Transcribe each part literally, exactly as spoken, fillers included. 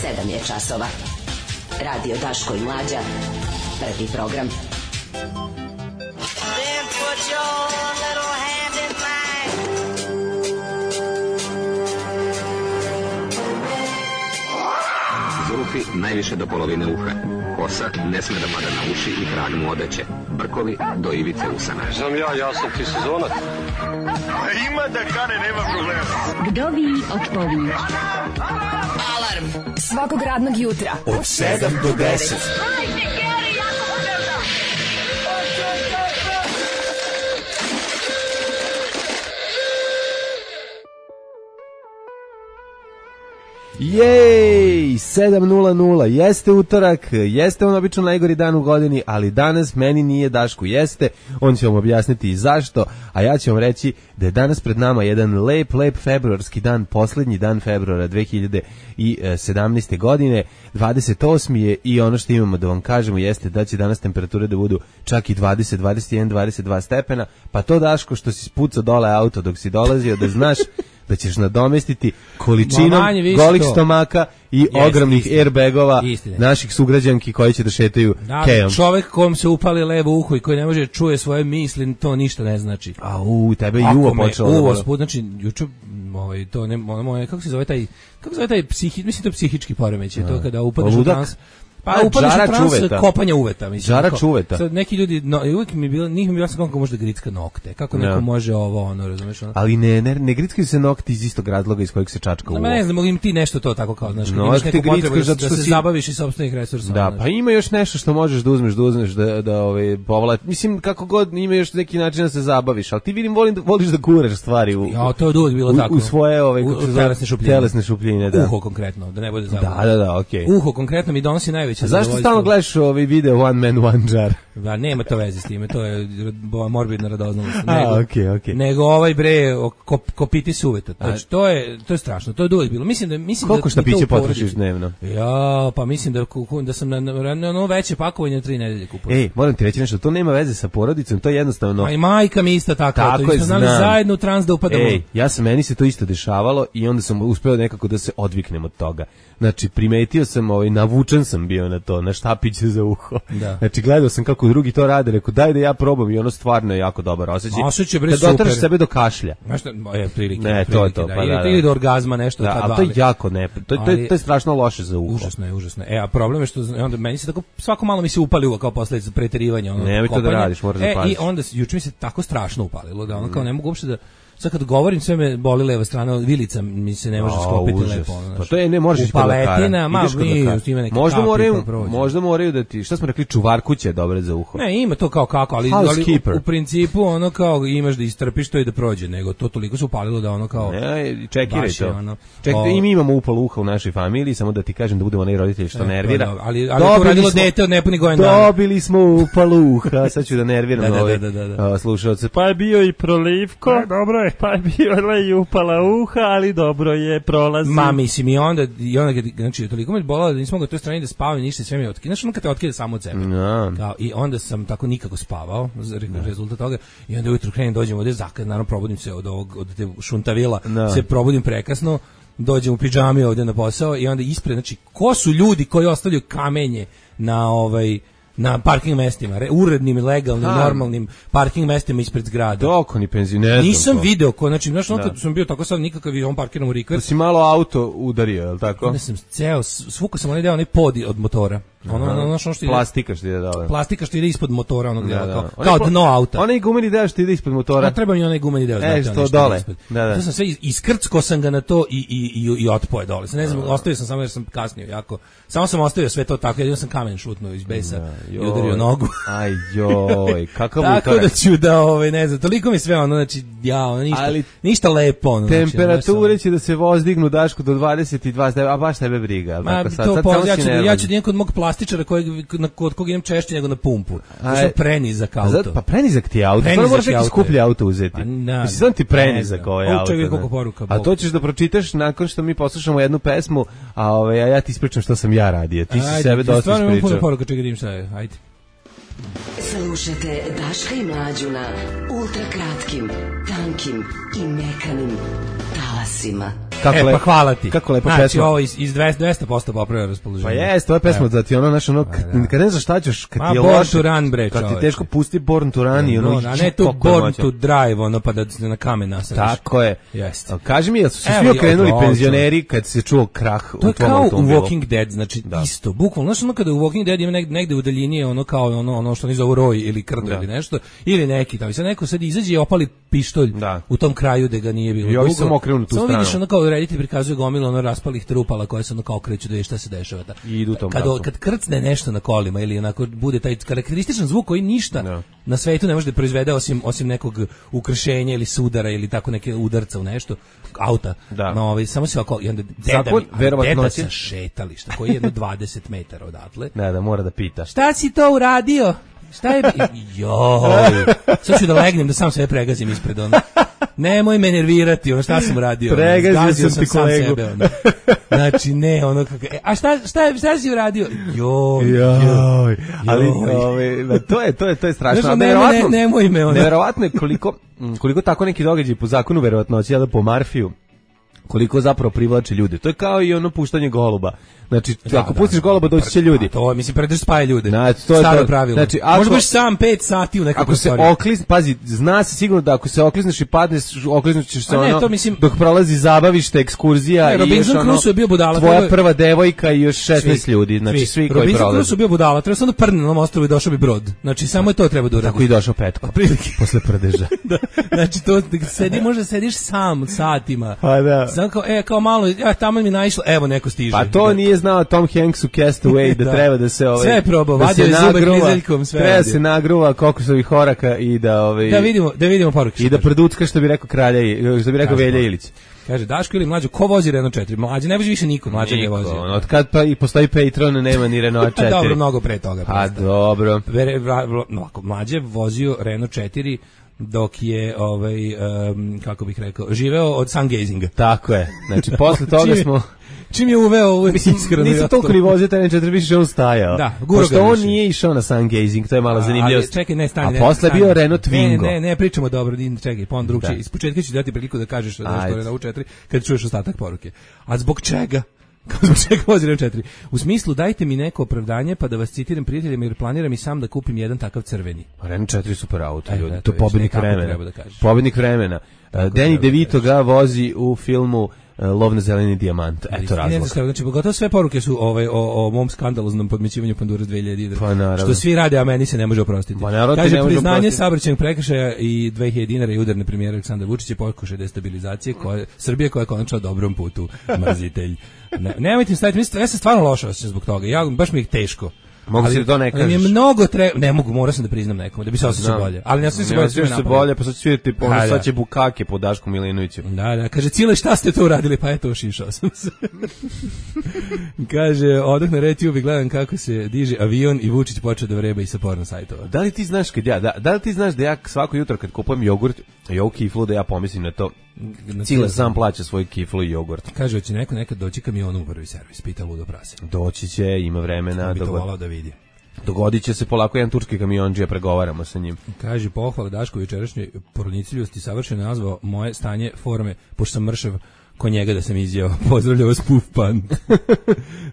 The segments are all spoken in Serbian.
sedam je časova. Radio Daško i Mlađa. Prvi program. Zulufi najviše do polovine uha. Kosa ne sme da pada na uši i krag mu odeće. Brkovi do ivice usana. Znam ja, ja sam ti sezonac. Ima da kane, nema problema. Vdovi od povi. Alarm svakog radnog jutra od sedam do deset. Jej, sedam nula nula, jeste utorak, jeste on obično najgori dan u godini, ali danas meni nije, Dašku jeste, on će vam objasniti i zašto, a ja ću vam reći da je danas pred nama jedan lep, lep februarski dan, posljednji dan februara dve hiljade sedamnaeste. godine, dvadeset osmi je i ono što imamo da vam kažemo jeste da će danas temperature da budu čak i dvadeset, dvadeset jedan, dvadeset dva stepena, pa to, Daško, što si spucao dole auto dok si dolazio, da znaš da ćeš nadomestiti količinom golih to. Stomaka i Jest, ogromnih istina. Airbagova Istine. Naših sugrađanki koji će da šetaju da, kejom. Čovek kom se upali levo uho i koji ne može čuje svoje misli, to ništa ne znači. A u tebe je uvo počelo. Uvo sput, znači juče ovaj to ne moje kako se zove taj kako se zove taj psihi, mislim to psihički poremećaj, to kada upadneš u trans. Pa upadneš u trans kopanja uveta, mislim. Žara čuveta. Sad neki ljudi, no, uvijek mi je bilo, njih mi je bilo sam kako može da gricka nokte. Kako neko no. može ovo, ono, razumeš? Ono. Ali ne, ne, ne grickaju se nokti iz istog razloga iz kojeg se čačka uvo. No, ne znam, mogu im ti nešto to tako kao, znaš, kad no, imaš neku potrebu da, da se si... zabaviš iz sopstvenih resursa. Da, znaš. Pa ima još nešto što možeš da uzmeš, da uzmeš, da, da ove, povla... Mislim, kako god, ima još neki način da se zabaviš, ali ti vidim, volim da, voliš da guraš stvari u, ja, to je uvijek bilo u, tako. U svoje, ove, u, u telesne šupljine. Telesne šupljine, da. Uho konkretno, da ne bude zabavno. Da, da, da, okej. Okay. Uho konkretno mi donosi najveće zadovoljstvo. Zašto stalno gledaš ovaj video One Man, One Jar? Da, nema to veze s time, to je morbidna radoznalost. Nego, A, okay, okay. nego ovaj bre, kop, kopiti suveta. Znači, to je, to je strašno, to je dugo bilo. Mislim da, mislim koliko da šta piće potrošiš dnevno? Ja, pa mislim da, da sam na, na, na ono veće pakovanje tri nedelje kupujem. Ej, moram ti reći nešto, to nema veze sa porodicom, to je jednostavno... Pa i majka mi isto tako, tako to je, znam. Zajedno u trans da upadamo. Ej, ja sam, meni se to isto dešavalo i onda sam uspeo nekako da se odviknem od toga. Znači, primetio sam, ovaj, navučen sam bio na to, na štapiće za uho. Da. Znači, gledao sam kako drugi to rade, rekao, daj da ja probam i ono stvarno je jako dobar osjećaj. Osjećaj, bre, kad super. dotraš sebe do kašlja. Znaš šta, je, prilike. Ne, prilike, to je to, da. pa da, da. Ili do orgazma nešto. Da, ali to je jako ne, to, to, je, to je strašno loše za uho. Užasno je, užasno je. E, a problem je što, onda meni se tako, svako malo mi se upali uvo kao posljedica preterivanja. Ono, nemoj to da radiš, moraš da paziš. E, i onda, juče mi se tako strašno upalilo, da ono kao ne mogu uopšte da, sad kad govorim sve me boli leva strana, vilica mi se ne može sklopiti lepo. Pa to je, ne možeš ići kod lekara. Ma, mi, možda moraju, možda moraju da ti, šta smo rekli, čuvarkuće je dobro za uho. Ne, ima to kao kako, ali, ali u, u principu ono kao imaš da istrpiš to i da prođe, nego to toliko se upalilo da ono kao... Ne, čekiraj to. Ono, čekaj, i mi imamo upalo uha u našoj familiji, samo da ti kažem da budemo onaj roditelji što e, nervira. Da, ali, ali to radilo dete od nepuni godin dana. Dobili smo upalo uha, sad ću da nerviram da, ove da, da, da, da. slušalce. Pa je bio i prolivko, dobro je, pa je bio i upala uha, ali dobro je, prolazi. Ma, mislim, i onda, i onda znači, toliko me bolalo da nisam mogao toj strani da spavam, ništa, sve mi je otkida. Znaš, ono kad te otkida samo od sebe. No. Kao, i onda sam tako nikako spavao, no. rezultat toga, i onda ujutro krenem, dođem ovdje, zakad, naravno, probudim se od ovog, od te šuntavila, no. se probudim prekasno, dođem u pidžami ovdje na posao i onda ispred, znači, ko su ljudi koji ostavljaju kamenje na ovaj... na parking mestima, re, urednim, legalnim, ha. normalnim parking mestima ispred zgrada. Dok oni penzioner. Nisam video ko, znači, znaš, ono kad sam bio tako sad nikakav on parkiram u rikver. Da si malo auto udario, je li tako? Onda sam ceo, svukao sam onaj deo, onaj pod od motora. Ono, ono, ono što ide, plastika što ide dole. Plastika što ide ispod motora, onog dela, da, da. kao, kao dno auta. Onaj gumeni deo što ide ispod motora. A treba mi onaj gumeni deo. E, što dole. Da, da. To sam sve, iskrcko sam ga na to i, i, i, i otpoje dole. Ne znam, ostavio sam samo jer sam kasnio jako. Samo sam ostavio sve to tako, jedino sam kamen šutnuo iz besa da, i udario nogu. Aj joj, kakav utorak. Tako da ću da, ovaj, ne znam, toliko mi sve ono, znači, ja, ono, ništa, ali ništa lepo. Ono, temperature znači, će da se vozdignu, Daško, do dvadeset dva, a baš tebe briga. Ma, tako, sad, to sad, po, ja, ću, ja ću da idem kod mog plastičara kojeg, na, kod kog idem češće nego na pumpu. To sam prenizak auto. Zato, pa prenizak ti je auto, stvarno moraš neki skuplji auto uzeti. Mislim, znam ti prenizak ovaj auto. Čekaj koliko poruka. A to ćeš da pročitaš nakon što mi poslušamo jednu pesmu, a, ovaj, a ja ti ispričam što sam ja radio. Ti si sebe dosta ispričao. Stvarno imam puno poruka, čekaj da im šta je, ajde. Slušajte Daška i Mlađu na ultrakratkim, tankim i mekanim talasima. Kako e, lepo, pa hvala ti. Kako lepa znači, pesma. ovo iz, iz dvesta posto popravlja raspoloženje. Pa jeste, ova pesma da ti ono, znaš, ono, kad, da. kad ne znaš šta ćeš, kad Ma, ti je Born loše, to Run, bre, kad ti čoveče. teško pusti Born to Run i ono, no, a ne tu Born to Drive, ono, pa da se na kamen nasadiš. Tako je. Jeste. A kaži mi, jel su se Evo, svi okrenuli evo, penzioneri kad se čuo krah u To je tvom kao u automobilu? Walking Dead, znači Da. isto, bukvalno, znaš ono kada u Walking Dead ima negde, negde u daljini je ono kao ono, ono što oni zovu roj ili krdo Da. ili nešto, ili neki tamo, i sad neko sad izađe i opali pištolj Da. u tom kraju gde ga nije bilo I ovi dugo. samo okrenu na tu Samo stranu. vidiš ono kao reditelj prikazuje gomilu ono raspalih trupala koje se ono kao kreću da vidi šta se dešava. Da. I idu tom kad, pravcu. kad krcne nešto na kolima ili onako bude taj karakterističan zvuk koji ništa Da. na svetu ne može da proizvede osim, osim nekog ukršenja ili sudara ili tako neke udarca u nešto, auta. Da. No, ovaj, samo se ovako, i onda deda, Zakon mi- verovatnoće. deda sa šetališta koji je jedno dvadeset metara odatle. Da, da, mora da pita. Šta si to uradio? Šta je... Joj, sad ću da legnem da sam sebe pregazim ispred ono. Nemoj me nervirati, ono šta sam uradio. ono, Pregazio zgazio sam ti sam kolegu. sebe, ono. Znači, ne, ono kako... E, a šta, šta, šta si uradio? Joj, Joj, ali Joj. ovaj, da, to je to je to je strašno. Znaš, A nemoj, neverovatno- ne, nemoj me, ono. Neverovatno je koliko koliko tako neki događaj po zakonu verovatnoće, ja da po Marfiju, koliko zapravo privlači ljude. To je kao i ono puštanje goluba. Znači, Da, ako da, pustiš goluba, doći će ljudi. A to, mislim, predrž spaje ljude. Znači, to je Staro to. pravilo. Znači, ako- Možda budeš sam pet sati u nekoj Ako se prostoriji. okliz, pazi, zna se sigurno da ako se oklizneš i padneš, okliznućeš se A ne, ono, to mislim- dok prolazi zabavište, ekskurzija Ne, i Robinson još ono, Crusoe je bio budala, tvoja prvo je- prva devojka i još šesnaest Svi, ljudi, znači svi, koji Robinson prolaze. Crusoe bio budala, treba samo da prdne na ovom ostrvu i došao bi brod. Znači, samo je to treba da uradi. Tako i došao Petko, Otprilike. posle prdeža. Da, znači to sedi, možda sediš sam satima. Pa da. Samo kao, e, kao malo, ja tamo mi naišlo, evo neko stiže. Pa to Da. nije znao Tom Hanks u Castaway da, Da. treba da se ovaj Sve je probao, da vadio se je zube nagruva, krizeljkom, sve treba radio. se nagruva kokosovih oraka i da ovaj Da vidimo, da vidimo poruke. i da producka što bi rekao kralja i što bi rekao Kaže, Velja pa. Ilić. Kaže Daško ili mlađo, ko vozi Renault četiri? Mlađe ne vozi više niko, mlađe ne Niko, vozi. ono, od kad pa i postoji Patreon nema ni Renault četiri. Dobro, mnogo pre toga. Pa prosto. dobro. Vere, vra, vra, ovako, mlađe vozio Renault četiri dok je, ovaj, um, kako bih rekao, živeo od sungazinga. Tako je. Znači posle toga Čim je- smo Čim je uveo ovu iskreno. nisam ja toliko to- ni vozio taj četiri, više on stajao. Da, guro Pošto ga on više. nije išao na sungazing, to je mala A, zanimljivost. ali čekaj, ne, stani. A ne, posle je stani. bio Renault Ne, Twingo. Ne, ne, pričamo dobro, din, čekaj, pa on drugčije. Da. Iz početka ću dati priliku da kažeš što Ajde. je Renault četiri kad čuješ ostatak poruke. A zbog čega? Kao zbog čega vozi Renault četiri? U smislu, dajte mi neko opravdanje pa da vas citiram prijateljima jer planiram i sam da kupim jedan takav crveni. Pa Renault četiri je super auto, E, ljudi. eto, To je vidiš, pobednik nekako vremena. treba da kažeš. Pobednik vremena. Uh, Danny treba da DeVito ga vozi u filmu uh, Lov na zeleni dijamant. Eto I ne znam razlog. šta, znači, gotovo sve poruke su ovaj, o, o mom skandaloznom podmićivanju pandura s dve hiljade. Pa naravno. Što svi rade, a meni se ne može oprostiti. Pa naravno ti Kaže, ne može priznanje oprostiti. saobraćajnog prekršaja i dve hiljade dinara i udarne premijera Aleksandra Vučića pokušaj destabilizacije koje, Srbije koja je konačno na dobrom putu, mrzitelj. Ne, nemojte mi staviti, mislim, ja sam stvarno loša osjećam zbog toga, ja, baš mi je teško. Mogu Ali- si da to ne ali mi je kažeš. mnogo treba, ne mogu, morao sam da priznam nekome, da bi se osjećao Znam. bolje. Ali ne osjećam se Ne bolje, osjećaš sve se me bolje, pa sad će svirati, ono, Da, da. sad će bukake po Dašku Milinoviću. Da, da, kaže, Cile, šta ste to uradili? Pa eto, ošišao sam se. Kaže, odah na RedTube i gledam kako se diže avion i Vučić počeo da vreba i sa porno sajtova. Da li ti znaš kad ja, da, da li ti znaš da ja svako jutro kad kupujem jogurt i ovu kiflu da ja pomislim na to, Na Cile sam plaća svoj kiflu i jogurt. Kaže, hoće neko nekad doći kamionom u prvi servis, pita ludo prase. Doći će, ima vremena, Bi to dogod, volao da vidi. dogodit će se polako jedan turski kamionđija, pregovaramo sa njim. Kaže, pohvala Daško jučerašnjoj porodniciljosti savršeno nazvao moje stanje forme, pošto sam mršav ko njega da sam izjeo. Pozdravljao vas Puf Pan.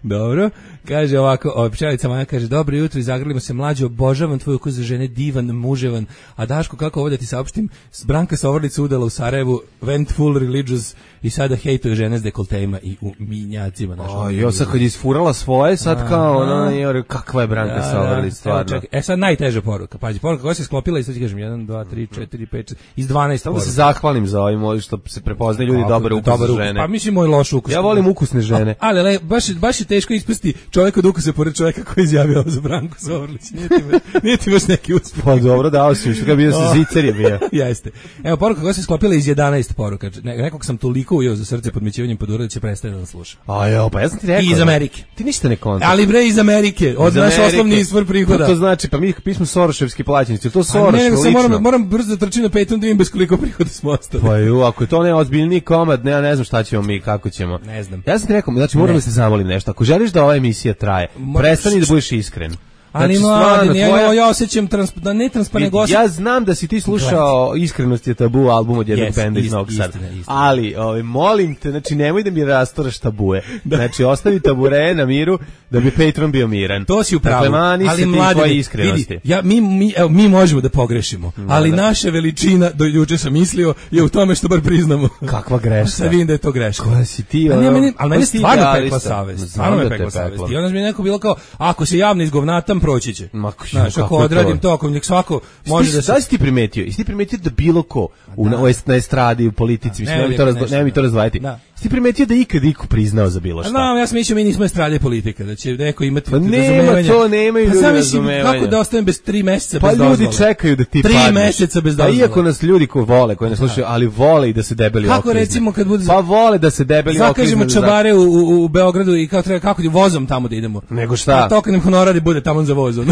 Dobro. Kaže ovako, o, pčelica Maja kaže, dobro jutro, izagrlimo se mlađe, obožavam tvoj ukus za žene, divan, muževan. A Daško, kako ovo da ti saopštim, Branka Sovorlica udala u Sarajevu, went full religious i sada hejtuje žene s dekoltejima i u minjacima. Naš, O, jo, sad kad je isfurala svoje, sad kao, ono, je, kakva je Branka Sovorlić, stvarno. Evo, čekaj, e sad najteža poruka. Pazi, poruka koja se sklopila i sad ti kažem jedan, dva, tri, četiri, pet, šest, iz dvanaest Samo da poruka. se zahvalim za ovim, ovim što se prepoznaju ljudi Kako, dobar ukus dobar za ukus. žene. Pa mislim moj loš ukus. Ja volim ukusne žene. A, ali le, baš, baš je teško ispasti čovjek od ukusa pored čovjeka koji je izjavio ovo za Branku Sovrlić. Nije ti, baš- nije ti baš neki uspjeh. Pa dobro, dao si, što ga bio sa zicer je bio. Jeste. Evo, poruka koja se sklopila iz jedanaest poruka. Ne, nekog sam toliko ujeo za srce podmićivanjem podura da će prestati da nas sluša. A jo, pa ja sam ti rekao. I iz Amerike. Ti ništa ne kontaš. Ali bre iz Amerike, od Iz naš Amerike. osnovni izvor prihoda. Pa to znači, pa mi, mi smo Soroševski plaćenici, to A Soroš, ne, nego sam lično. moram, moram brzo da trčim na Patreon da vidim bez koliko prihoda smo ostali. Pa ju, ako je to neozbiljniji komad, ne, ja ne znam šta ćemo mi, kako ćemo. Ne znam. Ja sam ti rekao, znači moram Ne. da se zamolim nešto. Ako želiš da ova emisija traje, Moraš- prestani da budeš iskren. Ali Znači, mladen, stvarno, ja, tvoja- ja osjećam trans, da ne transparentno Ja, ja znam da si ti slušao Iskrenost je tabu album od jednog Yes, benda iz ist- Novog Sada. istina, istina. Ali, ovaj, molim te, znači nemoj da mi rasturaš tabue. Znači ostavi tabure na miru da bi Patreon bio miran. To si u pravu. Dakle, mani se ti mladene, tvoje iskrenosti. vidi, ja, mi, mi, evo, mi možemo da pogrešimo, ali da. naša veličina, do juče sam mislio, je u tome što bar priznamo. Kakva greška. Sad vidim da je to greška. Koja si ti, Pa ono, nije meni, ali meni koja si ti stvarno idealista. pekla savest. Znam Stvarno me da te pekla pekla. savest. I onda mi je neko bilo kao, ako se javno izgovnatam, proći će. Ma, Znaš, kako ako je to? odradim to, ako nek svako može da se... Šta si ti primetio? Jesi ti primetio da bilo ko u, na, na estradi, u politici, mislim, ne, nema mi to, lijepo razgo, nešto, nema mi to da. razvajati. Da. Jesi ti primetio da je ikad iko priznao za bilo šta? Znam, ja sam mislio mi nismo estrade politika, da će neko imati Pa nema razumevanja. to, nemaju Pa ljudi zamislim razumevanja. kako da ostanem bez tri meseca Pa bez ljudi dozvole. čekaju da ti Tri padneš. meseca bez Pa dozvole. iako nas ljudi koji vole, koji ne slušaju, ali vole i da se debeli Kako okrizne. recimo kad bude- Pa vole da se debeli Zakažemo okrizne. čabare u, u, u Beogradu i kao treba kako ti vozom tamo da idemo. Nego šta? A to kad nam honorari bude tamo za vozom.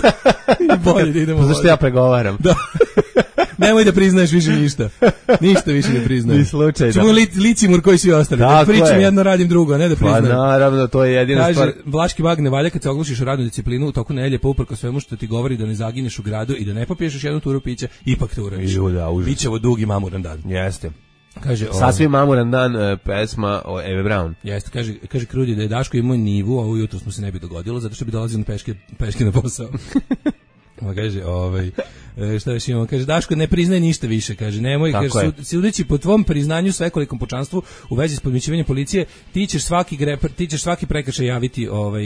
I bolje da idemo. Pa zašto vozom. ja pregovaram? Da. Nemoj da priznaješ više ništa. Ništa više ne priznaješ. Ni slučajno. Čemo li, licimur koji svi ostali. Da Tako pričam je. jedno, radim drugo, a ne da Pa priznajem. naravno, to je jedina Kaže, stvar. Vlaški mag ne valja kad se oglušiš u radnu disciplinu u toku nedelje, pa uprko svemu što ti govori da ne zagineš u gradu i da ne popiješ još jednu turu pića, ipak to uradiš. Ju, da, užas. Biće ovo dugi mamuran dan. Jeste. Kaže, o, Sasvim mamuran dan, e, pesma o Eve Brown. jeste, kaže, kaže Krudi da je Daško imao nivu, a ovo jutro smo se ne bi dogodilo, zato što bi dolazio na peške, peške na posao. Ma kaže, ovaj, e, šta još imamo, kaže, Daško ne priznaje ništa više, kaže, nemoj, Tako kaže, je. sud- sudeći po tvom priznanju svekolikom pučanstvu u vezi s podmićivanjem policije, ti ćeš svaki gre, ti ćeš svaki prekršaj javiti, ovaj,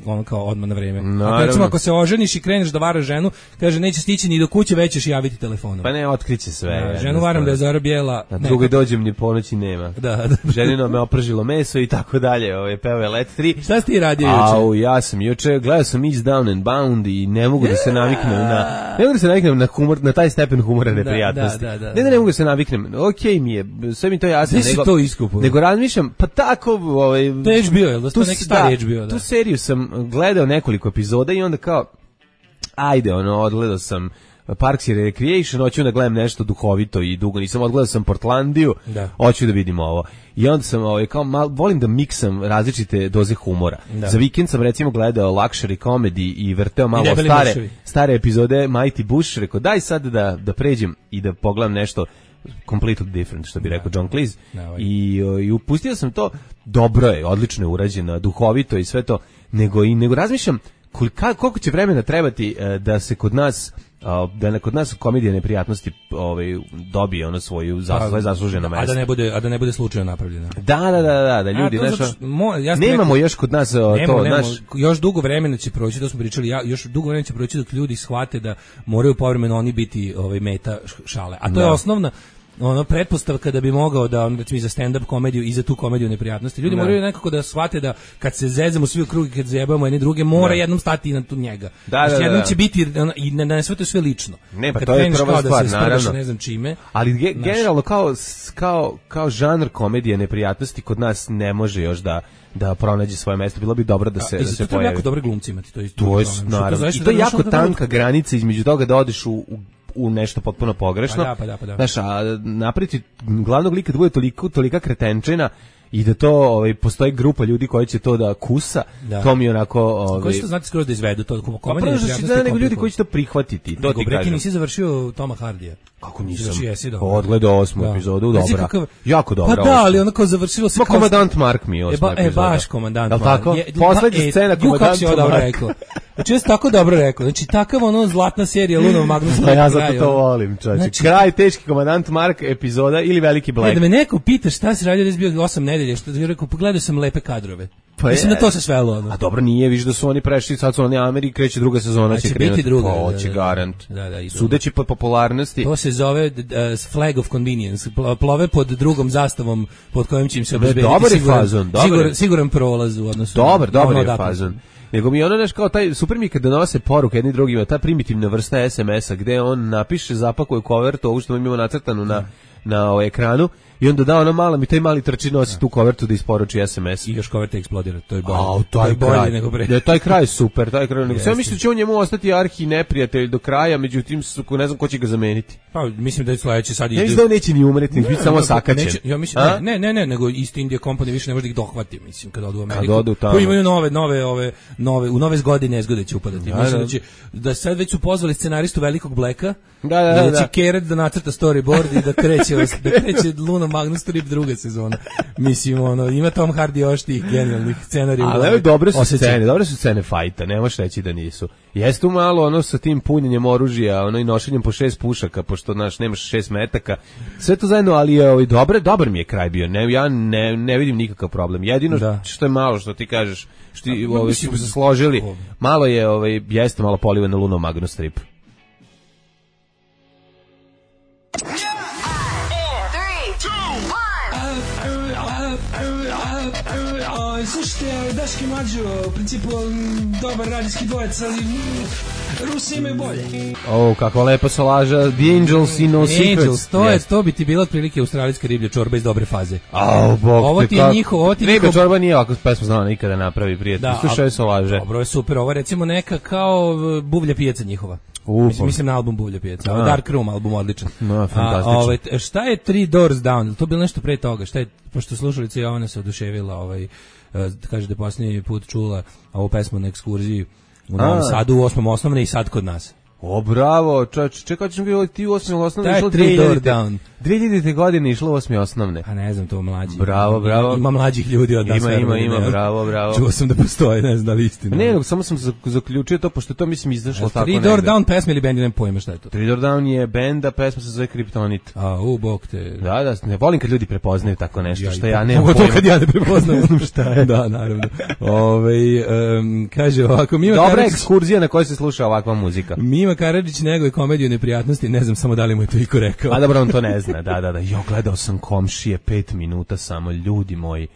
ono kao odmah na vreme. Ako, Naravno. recimo, ako se oženiš i kreneš da varaš ženu, kaže, neće stići ni do kuće, već ćeš javiti telefonom. Pa ne, otkriće sve. Da, ženu varam da je Zara bijela. Na ne, drugoj dođem ni ponoći nema. Da, da. Ženino me opržilo meso i tako dalje. Ovo je peo je Let tri. Šta si ti radio juče? Au, ja sam juče, gledao sam East Down and Bound i ne mogu da se naviknem na ne mogu da se naviknem na humor, na taj stepen humora neprijatnosti. da, da, da, ne da ne mogu da se naviknem. Okej mi je, sve mi to jasno, Gde si nego to iskupao? nego razmišljam, pa tako, ovaj To je H B O, jel da? To tu neki s- stari H B O, da. Tu seriju sam gledao nekoliko epizoda i onda kao ajde, ono, odgledao sam Parks and Recreation, hoću da gledam nešto duhovito i dugo, nisam odgledao sam Portlandiju, Da. hoću da vidim ovo. I onda sam, ovaj, kao, mal, volim da miksam različite doze humora. Da. Za vikend sam recimo gledao Luxury Comedy i vrteo malo debeli stare, muševi. stare epizode Mighty Bush, rekao daj sad da, da pređem i da pogledam nešto completely different, što bi rekao John Cleese. Da, ovaj. I, o, I upustio sam to, dobro je, odlično je urađeno, duhovito i sve to, nego, i, nego razmišljam kolika, koliko će vremena trebati e, da se kod nas a, da ne kod nas komedija neprijatnosti ovaj dobije ono svoju za, svoje zasluženo a mesto. da ne bude a da ne bude slučajno napravljena. Da, da, da, da, da ljudi A, to znaš, zato što- mo- ja sam nemamo rekao- još kod nas o, Nemo, to, nemo, znaš, još dugo vremena će proći, to smo pričali, ja, još dugo vremena će proći dok ljudi shvate da moraju povremeno oni biti ovaj meta š- šale. A to Da. je osnovna ono pretpostavka da bi mogao da on recimo i za stand up komediju i za tu komediju neprijatnosti. Ljudi Da. moraju nekako da shvate da kad se zezamo svi u krug i kad zajebamo jedni druge, mora Da. jednom stati i na tu njega. Da, Znači, da, jednom da. će biti ono, i na, na sve to sve lično. Ne, pa Kad to je kreneš prva kao stvar, da se sprdaš naravno. ne znam čime. ali ge- Znaš. generalno kao s- kao kao žanr komedije neprijatnosti kod nas ne može još da da pronađe svoje mesto. Bilo bi dobro da se I da za se to treba pojavi. jako dobre glumci imati, to je isto To je problem. Što naravno. zaista I to je da, jako znaš, onda tanka granica između toga da odeš u, u u nešto potpuno pogrešno. Pa da, pa da, pa da. Znaš, a napriti glavnog lika da bude toliko, tolika kretenčina i da to ovaj, postoji grupa ljudi koji će to da kusa, Da. to mi je onako... Ovaj, Koji će to znati skroz da izvedu to pa komedija prvo što će neprijatnosti da nego ljudi komplikovano. koji će to prihvatiti, to Nego, ti Breki, kažem. nisi završio Toma Hardija. Kako nisam? Završio jesi, dobro. Odgledao osmu Da. epizodu, Reci dobra. kakav- Jako dobra. Pa da, osma. ali ono kao završilo se Ma kao... komandant Mark mi je E, osma ba, e, epizoda. baš komandant Jel Mark. tako? Je- Poslednja e, scena ju, kako si ovo komandanta dobro Marka. rekao. Znači, ja sam tako dobro rekao. Znači, takav ono zlatna serija Luno Magnus. Pa ja kraj, zato to ono. volim, čovječe. Znači- Kraj, teški komandant Mark epizoda ili veliki E, Black. da me neko pita šta si radio da si bio osam nedelja, što je rekao, pogledao sam lepe kadrove. Pa Mislim je. da to se svelo. Ono. A dobro nije, viš da su oni prešli, sad su oni Amerika, kreće druga sezona, A će će krenuti. biti druga, Pa, da, hoće da, da. garant. Da, da, idu. Sudeći po popularnosti. To se zove uh, flag of convenience. Pl- Plove pod drugom zastavom pod kojim će im se Dobar obezbediti je siguran, fazon, dobar je. siguran, siguran prolaz u odnosu. Dobar, na dobar ono je odatle. fazon. Nego mi ono nešto kao taj, super mi je kad donose poruke jedni drugima, ta primitivna vrsta es em es-a gde on napiše, zapakuje kovertu, ovo što imamo nacrtanu na, na o, ekranu i onda da ona mala mi taj mali trči nosi tu kovertu da isporuči es em es. I još koverta eksplodira, to je bolje. A, to je bolje kraj, nego pre. Da, taj kraj je super, taj kraj. Nego, sve mislim da će on njemu ostati arhi neprijatelj do kraja, međutim, ne znam ko će ga zameniti. Pa, mislim da je sledeće sad... Ja mislim da on neće ni umreti, biti samo sakaćen. Neće, ja mislim, ne, ne, ne, ne, nego East India Company više ne može da ih dohvati, mislim, kada odu u Ameriku. Kad odu tamo. Koji imaju nove, nove, ove, nove, u nove godine nezgode će upadati. Da, mislim da će, da sad već su pozvali scenaristu Velikog Blacka, da, da, da, da će Keret da nacrta storyboard i da kreće, da kreće Luna Magnus Trip druga sezona. Mislim, ono, ima Tom Hardy još tih genijalnih scenarija. Ali evo, dobre su scene, dobre su scene fajta, ne možeš reći da nisu. Jeste tu malo ono sa tim punjenjem oružja, ono i nošenjem po šest pušaka, pošto naš nemaš šest metaka. Sve to zajedno, ali je ovaj dobar, dobar mi je kraj bio. Ne, ja ne, ne vidim nikakav problem. Jedino da. što je malo što ti kažeš, što ti da, ovaj su se složili, malo je ovaj jeste malo polivan na Luno Magnus Strip. Slušajte, Daški Mlađo, u principu dobar radijski dvojec, ali Rusi imaju bolje. O, kakva lepa salaža, The Angels i No Secrets. Angels, to, je, to bi ti bila otprilike australijska riblja čorba iz dobre faze. Au, bog ovo ti je njihov, ovo ti riblja njihov... čorba nije ovako pesma znala nikada napravi, prijatelj. Da, slušaj salaže. Dobro, je super, ovo je recimo neka kao buvlja pijaca njihova. Mislim, mislim na album Buvlja pijaca. A. Dark Room album odličan. No, fantastično. A, ovaj, šta je Three Doors Down? To je bilo nešto pre toga. Šta je, pošto slušalica Jovana se oduševila, ovaj, da kaže da je posljednji put čula ovu pesmu na ekskurziji u Novom Sadu u osmom osnovne i sad kod nas. O, bravo, čovječ, čekaj, ćemo bilo ti u osmom osnovne išlo Three Door Down. dve hiljadite godine išlo u osmi osnovne. A ne znam, to mlađi. Bravo, bravo. Ima mlađih ljudi od nas. Ima, ima, ima, ne, bravo, bravo. Čuo sam da postoje, ne znam da li istina. Ne, no, samo sam zaključio to, pošto to mislim izašlo tako negde. Three Door Down pesma ili band, ne pojma šta je to. Three Door Down je band, a pesma se zove Kryptonit. A, u, bog te. Da, da, ne volim kad ljudi prepoznaju tako nešto, ja, što ja ne mogu to kad ja ne prepoznam, znam šta je. Da, naravno. Ove, um, kaže ovako, Mima Dobra Karadžić, ekskurzija na kojoj se sluša ovakva muzika. Mima Karadžić neguje komediju neprijatnosti, ne znam samo da li mu je to iko rekao. A dobro, on to ne zna, da, da, da. Jo, gledao sam Komšije pet minuta samo, ljudi moji.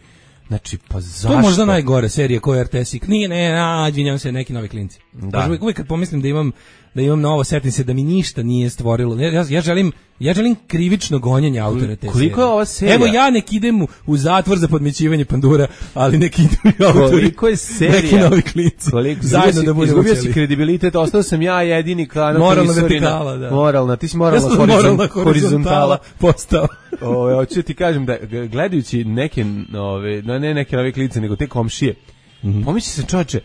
Znači, pa zašto? To je možda najgore serija koja je R T S. Nije, ne, a, izvinjavam se, neki novi klinci. Da. Uvijek, uvijek kad pomislim da imam da imam novo, setim se da mi ništa nije stvorilo. Ja, ja želim ja želim krivično gonjenje autora te Koliko je ova serija? Evo ja nek idem u, u zatvor za podmićivanje pandura, ali nek idu i autori. Koliko je serija? Neki novi klinci. Koliko, zajedno da budemo izgubio si kredibilitet, ostao sam ja jedini kanal. Moralna vertikala, da. Moralna, ti si moralna, ja horizon, moralna horizontala postao. Ove, hoću ti kažem da gledajući neke nove, ne neke nove klince, nego te Komšije, mm-hmm. pomisli se čoveče,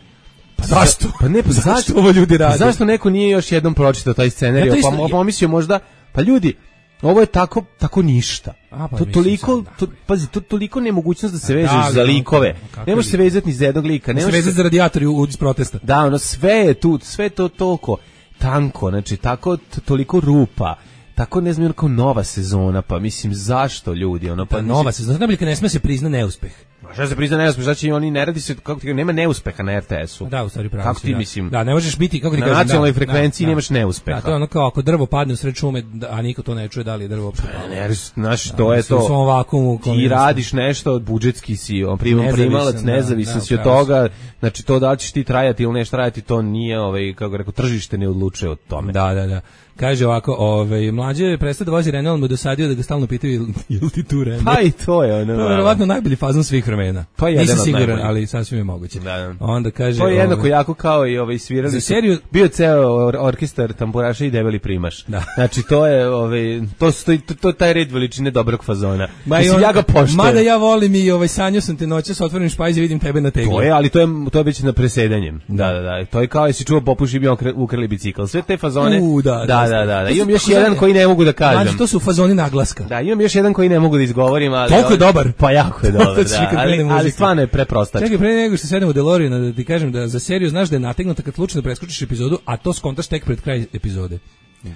pa zašto? Pa ne, pa zašto, zašto ovo ljudi rade? Zašto neko nije još jednom pročitao taj scenarij? Pa pomislio možda, pa ljudi, ovo je tako tako ništa. A, pa to toliko, to, pazi, to toliko nemogućnost da se vežeš da, za likove. Ne možeš se vezati ni za jednog lika, ne možeš se vezati za radijatori u iz protesta. Da, ono sve je tu, sve to toliko tanko, znači tako toliko rupa. Tako ne znam, kao nova sezona, pa mislim zašto ljudi, ono pa da, nova sezona, znači kad ne sme se prizna neuspeh. Šta se prizna neuspeh, znači oni ne radi se, kako ti nema neuspeha na R T S-u. Da, u stvari pravo. Kako ti da. mislim? Da, ne možeš biti, kako ti kažem, na nacionalnoj da, frekvenciji da, nemaš neuspeha. Da, to je ono kao ako drvo padne u sred šume, a niko to ne čuje, da li je drvo uopšte palo. Ne, znaš, to je to. U svom vakuumu. Ti radiš nešto, budžetski si, on primam primalac, nezavisan si od toga, znači to da ćeš ti trajati ili neš trajati, to nije, ovaj, kako rekao, tržište ne odlučuje od tome. Da, da, da. Kaže ovako, ovaj mlađe prestao da vozi Renault, mu dosadio da ga stalno pitaju jel ti tu Renault. Pa i to je ono. To je verovatno najbolji fazon svih vremena. Pa nisam siguran, ali sasvim je moguće. Da, da. Onda kaže to je jednako ovaj, jako kao i ovaj svirali. Za seriju bio ceo or, orkestar tamburaša i debeli primaš. Da. Znači to je ovaj to stoji to, to taj red veličine dobrog fazona. Ma Mislim, ja ga poštujem. Mada ja volim i ovaj sanjao sam te noće sa otvorenim špajzom, vidim tebe na tegli. To je, ali to je to je već na presedanjem. Da, da, da. To je kao jesi čuo popuši bio ukrali bicikl. Sve te fazone. U, da, da, da, da, da. Imam još jedan koji ne mogu da kažem. Znači to su fazoni naglaska. Da, imam još jedan koji ne mogu da izgovorim, ali toliko je dobar. Pa jako je dobar, da. Ali, ali stvarno je preprostački. Čekaj, pre nego što sedemo u DeLoreana da ti kažem da za seriju znaš da je nategnuta kad slučajno preskočiš epizodu, a to skontaš tek pred kraj epizode.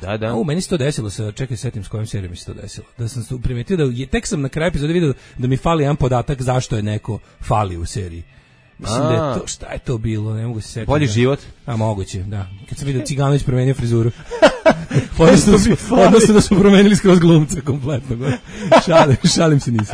Da, da. A u meni se to desilo, sa čekaj, setim s kojom serijom mi se to desilo. Da sam primetio da je, tek sam na kraju epizode video da mi fali jedan podatak zašto je neko fali u seriji. Mislim a. da je to, šta je to bilo, ne mogu se setiti. Bolji život? A moguće, da. Kad sam vidio Ciganović promenio frizuru. Odnosno da su, odnosno da su promenili skroz glumca kompletno. Šalim, šalim se nisi.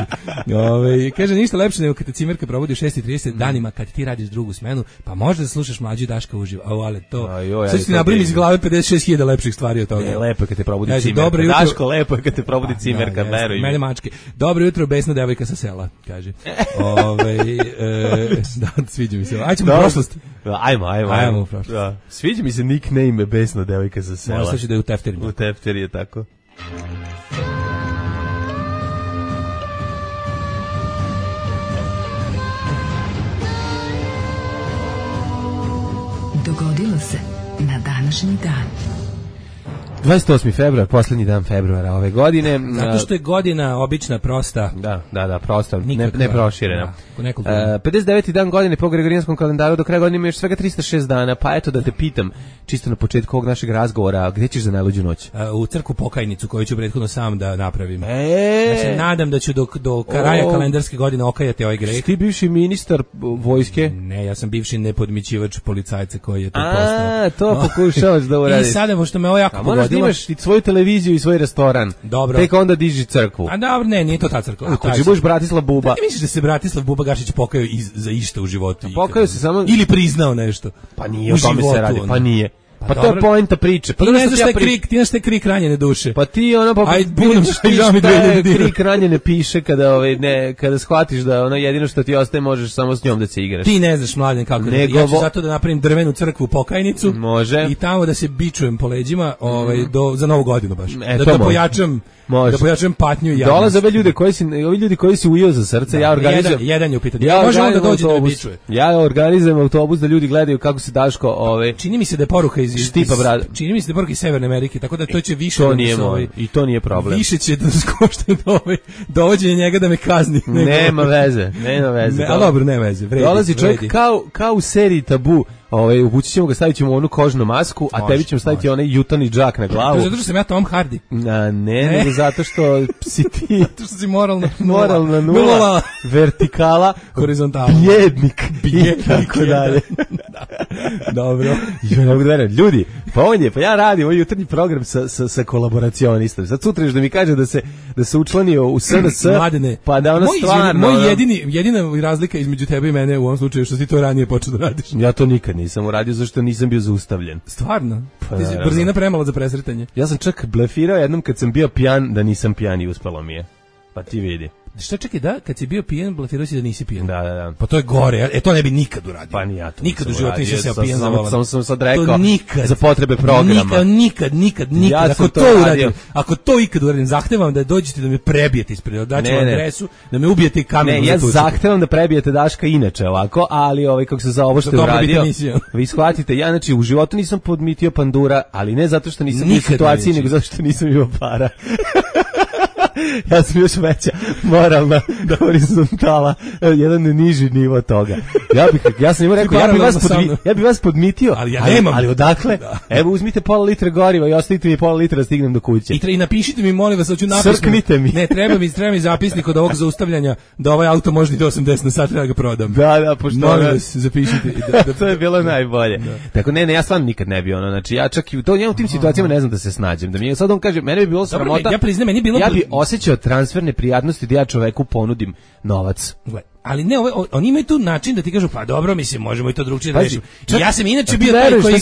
Ove, kaže, ništa lepše nego kad te cimerka probudi u šest i trideset danima kad ti radiš drugu smenu, pa možda slušaš Mlađu i Daška uživo. O, ali to... Sad ti nabrim iz glave pedeset šest hiljada lepših stvari od toga. Ne, lepo je kad te probudi kaže, cimerka. Dobro jutro. Daško, lepo je kad te probudi cimerka, veruj. Mene mačke. Dobro jutro, besna devojka sa sela, kaže. Ove, e, da, sviđa mi se. Ajde ćemo u prošlost. Ajmo, ajmo. Ajmo u prošlost. Da. Sviđa mi se nickname besna devojka sa sela. Možda će da je u tefterima. U tefteri je tako. Dogodilo se na današnji dan. dvadeset osmi februar, poslednji dan februara ove godine. Zato što je godina obična, prosta. Da, da, da, prosta, Nikakva, ne, ne proširena. Da, uh, pedeset deveti dan godine po gregorijanskom kalendaru, do kraja godine ima još svega trista šest dana, pa eto da te pitam, čisto na početku ovog našeg razgovora, gde ćeš za najluđu noć? Uh, u crkvu Pokajnicu, koju ću prethodno sam da napravim. E, ja se nadam da ću do, do kraja o, kalendarske godine okajati ovaj greh. Ti bivši ministar vojske? Ne, ja sam bivši nepodmićivač policajca koji je to A, postao. A, to pokušavaš da uradiš. I sada, pošto me ovo jako pogodilo... Moraš da imaš i svoju televiziju i svoj restoran. Dobro. Tek onda diži crkvu. A dobro, ne, nije to ta crkva. Ako ti budeš Bratislav Buba. Da ti misliš da se Bratislav Buba Gašić pokajao iz, za išta u životu? Pokajao se samo... Ili priznao nešto? Pa nije, o tome se radi, pa nije. Pa, pa to je poenta priče. Pa ti ne znaš šta je krik, ti znaš šta je krik ranjene duše. Pa ti ono, pa aj budem šta je krik ranjene piše kada, ovaj, ne, kada shvatiš da ono jedino što ti ostaje možeš samo s njom da se igraš. Ti ne znaš, Mladen, kako da... Ja ću zato da napravim drvenu crkvu Pokajnicu. Može. I tamo da se bičujem po leđima ovaj, do, za novu godinu baš. E, da, da pojačam... Može. Da pojačam patnju i javnost. Dolaze ove ljude koji si, ovi ljudi koji si ujeo za srce, da, ja organizujem. Jedan, jedan je u pitanju. Ja može on da dođe da me bičuje. Ja organizujem autobus da ljudi gledaju kako se Daško, ove. Čini mi se da je poruka iz Štipa brada. Čini mi se da je poruka iz Severne Amerike, tako da to će više to da nije moj, ovaj, i to nije problem. Više će da skošta do ovaj dovođenje njega da me kazni. Nema veze, nema veze. Ne, a dobro, nema veze. Vredi, dolazi čovjek vredi. kao kao u seriji Tabu. Ovaj uvući ćemo ga, stavit ćemo onu kožnu masku, a može, tebi ćemo staviti može. Onaj jutani džak na glavu. To zato što sam ja Tom Hardy. A, ne, ne, nego zato što si ti... zato što si moralna nula. Moralna nula, nula. Vertikala, horizontala. Bjednik. Bjednik. Tako dalje. Da. Dobro. Jo, ne mogu da verujem. Ljudi, pa on je, pa ja radim ovaj jutarnji program sa, sa, sa kolaboracionistom. Sad sutra još da mi kaže da se, da se učlanio u S N S, Mladene, pa da ono moj, stvarno... Moj jedini, jedina razlika između tebe i mene u ovom slučaju što si to ranije počeo da radiš. Ja to nikad nisam uradio zašto nisam bio zaustavljen. Stvarno? Pa, ti si brzina premala za presretanje. Ja sam čak blefirao jednom kad sam bio pijan da nisam pijan i uspelo mi je. Pa ti vidi. Šta čekaj, da, kad si bio pijan, blefirao si da nisi pijan. Da, da, da. Pa to je gore, e to ne bi nikad uradio. Pa ni ja to. Nikad u životu nisam se pijan za volan. Samo sam sad rekao to nikad, za potrebe programa. Nikad, nikad, nikad, nikad. Ja ako to, to uradim, ako to ikad uradim, zahtevam da dođete da me prebijete ispred, daću vam adresu, da me ubijete i kamenom. Ne, ja zahtevam da prebijete Daška inače ovako, ali ovaj kako se za ovo što je uradio. Vi shvatite, ja znači u životu nisam podmitio pandura, ali ne zato što nisam u situaciji, nego zato što nisam imao para. Ja sam još veća moralna da horizontala, jedan niži nivo toga. Ja bih ja sam im rekao ja bih vas podmi, ja bih vas podmitio, ali ja nemam. Ali, ali odakle? Da. Evo uzmite pola litre goriva i ostavite mi pola litra da stignem do kuće. I, tre, i napišite mi molim vas, hoću napisati. Srknite mi. Ne, treba mi, treba mi zapisnik od ovog zaustavljanja da ovaj auto može do osamdeset na sat da ga prodam. Da, da, pošto molim vas, zapišite. Da, da, to je bilo najbolje. Da. Tako ne, ne, ja stvarno nikad ne bi ono, znači ja čak i u to ja u tim situacijama ne znam da se snađem. Da mi sad on kaže, mene bi bilo sramota. Ja priznam, meni bilo ja bi osjećao transferne prijatnosti da ja čoveku ponudim novac. Gle, ali ne, ove, oni imaju tu način da ti kažu, pa dobro, mislim, možemo i to drugčije da rešimo. Ja sam inače bio taj koji,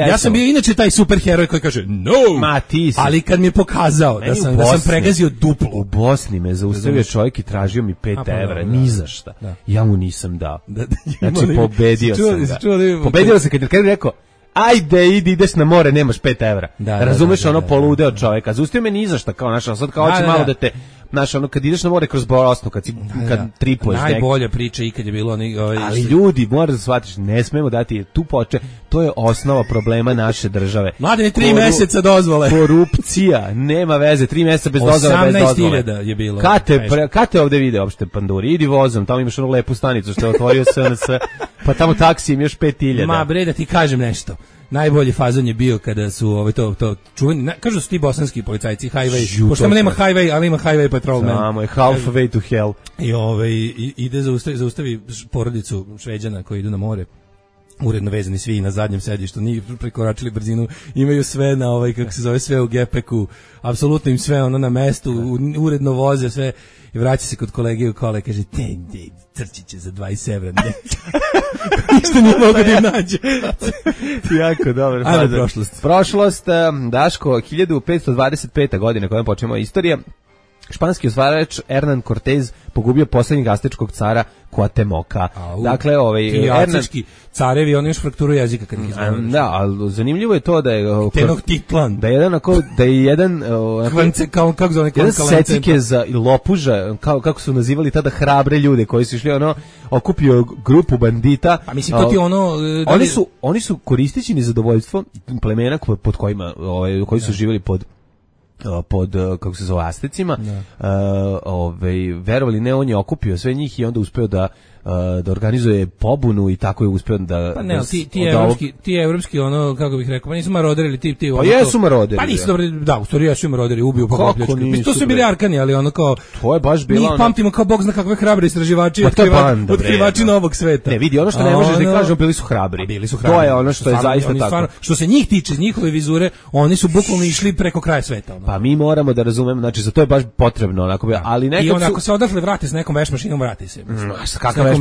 ja sam bio inače taj superheroj koji kaže, no, ma ti si. Ali kad mi je pokazao da sam, da sam pregazio duplo. U Bosni me zaustavio čovjek i tražio mi pet evra, ni za šta. Da. Ja mu nisam dao. Da, da, znači, pobedio sam ga. Pobedio sam kad je rekao, ajde, idi, ideš na more, nemaš pet evra. Da, razumeš, da, da, ono da, poludeo čoveka. Zaustavio me ni za šta, kao naša, sad kao hoće da, malo da te... Znaš, ono, kad ideš na more kroz Bosnu, kad, si, da, kad tripuješ nek... Najbolja priča ikad je bilo... Oni, ovaj, ali što... ljudi, moraš da shvatiš, ne smemo dati tu poče, to je osnova problema naše države. Mladene, tri Koru... meseca dozvole. Korupcija, nema veze, tri meseca bez dozvole, bez dozvole. osamnaest hiljada je bilo. Kate, pre, kate ovde vide uopšte panduri, idi vozom, tamo imaš onu lepu stanicu što je otvorio S N S, pa tamo taksi im još pet hiljada. Ma bre, da ti kažem nešto. Najbolji fazon je bio kada su ovaj to to čuveni, na, kažu su ti bosanski policajci highway, pošto nema highway, ali ima highway patrolman. Samo je halfway to hell. I ovaj ide zaustavi, zaustavi porodicu Šveđana koji idu na more. uredno vezani svi na zadnjem sedištu, nije prekoračili brzinu, imaju sve na ovaj, kako se zove, sve u gepeku, apsolutno im sve ono na mestu, uredno voze sve i vraća se kod kolege u kola i kaže, te, te, crčiće će za dvadeset evra. Ništa nije mogo da im nađe. Jako dobro. Ajmo prošlost. Prošlost, Daško, hiljadu petsto dvadeset peta godina kojom počnemo istorija. Španski osvajač Hernan Cortez pogubio posljednjeg aztečkog cara Cuauhtemoca. Dakle, ovaj ti aztečki carevi, oni još frakturu jezika kad ih izgovoreš. Da, ali zanimljivo je to da je Tenochtitlan. Da je jedan ako da je jedan Kvance, kao kako zove jedan secike za lopuža, kao kako su nazivali tada hrabre ljude koji su išli ono okupio grupu bandita. Pa mislim to ti ono da oni su oni su koristeći nezadovoljstvo plemena pod kojima ovaj koji su živjeli pod pod, kako se zove, Astecima, uh, ovaj, verovali ne, on je okupio sve njih i onda uspeo da da organizuje pobunu i tako je uspeo da pa ne, ti ti evropski ti evropski ono kako bih rekao, pa nisu maroderi ili ti ti ono. Pa jesu maroderi. Pa nisu dobri, da, u stvari jesu maroderi, ubiju po pljački. Mi to su bili Arkani, ali ono kao to je baš bilo. Mi pamtimo kao bog zna kakve hrabre istraživači, otkrivači, otkrivači novog sveta. Ne, vidi, ono što ne možeš da kažeš, bili su hrabri. Bili su hrabri. To je ono što je zaista tako. Što se njih tiče, njihove vizure, oni su bukvalno išli preko kraja sveta. Pa mi moramo da razumemo, znači za to je baš potrebno onako, ali nekako. I onda ako se odatle vrati s nekom vešmašinom, vrati se. Kakva vešmašina?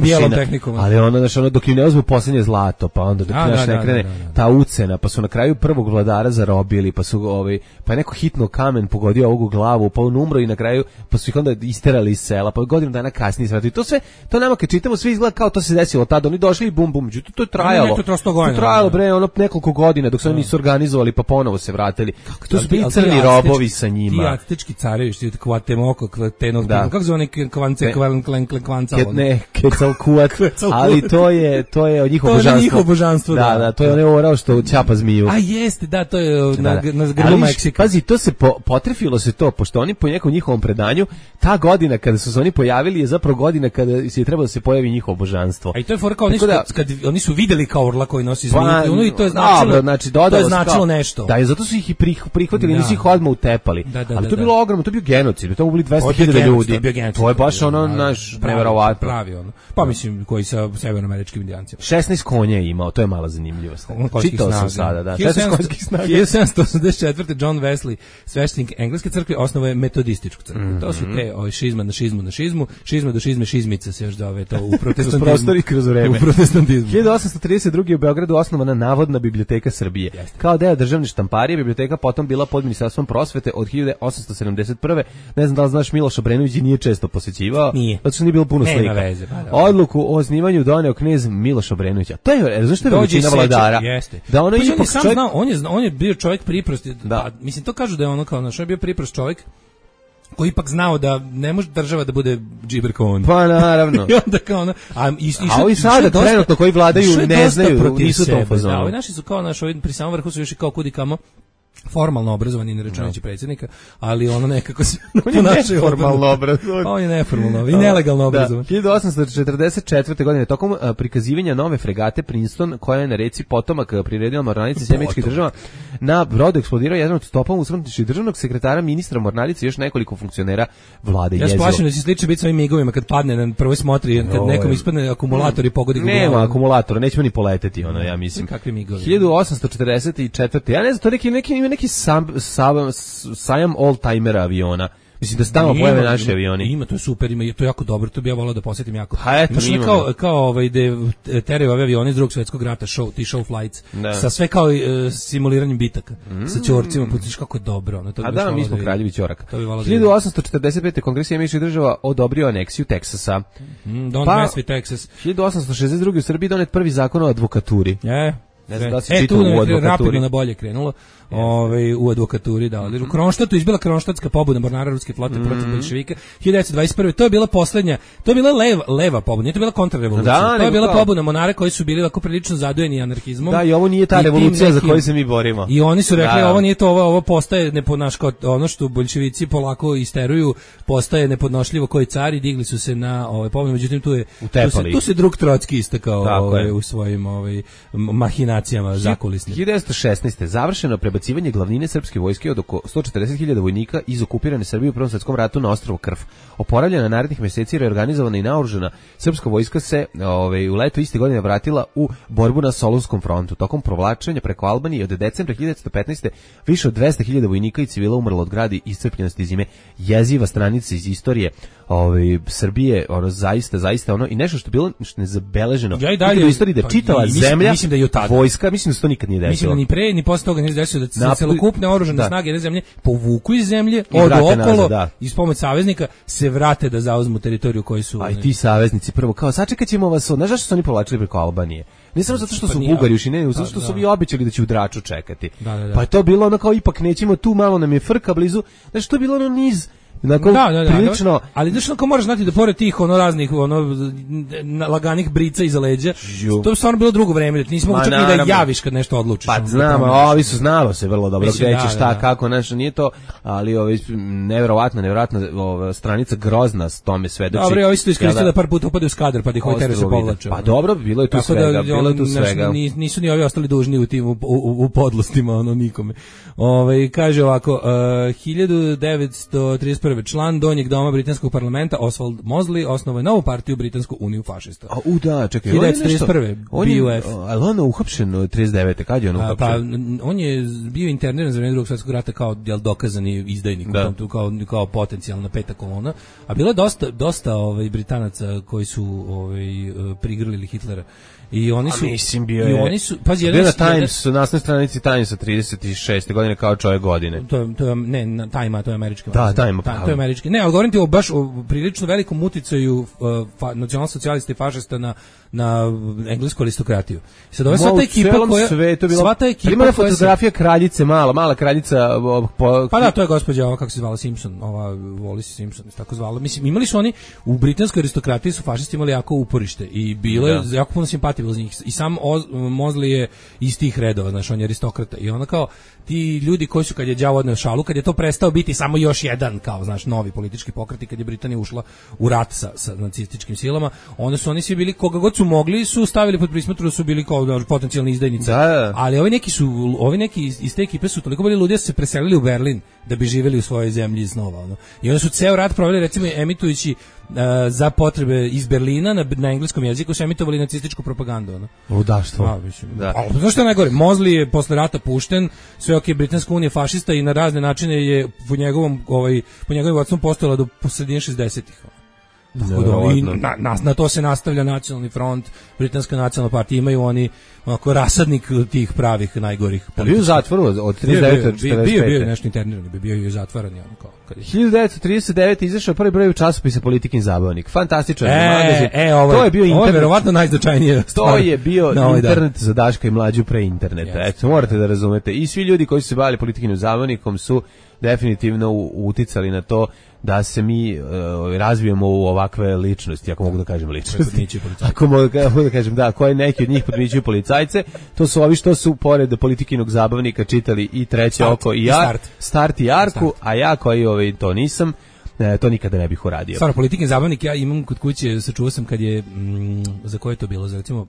Ali ono, znaš, ono, dok im ne uzmu posljednje zlato, pa onda dok naš ne krene ta ucena, pa su na kraju prvog vladara zarobili, pa su ovaj, pa je neko hitno kamen pogodio ovu glavu, pa on umro i na kraju, pa su ih onda isterali iz sela, pa godinu dana kasnije sve. I to sve, to nama kad čitamo, sve izgleda kao to se desilo tada, oni došli i bum bum, međutim to je trajalo. Ne, ne, to, to je trajalo, bre, ono nekoliko godina dok se oni nisu organizovali, pa ponovo se vratili. To su bili crni robovi sa njima. Ti aztečki carevi, što je Cuauhtemoc, Tenochtitlan, kako zove neki Kvance, Kvanca, ne, Quetzalcoatl. Ali to je to je njihov božanstvo. To je njihovo božanstvo. Da, da, to je onaj orao što ćapa zmiju. A jeste, da, to je na na grbu Meksika. Pazi, to se po, potrefilo se to, pošto oni po nekom njihovom predanju, ta godina kada su se oni pojavili je zapravo godina kada se je trebalo da se pojavi njihovo božanstvo. A i to je fora kao oni su, da, kad oni su videli kao orla koji nosi zmiju, pa, ono i to je značilo, dobro, znači, to je značilo kao, nešto. Da, i zato su ih i prihvatili, da. Nisu ih odmah utepali. Da, da, ali to je bilo ogromno, to je bio genocid, to je bili dvesta hiljada ljudi. To je baš ono naš neverovatno. Pravi ono. Pa mislim koji sa severnoameričkim indijancima. šesnaest konja je imao, to je mala zanimljivost. Čitao sam sada, da. šesnaest konjskih snaga. hiljadu sedamsto osamdeset četvrte. John Wesley, sveštenik engleske crkve, osnovao je metodističku crkvu. Mm -hmm. To su te ovaj šizma na šizmu na šizmu, šizma do šizme šizmica se još zove to u protestantizmu. Prostori kroz vreme. U protestantizmu. hiljadu osamsto trideset druge. u Beogradu osnovana Navodna biblioteka Srbije. Jeste. Kao deo državne štamparije, biblioteka potom bila pod Ministarstvom prosvete od hiljadu osamsto sedamdeset prve. Ne znam da li znaš, Miloš Obrenović nije često posećivao, zato što nije bilo puno slika. Veze, pa, odluku o osnivanju doneo knez Miloš Obrenović. To je, znaš što je većina vladara? Jeste. Da ono pa ipak on je sam čovjek... znao, on je, on je bio čovjek priprost. Da. Pa, mislim, to kažu da je ono kao naš, on je bio priprost čovjek koji ipak znao da ne može država da bude džiber kao on. Pa naravno. I onda kao ono, a, i, i a ovi sada trenutno koji vladaju ne znaju, nisu to fazonu. Da, ovi naši su kao naš, ovi pri samom vrhu su još i kao kudi kamo formalno obrazovani, ne računajući predsjednika, ali ono nekako se on je neformalno obrazovan. Pa on je neformalno i nelegalno obrazovan. Da. hiljadu osamsto četrdeset četvrte. godine tokom uh, prikazivanja nove fregate Princeton, koja je na reci potomak priredila mornarice Sjemeničkih država, na brodu eksplodirao jedan od stopova usmrtničkih državnog sekretara, ministra mornarice i još nekoliko funkcionera vlade. Ja se plašim da će slično biti sa ovim migovima kad padne na prvoj smotri, kad nekom ispadne akumulator i pogodi ga. Nema akumulatora, nećemo ni poleteti, ono, ja mislim. Kakvi migovi? hiljadu osamsto četrdeset četvrte. Ja ne znam, to neki neki neki sam, sam, sajam all-timera aviona. Mislim da stalno pojave naši avioni. Ima, to je super, ima, to je jako dobro, to bi ja volao da posjetim jako. Pa eto, znači, kao, kao ovaj, de, teraju ove avioni iz drugog svjetskog rata, show, ti show flights, da. Sa sve kao uh, simuliranjem bitaka, mm. sa ćorcima, pustiš kako je dobro. Ono, to a da, mi smo da kraljevi ćoraka. hiljadu osamsto četrdeset pete. Kongres Sjedinjenih Država odobrio aneksiju Teksasa. Mm, don't pa, mess with Texas. hiljadu osamsto šezdeset druge. u Srbiji donet prvi zakon o advokaturi. Je. Ne znam da se e, čitalo u advokaturi. Rapidno na bolje krenulo. Ovaj u advokaturi da. Mm-hmm. U Kronštatu izbila Kronštatska pobuna mornara ruske flote mm-hmm. protiv boljševika hiljadu devetsto dvadeset prve. To je bila poslednja, to je bila leva leva pobuna, nije to bila kontrarevolucija. Da, to je bila pobuna mornara koji su bili tako prilično zadojeni anarhizmom. Da, i ovo nije ta revolucija nekim, za koju se mi borimo. I oni su rekli da. Ovo nije to, ovo, ovo postaje nepodnaško, ono što boljševici polako isteruju, postaje nepodnošljivo koji cari, digli su se na ovaj pobunu, međutim tu je tu se, tu se drug Trotski istakao ovaj, u svojim ovaj mahinacijama mahinacijama zakulisnim. hiljadu devetsto šesnaeste. završeno prebacivanje glavnine srpske vojske od oko sto četrdeset hiljada vojnika iz okupirane Srbije u Prvom svetskom ratu na ostrvo Krf. Oporavljena narednih meseci, reorganizovana i naoružana srpska vojska se ovaj, u letu iste godine vratila u borbu na Solunskom frontu. Tokom provlačenja preko Albanije od decembra hiljadu devetsto petnaeste. više od dvesta hiljada vojnika i civila umrlo od gradi i iscrpljenosti zime. Jeziva stranica iz istorije ovaj Srbije, ono zaista zaista ono i nešto što je bilo što nezabeleženo. Ja i dalje u istoriji da čitava mislim, zemlja, mislim da je od vojska, mislim da se to nikad nije desilo. Mislim da ni pre ni posle toga nije desilo da se Napoli, celokupne oružane da. snage jedne zemlje povuku iz zemlje, I odu vrate okolo nazad, da. i s pomoć saveznika se vrate da zauzmu teritoriju koju su. A i ti saveznici prvo kao sačekaćemo vas, znaš zašto su oni povlačili preko Albanije? Ne samo zato što Pa su nije, Bugari ušli, ne, zato što da, su da. vi obećali da će u Draču čekati. Da, da, da. Pa je to bilo ono kao ipak nećemo tu, malo nam je frka blizu. Znaš, to je bilo ono niz Dakle, da, da, da, prilično... ali znaš kako moraš znati da pored tih ono raznih ono laganih brica iza leđa, Ju. to je stvarno bilo drugo vreme, da nismo čak ni da javiš kad nešto odlučiš. Pa znam, a ovi su znalo se vrlo dobro Mislim, gde da, će šta, da, da. kako, znaš, nije to, ali ovi, neverovatna, neverovatna ova stranica grozna s tome svedoči. Dobro, ovi su to iskoristili Kada- da par puta upade u skadar, pa da ih ovaj teret se povlače. Pa dobro, bilo je tu Tako svega, da, bilo je tu on, znaš, svega. ni- nisu ni ovi ostali dužni u tim u, u, u podlostima, ono nikome. Ovaj kaže ovako, uh, hiljadu devetsto trideset prve. član donjeg doma britanskog parlamenta Oswald Mosley osnovao je novu partiju Britansku uniju fašista. A u da, čekaj, hiljadu on je devetsto trideset prve. nešto- on je, B U F. ali on je uhapšen od trideset devete. Kad je on A, uhapšen? pa n- on je bio interniran za vreme Drugog svjetskog rata kao jel dokazani izdajnik, Da. u tom tu kao kao potencijalna peta kolona. A bilo je dosta dosta ovaj Britanaca koji su ovaj eh, prigrlili Hitlera. I oni su A mislim bio i je. oni su pazi Bio jedan na jedan- Times, na nasnoj stranici Timesa trideset šeste godine kao čovjek godine. To je, to je, ne, na Time, to je američki. Da, magazin. Time, Ta- pravo. to je američki. Ne, ali govorim ti o baš o prilično velikom uticaju uh, fa, nacionalsocijalista i fašista na, na englesku aristokratiju. I sad ova sva Ma, ta u ekipa celom koja... svetu je bila- sva ta ekipa Primera koja se- fotografija kraljice, mala, mala kraljica o, po, Pa da, to je gospođa, ova kako se zvala Simpson, ova Wallis Simpson, se tako zvala. Mislim, imali su oni, u britanskoj aristokratiji su fašisti imali jako uporište i bilo je jako puno simpatije bilo za njih. I sam Oz, Mosley je iz tih redova, znaš, on je aristokrata. I onda kao, ti ljudi koji su, kad je đavo odneo šalu, kad je to prestao biti samo još jedan, kao, znaš, novi politički pokret i kad je Britanija ušla u rat sa, sa nacističkim silama, onda su oni svi bili, koga god su mogli, su stavili pod prismotru da su bili kao znaš, potencijalni izdajnici. Da, da. Ali ovi neki su, ovi neki iz, iz te ekipe su toliko bili ludi da su se preselili u Berlin da bi živjeli u svojoj zemlji snova. Ono. I onda su ceo rat proveli, recimo, emitujući uh, za potrebe iz Berlina na, na engleskom jeziku su emitovali nacističku propagandu. Ono. Ludaštvo. A, mislim, Da. ali znaš što je najgore? Mosley je posle rata pušten, sve ok, Britanska unija fašista i na razne načine je po njegovom, ovaj, po njegovim vodstvom postojala do sredine šezdesetih. Tako da oni, na, na, na to se nastavlja nacionalni front, Britanska nacionalna partija, imaju oni onako rasadnik tih pravih najgorih. Pa bio u zatvoru od trideset devete do Bio, četrdeset bio, bio je pete. nešto interniran, bio je i zatvaran. Ono, kao, kad je... hiljadu devetsto trideset devete. izašao prvi broj u časopisu Politikin zabavnik. Fantastičan E, magazin. e, ovo to je bio ovo je internet. verovatno najznačajnije. To je bio na ovaj dan. internet za Daška i mlađu pre interneta. Jeste. Eto, morate da razumete. I svi ljudi koji su se bavili Politikinim zabavnikom su definitivno u- uticali na to da se mi uh, razvijemo u ovakve ličnosti, ako mogu da kažem ličnosti. podmićuju policajce. Ako mogu da mogu da kažem, da, koje neki od njih podmićuju policajce, to su ovi što su pored Politikinog zabavnika čitali i Treće Start, oko i, i ja, Start. Start i Jarku, Start. a ja koji ovaj, to nisam, e, to nikada ne bih uradio. Stvarno, Politikin zabavnik ja imam kod kuće, sačuvao sam kad je, mm, za koje je to bilo, za recimo,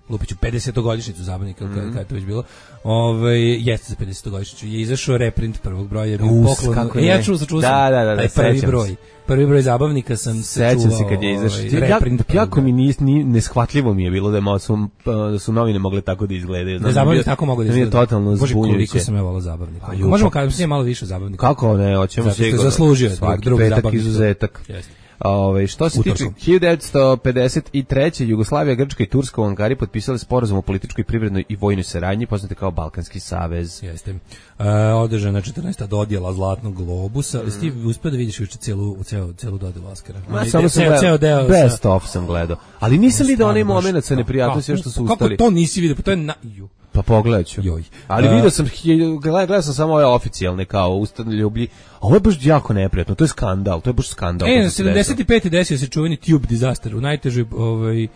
lupiću pedesetogodišnjicu zabavnika, mm. kad, kad je to već bilo, ovaj, jeste za pedesetogodišnjicu, je izašao reprint prvog broja, je bio Us, poklon, kako e, ne. ja čuo, sačuvao Da, sam, da, da, da, taj prvi sećam broj, se. prvi broj zabavnika sam se Sećam čuvao, se kad je izašao. ovaj, Ja, reprint prvog jako broja. mi ni, ni neshvatljivo mi je bilo da je malo su, da su novine mogle tako da izgledaju. Da zabavnik tako mogu da mi je izgleda. totalno Bože, koliko zbunjujuće. sam ja volao zabavnika. Pa, ju, Možemo pa- kada se malo više zabavnika. Kako ne, hoćemo Zato što je sigurno. zaslužio je Svaki drug petak zabavnik. izuzetak. Jeste. Ove, što se tiče Utorkom. hiljadu devetsto pedeset treće. Jugoslavija, Grčka i Turska u Ankari potpisali sporazum o političkoj, privrednoj i vojnoj saradnji, poznate kao Balkanski savez. Jeste. E, održana četrnaesta dodjela Zlatnog globusa. Mm. Ti uspeo da vidiš juče celu celu celu dodelu Oscara. Ma, Onaj samo de- sam ceo, gledao, ceo deo best sa- of sam gledao. Ali nisam vidio onaj Stvarno, moment baš- sa neprijatnosti kako- što su Kako ustali. to nisi vidio? Pa to je na... Ju. Pa pogledat ću. Joj. Ali A- vidio sam, hilj- gledao, gledao sam samo ove oficijalne kao ustanljublji. A ovo je baš jako neprijatno, to je skandal, to je baš skandal. to E, se desilo. sedamdeset pete desio se čuveni Tube disaster u najtežoj ovaj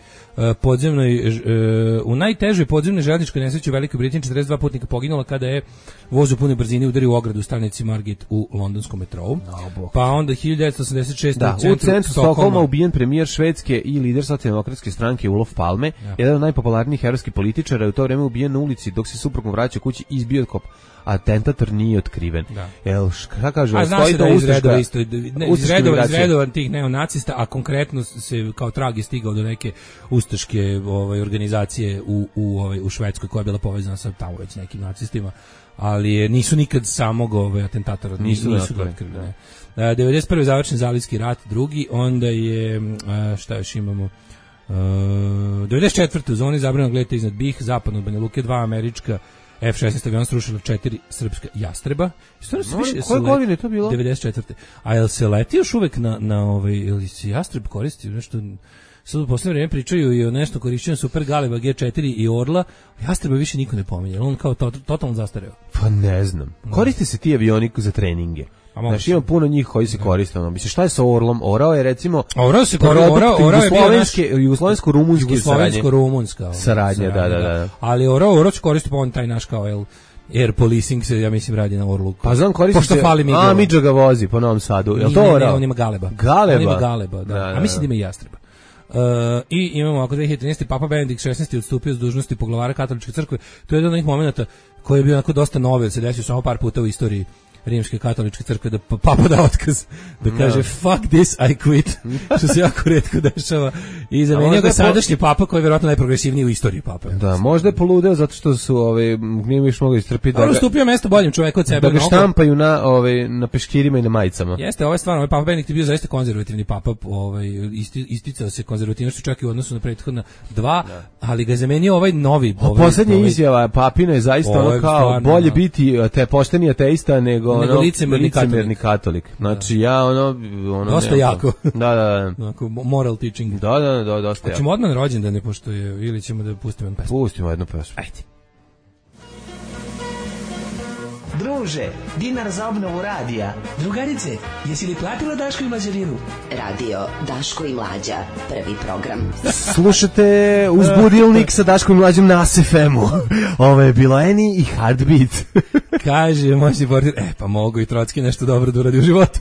podzemnoj u najtežoj podzemnoj željezničkoj nesreći u Velikoj Britaniji četrdeset dva putnika poginulo kada je voz u punoj brzini udario u ogradu u stanici Margate u londonskom metrou. Pa onda hiljadu devetsto osamdeset šeste da, u centru, u centru Stokholma ubijen premijer Švedske i lider socijaldemokratske stranke Olof Palme, ja. jedan od najpopularnijih evropskih političara, je u to vreme ubijen na ulici dok se suprugom vraća kući izbio kop. Atentator nije otkriven. Da. Jel, šta kaže? A zna se da je iz redova isto, ne, iz redova, iz redova tih neonacista, a konkretno se kao trag je stigao do neke ustaške ovaj, organizacije u, u, ovaj, u Švedskoj koja je bila povezana sa tamo već nekim nacistima, ali je, nisu nikad samog ovaj, atentatora nisu, nisu ga otkrili. Da. devedeset prve završen Zalivski rat, drugi, onda je, šta još imamo, Uh, devedeset četvrte u zoni zabranjenog leta iznad Bih, zapadno od Banja Luke, dva američka F šesnaest aviona srušila četiri srpska jastreba. Što se više koje godine to bilo? devedeset četvrte A jel se leti još uvek na na ovaj ili se jastreb koristi nešto? Sad u poslednje vreme pričaju i o nešto korišćenju Super Galeba G četiri i Orla. Jastreba više niko ne pominje. On kao to, totalno zastareo. Pa ne znam. Koriste se ti avioni za treninge. Znači ima puno njih koji se koriste. Ono. Mislim, šta je sa Orlom? Orao je recimo... Orao se koristio, Orao, Orao je bio naš... Jugoslovensko-rumunski Jugoslovensko-rumunska saradnja. Da, da, da. Ali Orao, Orao se koristio, pa on taj naš kao, el, air policing se, ja mislim, radi na Orlu. Pa znam, koristi se... A, Midža ga vozi po Novom Sadu. Je li to Orao? Ne, ne, on ima Galeba. Galeba? On ima Galeba, da. da, da. A mislim da ima i Jastreba. Uh, i imamo ako dve hiljade trinaeste Papa Benedikt šesnaesti odstupio s dužnosti poglavara katoličke crkve. To je jedan od onih momenata koji je bio onako dosta novi, se desio samo par puta u istoriji Rimske katoličke crkve, da papa da otkaz, da kaže no. fuck this, I quit, što se jako retko dešava. I zamenio ga sadašnji po... papa koji je vjerojatno najprogresivniji u istoriji papa. Da, možda je poludeo zato što su ove nije više mogli istrpiti. Da ga ustupio mesto boljem čoveku od sebe. Da ga štampaju na ove na peškirima i na majicama. Jeste, ovaj stvarno, ovaj Papa Benedikt je bio zaista konzervativni papa, ovaj isti, isticao se konzervativnošću čak i u odnosu na prethodna dva, da. Ali ga je zamenio ovaj novi. Ovaj, poslednja ovaj, izjava papina je zaista ovaj, ono kao stvarno, bolje no. biti te pošteni ateista nego nego licemerni katolik. katolik. Znači da. ja ono ono dosta jako. Da, da, da. Onako moral teaching. Da, da, da, dosta. Hoćemo odmah na rođendane pošto je ili ćemo da pustimo jednu pesmu. Pustimo jednu pesmu. Ajde. Druže, dinar za obnovu radija. Drugarice, jesi li platila Daško i Mlađarinu? Radio Daško i Mlađa, prvi program. Slušate Uzbudilnik sa Daškom i Mlađom na S F M-u. Ovo je bilo Eni i Heartbeat. Kaže, moćni portir, e pa mogu i Trotski nešto dobro da uradi u životu.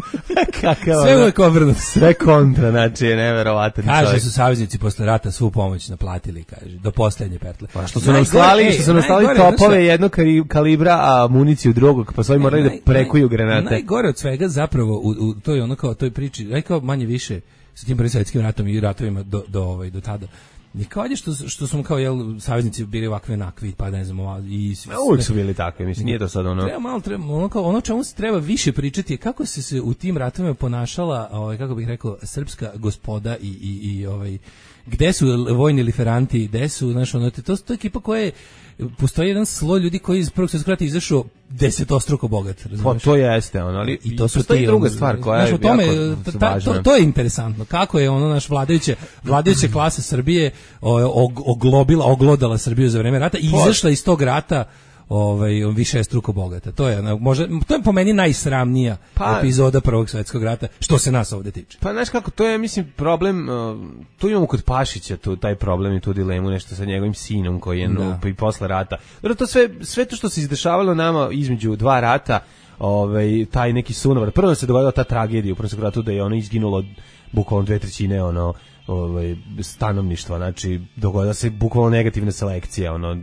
Kakav sve uvek obrnuto. Sve kontra, znači je neverovatan kaže, čovjek. Su saveznici posle rata svu pomoć naplatili, kaže, do poslednje petle. Pa što su nam slali, što su nam slali topove jednog kalibra, a municiju drugog, pa svoji morali da prekuju granate. Najgore od svega zapravo, u, u, to je ono kao, toj priči, aj kao manje više sa tim prvim svjetskim ratom i ratovima do, do, ovaj, do tada. I kao je što, što su kao, jel, saveznici bili ovakve nakvi, pa ne znam, i sve. Uvijek su bili takvi, mislim, nije to sad ono... Treba malo, treba, ono, kao, ono čemu se treba više pričati je kako se se u tim ratovima ponašala, ovaj, kako bih rekao, srpska gospoda i, i, i ovaj, gde su vojni liferanti, gde su, znaš, ono, to, to je ekipa koja je, postoji jedan sloj ljudi koji iz prvog svjetskog rata izašao desetostruko bogat, razumiješ? Pa to jeste ono, ali i to su ti druga stvar koja znaš, je tome, jako ta, važna. To, to je interesantno. Kako je ono naš vladajuće vladajuća klasa Srbije og, oglobila, oglodala Srbiju za vreme rata i izašla iz tog rata ovaj više struko bogata. To je možda to je po meni najsramnija pa, epizoda Prvog svjetskog rata što se nas ovde tiče. Pa znaš kako, to je mislim problem, uh, tu imamo kod Pašića tu taj problem i tu dilemu nešto sa njegovim sinom koji je no, i posle rata. Dobro, to sve sve to što se izdešavalo nama između dva rata, ovaj taj neki sunovar. Prvo se dogodila ta tragedija u Prvom svjetskom ratu da je ono izginulo bukvalno dve trećine ono ovaj stanovništva, znači dogodila se bukvalno negativna selekcija, ono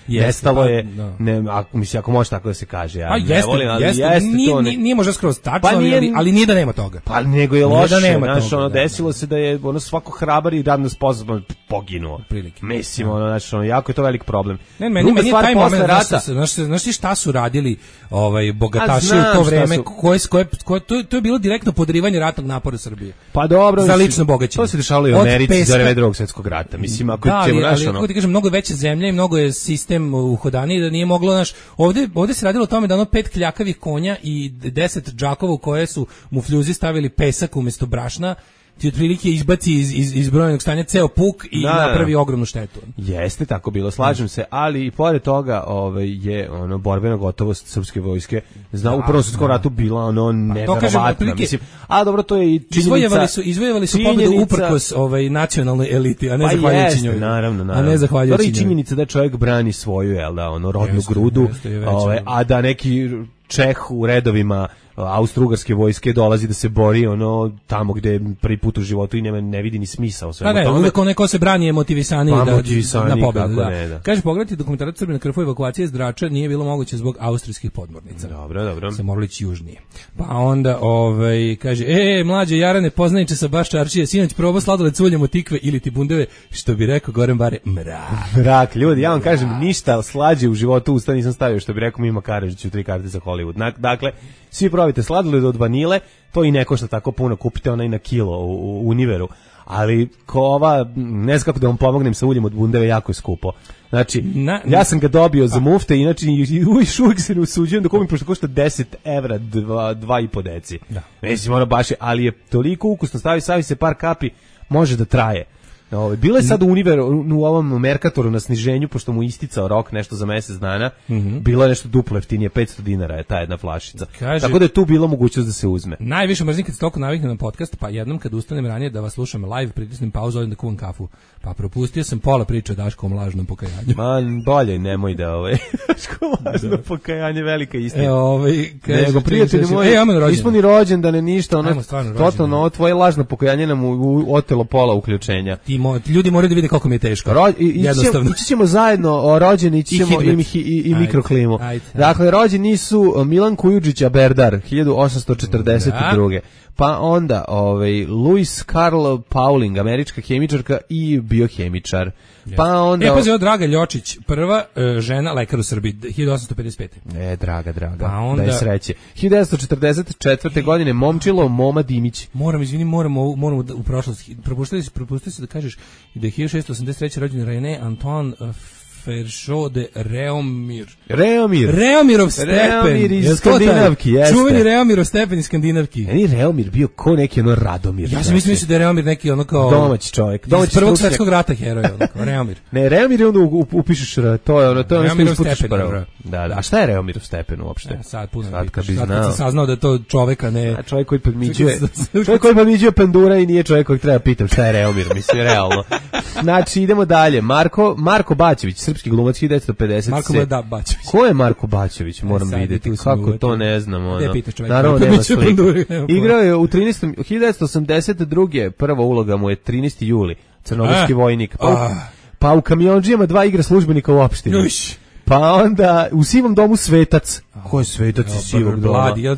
nestalo je, no. ne, ako mislim ako može tako da se kaže, ja a ne jeste, volim, ali jeste, jeste nije, to ne, nije možda skroz tačno, pa nije, ali, ali nije da nema toga. Pa nego je loše, da nema znaš, toga, ono da, desilo se da je ono svako hrabar i radno sposoban poginuo. Prilike. Mislim, ono, znači, ono, jako je to velik problem. Ne, meni, meni je taj moment, rata, znaš, znaš ti šta su radili ovaj, bogataši u to vreme, su... koje, koje, koje, to, to je bilo direktno podrivanje ratnog napora Srbije. Pa dobro, za lično bogaćenje. To se dešavalo i u Americi za vreme Drugog svjetskog rata. Mislim, ako da, ćemo, ali, naš, ali, ono... kako ti kažem, mnogo veće zemlje i mnogo je sistem uhodaniji da nije moglo, naš, ovde, ovde se radilo o tome da ono pet kljakavih konja i deset džakova u koje su mufljuzi stavili pesak umjesto brašna, ti otprilike izbaci iz, iz, iz brojnog stanja ceo puk i da, napravi ogromnu štetu. Jeste tako bilo, slažem se, ali i pored toga ovaj, je ono borbena gotovost srpske vojske zna, u Prvom svjetskom ratu bila ono neverovatna, mislim, a dobro, to je i činjenica. Izvojevali su, izvojevali su pobedu uprkos ovaj, nacionalnoj eliti, a ne pa zahvaljujući njoj. Naravno, naravno. A ne zahvaljujući njoj. To je činjenica da čovjek brani svoju, jel da, ono, rodnu jeste, grudu, jeste, ovaj, a da neki Čeh u redovima austrougarske vojske dolazi da se bori ono tamo gde prvi put u životu i nema, ne vidi ni smisao svemu tome. Da, ne, uvek neko se brani je motivisaniji pa, da, motivisani, na pobedu. Da. Ne, da. Kaže, pogledajte dokumentarac Srbi na krfu evakuacije iz Drača nije bilo moguće zbog austrijskih podmornica. Dobro, dobro. Se morali ići južnije. Pa onda, ovaj, kaže, e, mlađe Jarane, poznaniče sa baš čaršije, sinoć probao sladoled s uljem od tikve ili ti bundeve, što bi rekao Goran Bare, mrak. Mrak, ljudi, ja vam kažem, ništa slađe u životu usta nisam stavio, što bi rekao Mima Karadžić u tri karte za Hollywood. Dakle, svi probajte sladoled od vanile, to i ne košta tako puno, kupite onaj na kilo u, u Univeru, ali ko ova, ne znam kako da vam pomognem sa uljem od bundeve, jako je skupo. Znači, na, ja sam ga dobio za mufte, inače uvijek uvijek se ne usuđujem da kupim, pošto košta deset evra, dva, dva i po deci. Da. Mislim, ono baš je, ali je toliko ukusno, stavi, stavi se par kapi, može da traje. Ovo, bilo je sad u Univeru, u ovom Merkatoru na sniženju, pošto mu isticao rok nešto za mjesec dana, mm-hmm. bilo je nešto duplo jeftinije, petsto dinara je ta jedna flašica. Kaže, tako da je tu bilo mogućnost da se uzme. Najviše mrzim kad se toliko naviknem na podcast, pa jednom kad ustanem ranije da vas slušam live, pritisnem pauzu, odem da kuvam kafu. Pa propustio sam pola priče o Daškovom lažnom pokajanju. Man, bolje, nemoj da ovaj Daškovo lažno pokajanje, velika istina. E, ovaj, kaže, nego prijatelji moji, nismo ni rođendane, ništa, ono, totalno, ovo tvoje lažno pokajanje nam otelo pola uključenja. Ti mo, ljudi moraju da vide koliko mi je teško. Ro, i, jednostavno. Ići ćemo zajedno o rođeni, ići ćemo i, i, i, i mikroklimu. Ajde, ajde. Dakle, rođeni su Milan Kujundžić Berdar, hiljadu osamsto četrdeset druge. Da. Pa onda ovaj Louis Carl Pauling, američka hemičarka i biohemičar. Yes. Pa onda E, pazi, Draga Ljočić, prva uh, žena lekar u Srbiji, hiljadu osamsto pedeset pete. E, draga, draga. Pa onda, da je sreće. hiljadu devetsto četrdeset četvrte. godine Momčilo Moma Dimić. Moram, izvini, moramo moramo u prošlosti. Propustili se, propustili se da kažeš da je hiljadu šessto osamdeset treće. rođen René Antoine uh, Feršo de Reomir. Reomir. Reomirov stepen. Reomir iz Skandinavki, jeste. Čuveni Reomirov stepen iz Skandinavki. Je li Reomir bio ko neki ono Radomir? Ja sam mislio da je Reomir neki ono kao domaći čovjek. Domaći Prvog svjetskog rata heroj, ono kao Reomir. Ne, Reomir je onda upišeš, to je ono, to je ono što isputiš prvo. Da, da. A šta je Reomirov stepen uopšte? Ja, sad puno sad kad bi znao. Sad sam saznao da to čoveka ne... A čovjek koji podmiđuje, čovjek koji podmiđuje pandura i nije čovjek kojeg treba pitam šta je Reomir, mislim, realno. Znači, idemo dalje. Marko, Marko Bačević, srpski glumac, hiljadu devetsto pedeset. Marko da, Bačević. Ko je Marko Bačević? Moram vidjeti. Kako to ne znam. Ono. Ne pitaš čovjek. Naravno, nema slike. Igrao je u trinaestom hiljadu devetsto osamdeset druge. Prva uloga mu je trinaesti juli. Crnogorski vojnik. Pa u, pa u Kamionđijama dva igra službenika u opštini. Uš. Pa onda u Sivom domu Svetac. Ko je Svetac iz Sivog doma? Bladi, ja,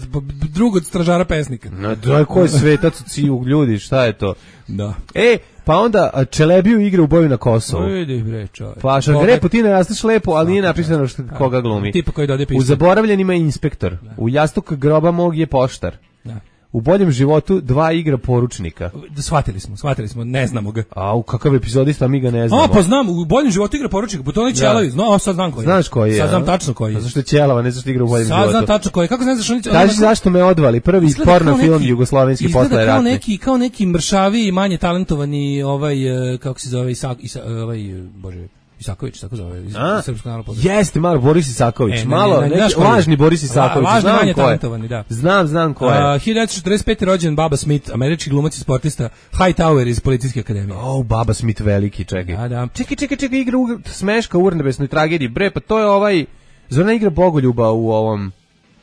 drug od stražara pesnika. No, da, ko je Svetac od Sivog ljudi? Šta je to? Da. E, pa onda Čelebiju igra u boju na Kosovu. Vidi bre, čovjek. Pa Šargarepu ti ne rastiš lepo, ali nije napisano što, koga glumi. Tipa koji dode pisao. U Zaboravljenima je inspektor. Da. U Jastuk groba mog je poštar. Da. U Boljem životu dva igra poručnika. Shvatili smo, shvatili smo, ne znamo ga. A u kakav epizodista mi ga ne znamo. A pa znam, u Boljem životu igra poručnika, po tome Ćelavi. Znao, sad znam koji. Znaš koji je? Sad znam tačno koji je. A zašto je Ćelava, ne zašto igra u Boljem sad životu? Sad znam tačno koji je. Kako ne znaš oni? Kaži zašto me odvali, prvi porno film jugoslovenski posle ratni. Kao neki, kao neki mršavi i manje talentovani ovaj kako se zove Isak, ovaj bože Isaković, tako zove, iz Srpskog narodnog pozorišta. Jeste, malo Boris Isaković, e, ne, malo, ne, ne, neki lažni Boris Isaković, La, znam manje ko je. Talentovani, da. Znam, znam ko je. Uh, hiljadu devetsto četrdeset pete. rođen Baba Smith, američki glumac i sportista, Hightower iz Policijske akademije. Oh, Baba Smith veliki, čekaj. Da, da. Čekaj, čekaj, čekaj, igra u Smeška u urnebesnoj tragediji. Bre, pa to je ovaj, zona igra Bogoljuba u ovom...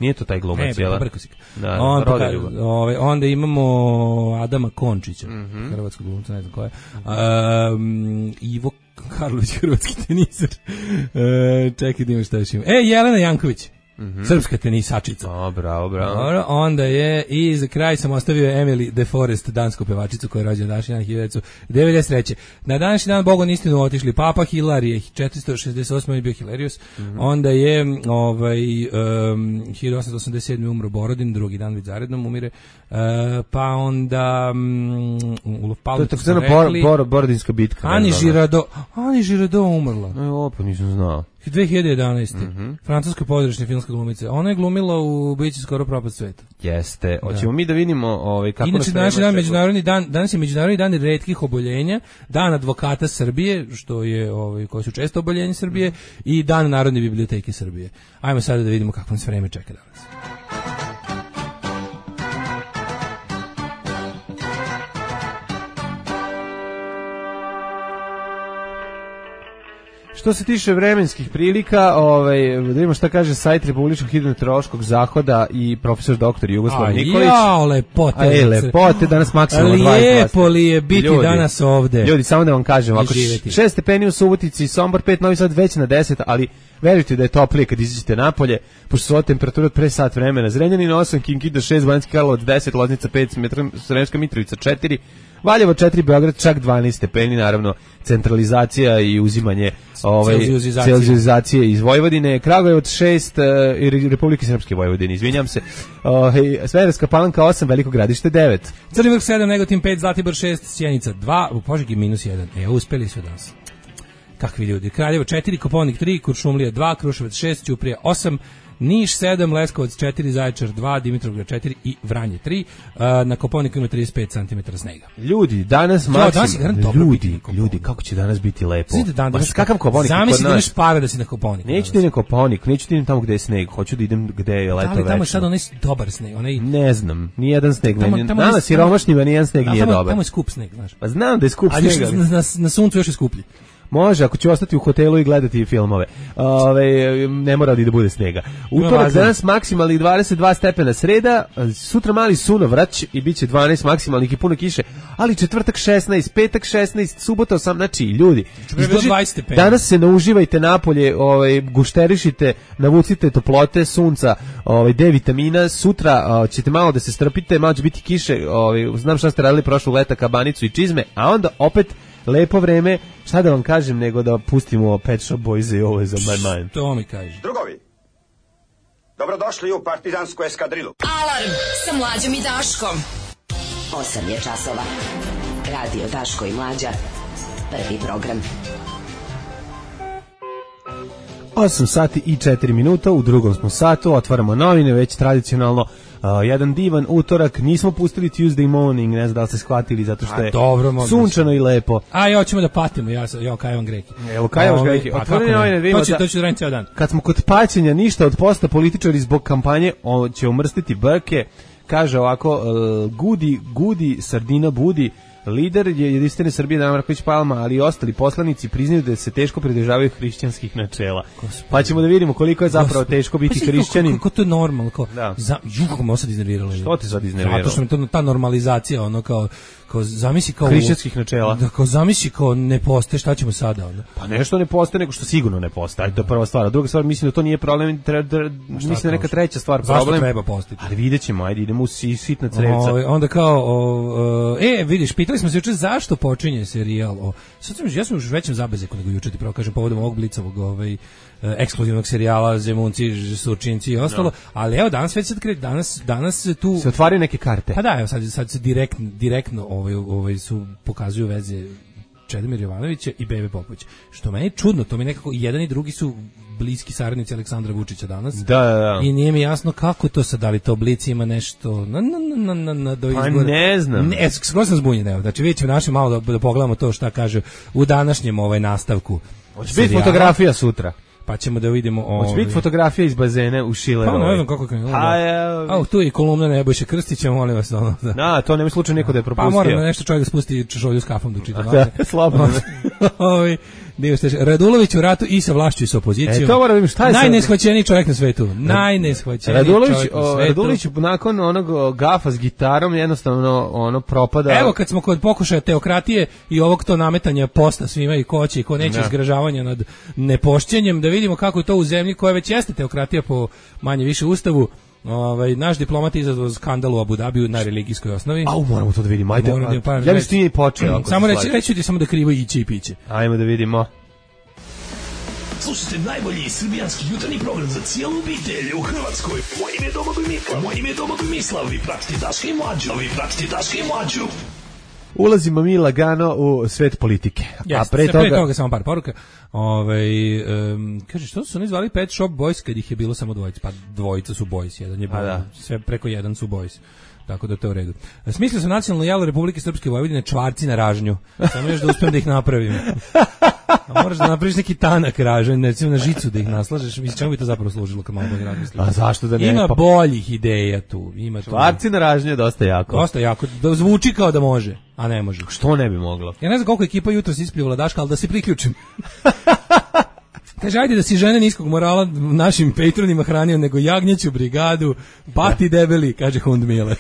Nije to taj glumac, jel? Ne, da, on, ovaj, onda imamo Adama Končića, mm-hmm. hrvatskog glumca, ne znam ko je. Um, Ivo Karlović, hrvatski teniser. Uh, čekaj, da imamo šta još ima. E, Jelena Janković. Mm-hmm. Srpska tenisačica. O, bravo, bravo. Dobro, onda je i za kraj sam ostavio Emily De Forest, dansku pevačicu koja je rođena današnji dan hiljadu devedeset treće. Na današnji dan Bogom istinu otišli Papa Hilarije, četiristo šezdeset osme je bio Hilarius. Mm-hmm. Onda je ovaj um, hiljadu osamsto osamdeset sedme umro Borodin, drugi dan vid zarednom umire. Uh, pa onda um, u Palmu to je tako bor, bor, Borodinska bitka. Ani Žirado, Ani Žirado umrla. E, opa, nisam znao. dve hiljade jedanaeste. Mm-hmm. Francuska pozorišna filmska hrvatska glumica. Ona je glumila u Biće skoro propast sveta. Jeste. Hoćemo mi da vidimo ovaj kako inače danas je dan međunarodni dan, danas je međunarodni dan retkih oboljenja, dan advokata Srbije, što je ovaj koji su često oboljeni Srbije, i dan Narodne biblioteke Srbije. Ajmo sada da vidimo kako nas vreme čeka danas. Što se tiče vremenskih prilika, ovaj, da vidimo šta kaže sajt Republičkog hidrometeorološkog zahoda i profesor doktor Jugoslav Nikolić. Jao, lepote. Aj, lepote, danas maksimalno dvadeset dva stepena. Lijepo li je biti ljudi, danas ovde. Ljudi, samo da vam kažem, ovako, šest stepeni u Subotici, Sombor pet, Novi Sad već na deset, ali verujte da je toplije kad izađete napolje, pošto su ova temperatura od pre sat vremena. Zrenjanin osam, Kinkida šest, Banjski Karlovac deset, Loznica pet, Sremska Mitrovica četiri, Valjevo četiri, Beograd čak dvanaest stepeni, naravno centralizacija i uzimanje ovaj celzijuzacije iz Vojvodine, Kragujevac šest, i Republike Srpske Vojvodine, izvinjam se. Ovaj Smederevska Palanka osam, Veliko Gradište devet. Crni Vrh sedam, Negotin pet, Zlatibor šest, Sjenica dva, u Požegi minus jedan. E, uspeli su danas. Kakvi ljudi. Kraljevo četiri, Koponik tri, Kuršumlija dva, Kruševac šest, Ćuprija osam, Niš sedam, Leskovac četiri, Zaječar dva, Dimitrovgrad četiri i Vranje tri. Uh, na Koponiku ima trideset pet centimetara snega. Ljudi, danas maksimum. Ljudi, ljudi, kako će danas biti lepo. Dan, pa kakav Koponik? Zamisli da imaš para da si na Koponiku. Neću ti na Koponik, neću ti idem tamo gde je sneg, hoću da idem gde je leto večno. Da li tamo je sad onaj dobar sneg? Onaj... Ne znam, nijedan sneg. Tamo, tamo nama siromašnjima nijedan sneg nije tamo, dobar. Tamo je skup sneg, znaš. Pa znam da je skup sneg. Ali na, na, na suncu još je skuplji. Može, ako ću ostati u hotelu i gledati filmove. Ove, ne mora da bude snega. Utorak danas maksimalnih dvadeset dva stepena, sreda, sutra mali sunovrać i bit će dvanaest maksimalnih i puno kiše, ali četvrtak šesnaest, petak šesnaest, subota osam, znači ljudi, danas se nauživajte napolje, ovaj, gušterišite, navucite toplote, sunca, ovaj, D vitamina, sutra ovaj, ćete malo da se strpite, malo će biti kiše, ovaj, znam šta ste radili prošlog leta, kabanicu i čizme, a onda opet lepo vreme, šta da vam kažem nego da pustimo Pet Shop Boys i ovo je za my mind. To mi kaže. Drugovi, dobrodošli u partizansku eskadrilu. Alarm sa Mlađom i Daškom. osam je časova. Radio Daško i Mlađa. Prvi program. osam sati i četiri minuta, u drugom smo satu, otvaramo novine, već tradicionalno. Uh, jedan divan utorak, nismo pustili Tuesday morning, ne znam da li ste shvatili, zato što je dobro, sunčano i lepo. A ja hoćemo da patimo, ja, ja kajavam greki. Evo kajavam greki, otvoreni novine, vidimo da... To će raditi cijel dan. Kad smo kod paćenja, ništa od posta, političari zbog kampanje on će umrstiti brke, kaže ovako, uh, gudi, gudi, sardina budi, lider je jedinstvene Srbije Dana Marković Palma, ali i ostali poslanici priznaju da se teško pridržavaju hrišćanskih načela. Gospod. Pa ćemo da vidimo koliko je zapravo Gospod. Teško biti pa hrišćanin. Kako to je normalno, kao da. Za jugo me sad iznerviralo. Što te sad iznerviralo? Zato što mi to ta normalizacija, ono kao kao zamisli kao hrišćanskih načela. Da, kao zamisli kao ne postoje, šta ćemo sada onda? Pa nešto ne postoje, nego što sigurno ne postoji. To je prva stvar. A druga stvar, mislim da to nije problem, treba, mislim da neka treća stvar problem. Zašto treba postojati? Ali videćemo, ajde idemo u sitna crevca. O, onda kao o, o, e, vidiš, pitali smo se juče zašto počinje serijal o. Sad sam ja sam još većem zabezeku nego juče ti pravo kažem povodom ovog Blicovog ovaj ekskluzivnog serijala Zemunci, Surčinci i ostalo, no. Ali evo danas već sad kreće, danas danas tu se otvaraju neke karte. Pa da, evo sad sad se direktno direktno ovaj ovaj su pokazuju veze Čedomir Jovanovića i Bebe Popovića. Što meni je čudno, to mi nekako jedan i drugi su bliski saradnici Aleksandra Vučića danas. Da, da, da. I nije mi jasno kako to sad, da li to Blic ima nešto na na na na na do izbora. Pa ne znam. Ne, skroz sam zbunjen, evo. Znači vidite naše malo da, da pogledamo to šta kaže u današnjem ovaj nastavku. Hoće biti fotografija sutra. Pa ćemo da vidimo ovo. Hoće biti fotografija iz bazena u Šilerovoj. Pa ne znam kako je krenulo. A tu je kolumna Nebojše Krstića, molim vas ono. Da, da to nema slučaj neko da je propustio. Pa moram nešto čovjek da spusti češolju s kafom da čita. Da, slobodno. Ovaj Radulović u ratu i sa vlašću i sa opozicijom. E, to moram vidjeti šta je najneshvaćeniji čovjek na svetu. Najneshvaćeniji Radulović, čovjek na svetu. Radulović nakon onog gafa s gitarom jednostavno ono propada. Evo kad smo kod pokušaja teokratije i ovog to nametanja posta svima i ko će i ko neće, izgražavanja nad nepošćenjem, da vidimo kako je to u zemlji koja već jeste teokratija po manje više ustavu. Ovaj naš diplomat je izazvao skandal u Abu Dabiju na religijskoj osnovi. Au, moramo to da vidimo. Ajde. Da, ja bih ti počeo. Samo reći, reći ti samo da krivo iće i piće. Ajmo da vidimo. Slušajte najbolji srbijanski jutarnji program za cijelu obitelj u Hrvatskoj. Moje ime je Domagoj Mislav. Moje ime je Domagoj Mislav. Vi pratite Daška i Mlađu. Vi pratite Daška i Mlađu. ulazimo mi lagano u svet politike. Yes, a pre toga... pre toga samo par poruka. Ovaj um, kaže što su oni zvali Pet Shop Boys kad ih je bilo samo dvojica, pa dvojica su boys, jedan je da. Sve preko jedan su boys. Tako da to je u redu. Smislio sam nacionalno jelo Republike Srpske Vojvodine čvarci na ražnju. Samo još da uspem da ih napravim. A moraš da napraviš neki tanak ražanj, recimo na žicu da ih naslažeš. Mislim, čemu bi to zapravo služilo kad malo bolje razmislim? A zašto da ne? Ima boljih ideja tu. Ima čvarci na ražnju je dosta jako. Dosta jako. Da zvuči kao da može, a ne može. Što ne bi moglo? Ja ne znam koliko ekipa jutros ispljivala Daška, ali da se priključim. Kaže, ajde da si žene niskog morala našim patronima hranio nego jagnjeću brigadu, pati debeli, kaže Hund Mile.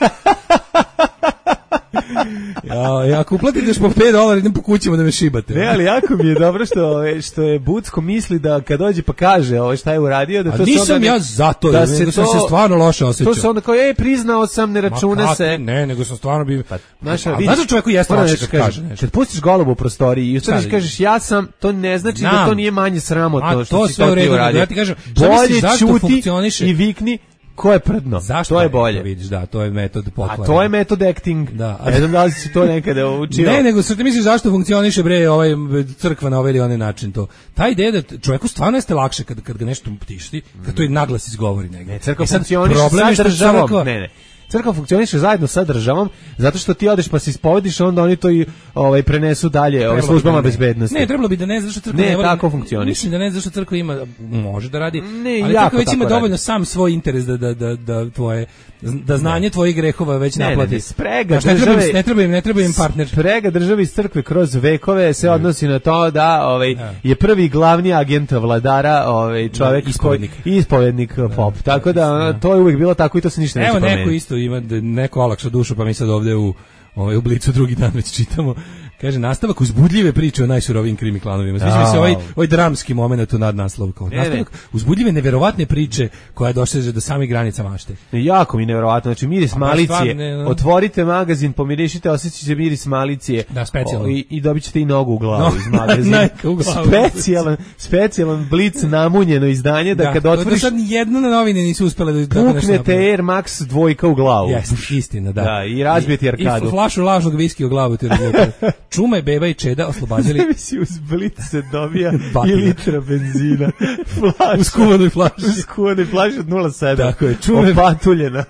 Ja, ako uplatite po pet dolara, idem po kućima da me šibate. Ne, ali jako mi je dobro što, što je Bucko misli da kad dođe pa kaže ovo šta je uradio, da to a nisam ne, ja zato, da nego sam se stvarno loše osjećao. To se onda kao, ej, priznao sam, ne račune Ma, se. Ne, nego sam stvarno bi... Pa, znaš, a, znaš da čovjeku jeste lakše kad kaže nešto. Kad pustiš golubu u prostoriji i ustaviš i kažeš ja sam, to ne znači Znam. da to nije manje sramotno što to si to ti uradio. Ja ti kažem, bolje čuti i vikni ko je prdno. Zašto to je bolje. Vidiš, da, to je metod pokvara. A to je metod acting. Da. Ne znam da li si to nekada učio. Ne, nego što ti misliš zašto funkcioniše bre ovaj crkva na ovaj ili onaj način to. Ta ideja da čovjeku stvarno jeste lakše kad kad ga nešto tišti, kad to i naglas izgovori negdje. Ne, crkva funkcioniše sa državom. Ne, ne. Crkva funkcioniše zajedno sa državom, zato što ti odeš pa se ispovediš, onda oni to i ovaj prenesu dalje ovaj službama bezbednosti. Ne, trebalo bi da ne, zašto crkva ne, ne voli, tako funkcioniše. Mislim da ne, zašto crkva ima može da radi, ne, ali crkva već ima dovoljno radi. Sam svoj interes da da da da tvoje da znanje ne. tvojih grehova već ne, naplati. Ne, ne, sprega znači, države, ne treba im, ne treba im partner. Sprega države iz crkve kroz vekove se odnosi na to da ovaj ne. je prvi glavni agent vladara, ovaj čovjek ne, ispovednik, koji ispovednik ne. pop. Ne. Tako da ne. to je uvijek bilo tako i to se ništa neće promeniti. Evo neko isto ima neko olakša dušu, pa mi sad ovdje u ovaj u Blicu drugi dan već čitamo. Kaže, nastavak uzbudljive priče o najsurovijim krimi klanovima. Sviđa mi se ovaj, ovaj dramski moment u nadnaslov. Kao, nastavak uzbudljive, neverovatne priče koja doseže do samih granica mašte. Jako mi neverovatno. Znači, miris malicije. Ne, no. Otvorite magazin, pomirišite, osjećate miris malicije. Da, specijalno. I, i dobit ćete i nogu u glavu no, iz magazina. u glavu. Specijalan, specijalan Blic namunjeno izdanje da, da kad otvoriš... Da, sad jedno na novine nisu uspjele da... Puknete Air Max dvojka u glavu. Jes, istina, da. Da, i razbijete arkadu. I flašu lažnog viski u glavu ti razlijete. Čuma i beba i čeda oslobađali. Ne si uz Blic se dobija i litra benzina. Flaša. U skuvanoj flaši. U skuvanoj flaši od nula sedam. Tako je. Čume, opatuljena.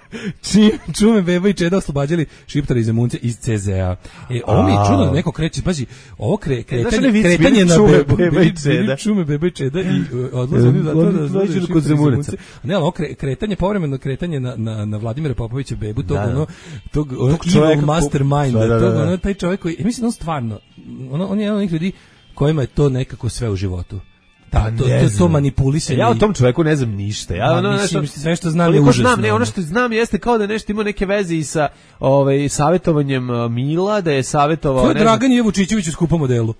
Čume beba i čeda oslobađali šiptari i zemunce iz C Z A. E, ovo mi je čudno da neko kreće. Pazi, ovo kre, kretanje, vic, kretanje na čume, bebu. Beba i čeda. Čume beba i čeda i odlaze oni zato da odlaze kod zemunaca. Ne, ali ovo kre, kretanje, povremeno kretanje na, na, na Vladimira Popovića bebu, tog, da, da. ono, tog, ono, tog evil mastermind, da, da, da. Tog, ono, taj čovjek koji, mislim, on stvarno, ono, on je jedan od onih ljudi kojima je to nekako sve u životu. Da, to, to, to manipulisanje. Ja o tom čoveku ne znam ništa. Ja ono nešto, sve što znam je užasno. Znam, ne, ono što znam jeste kao da nešto ima neke veze i sa ovaj savjetovanjem Mila, da je savjetovao... Ko je Dragan Jevučićević u skupom modelu?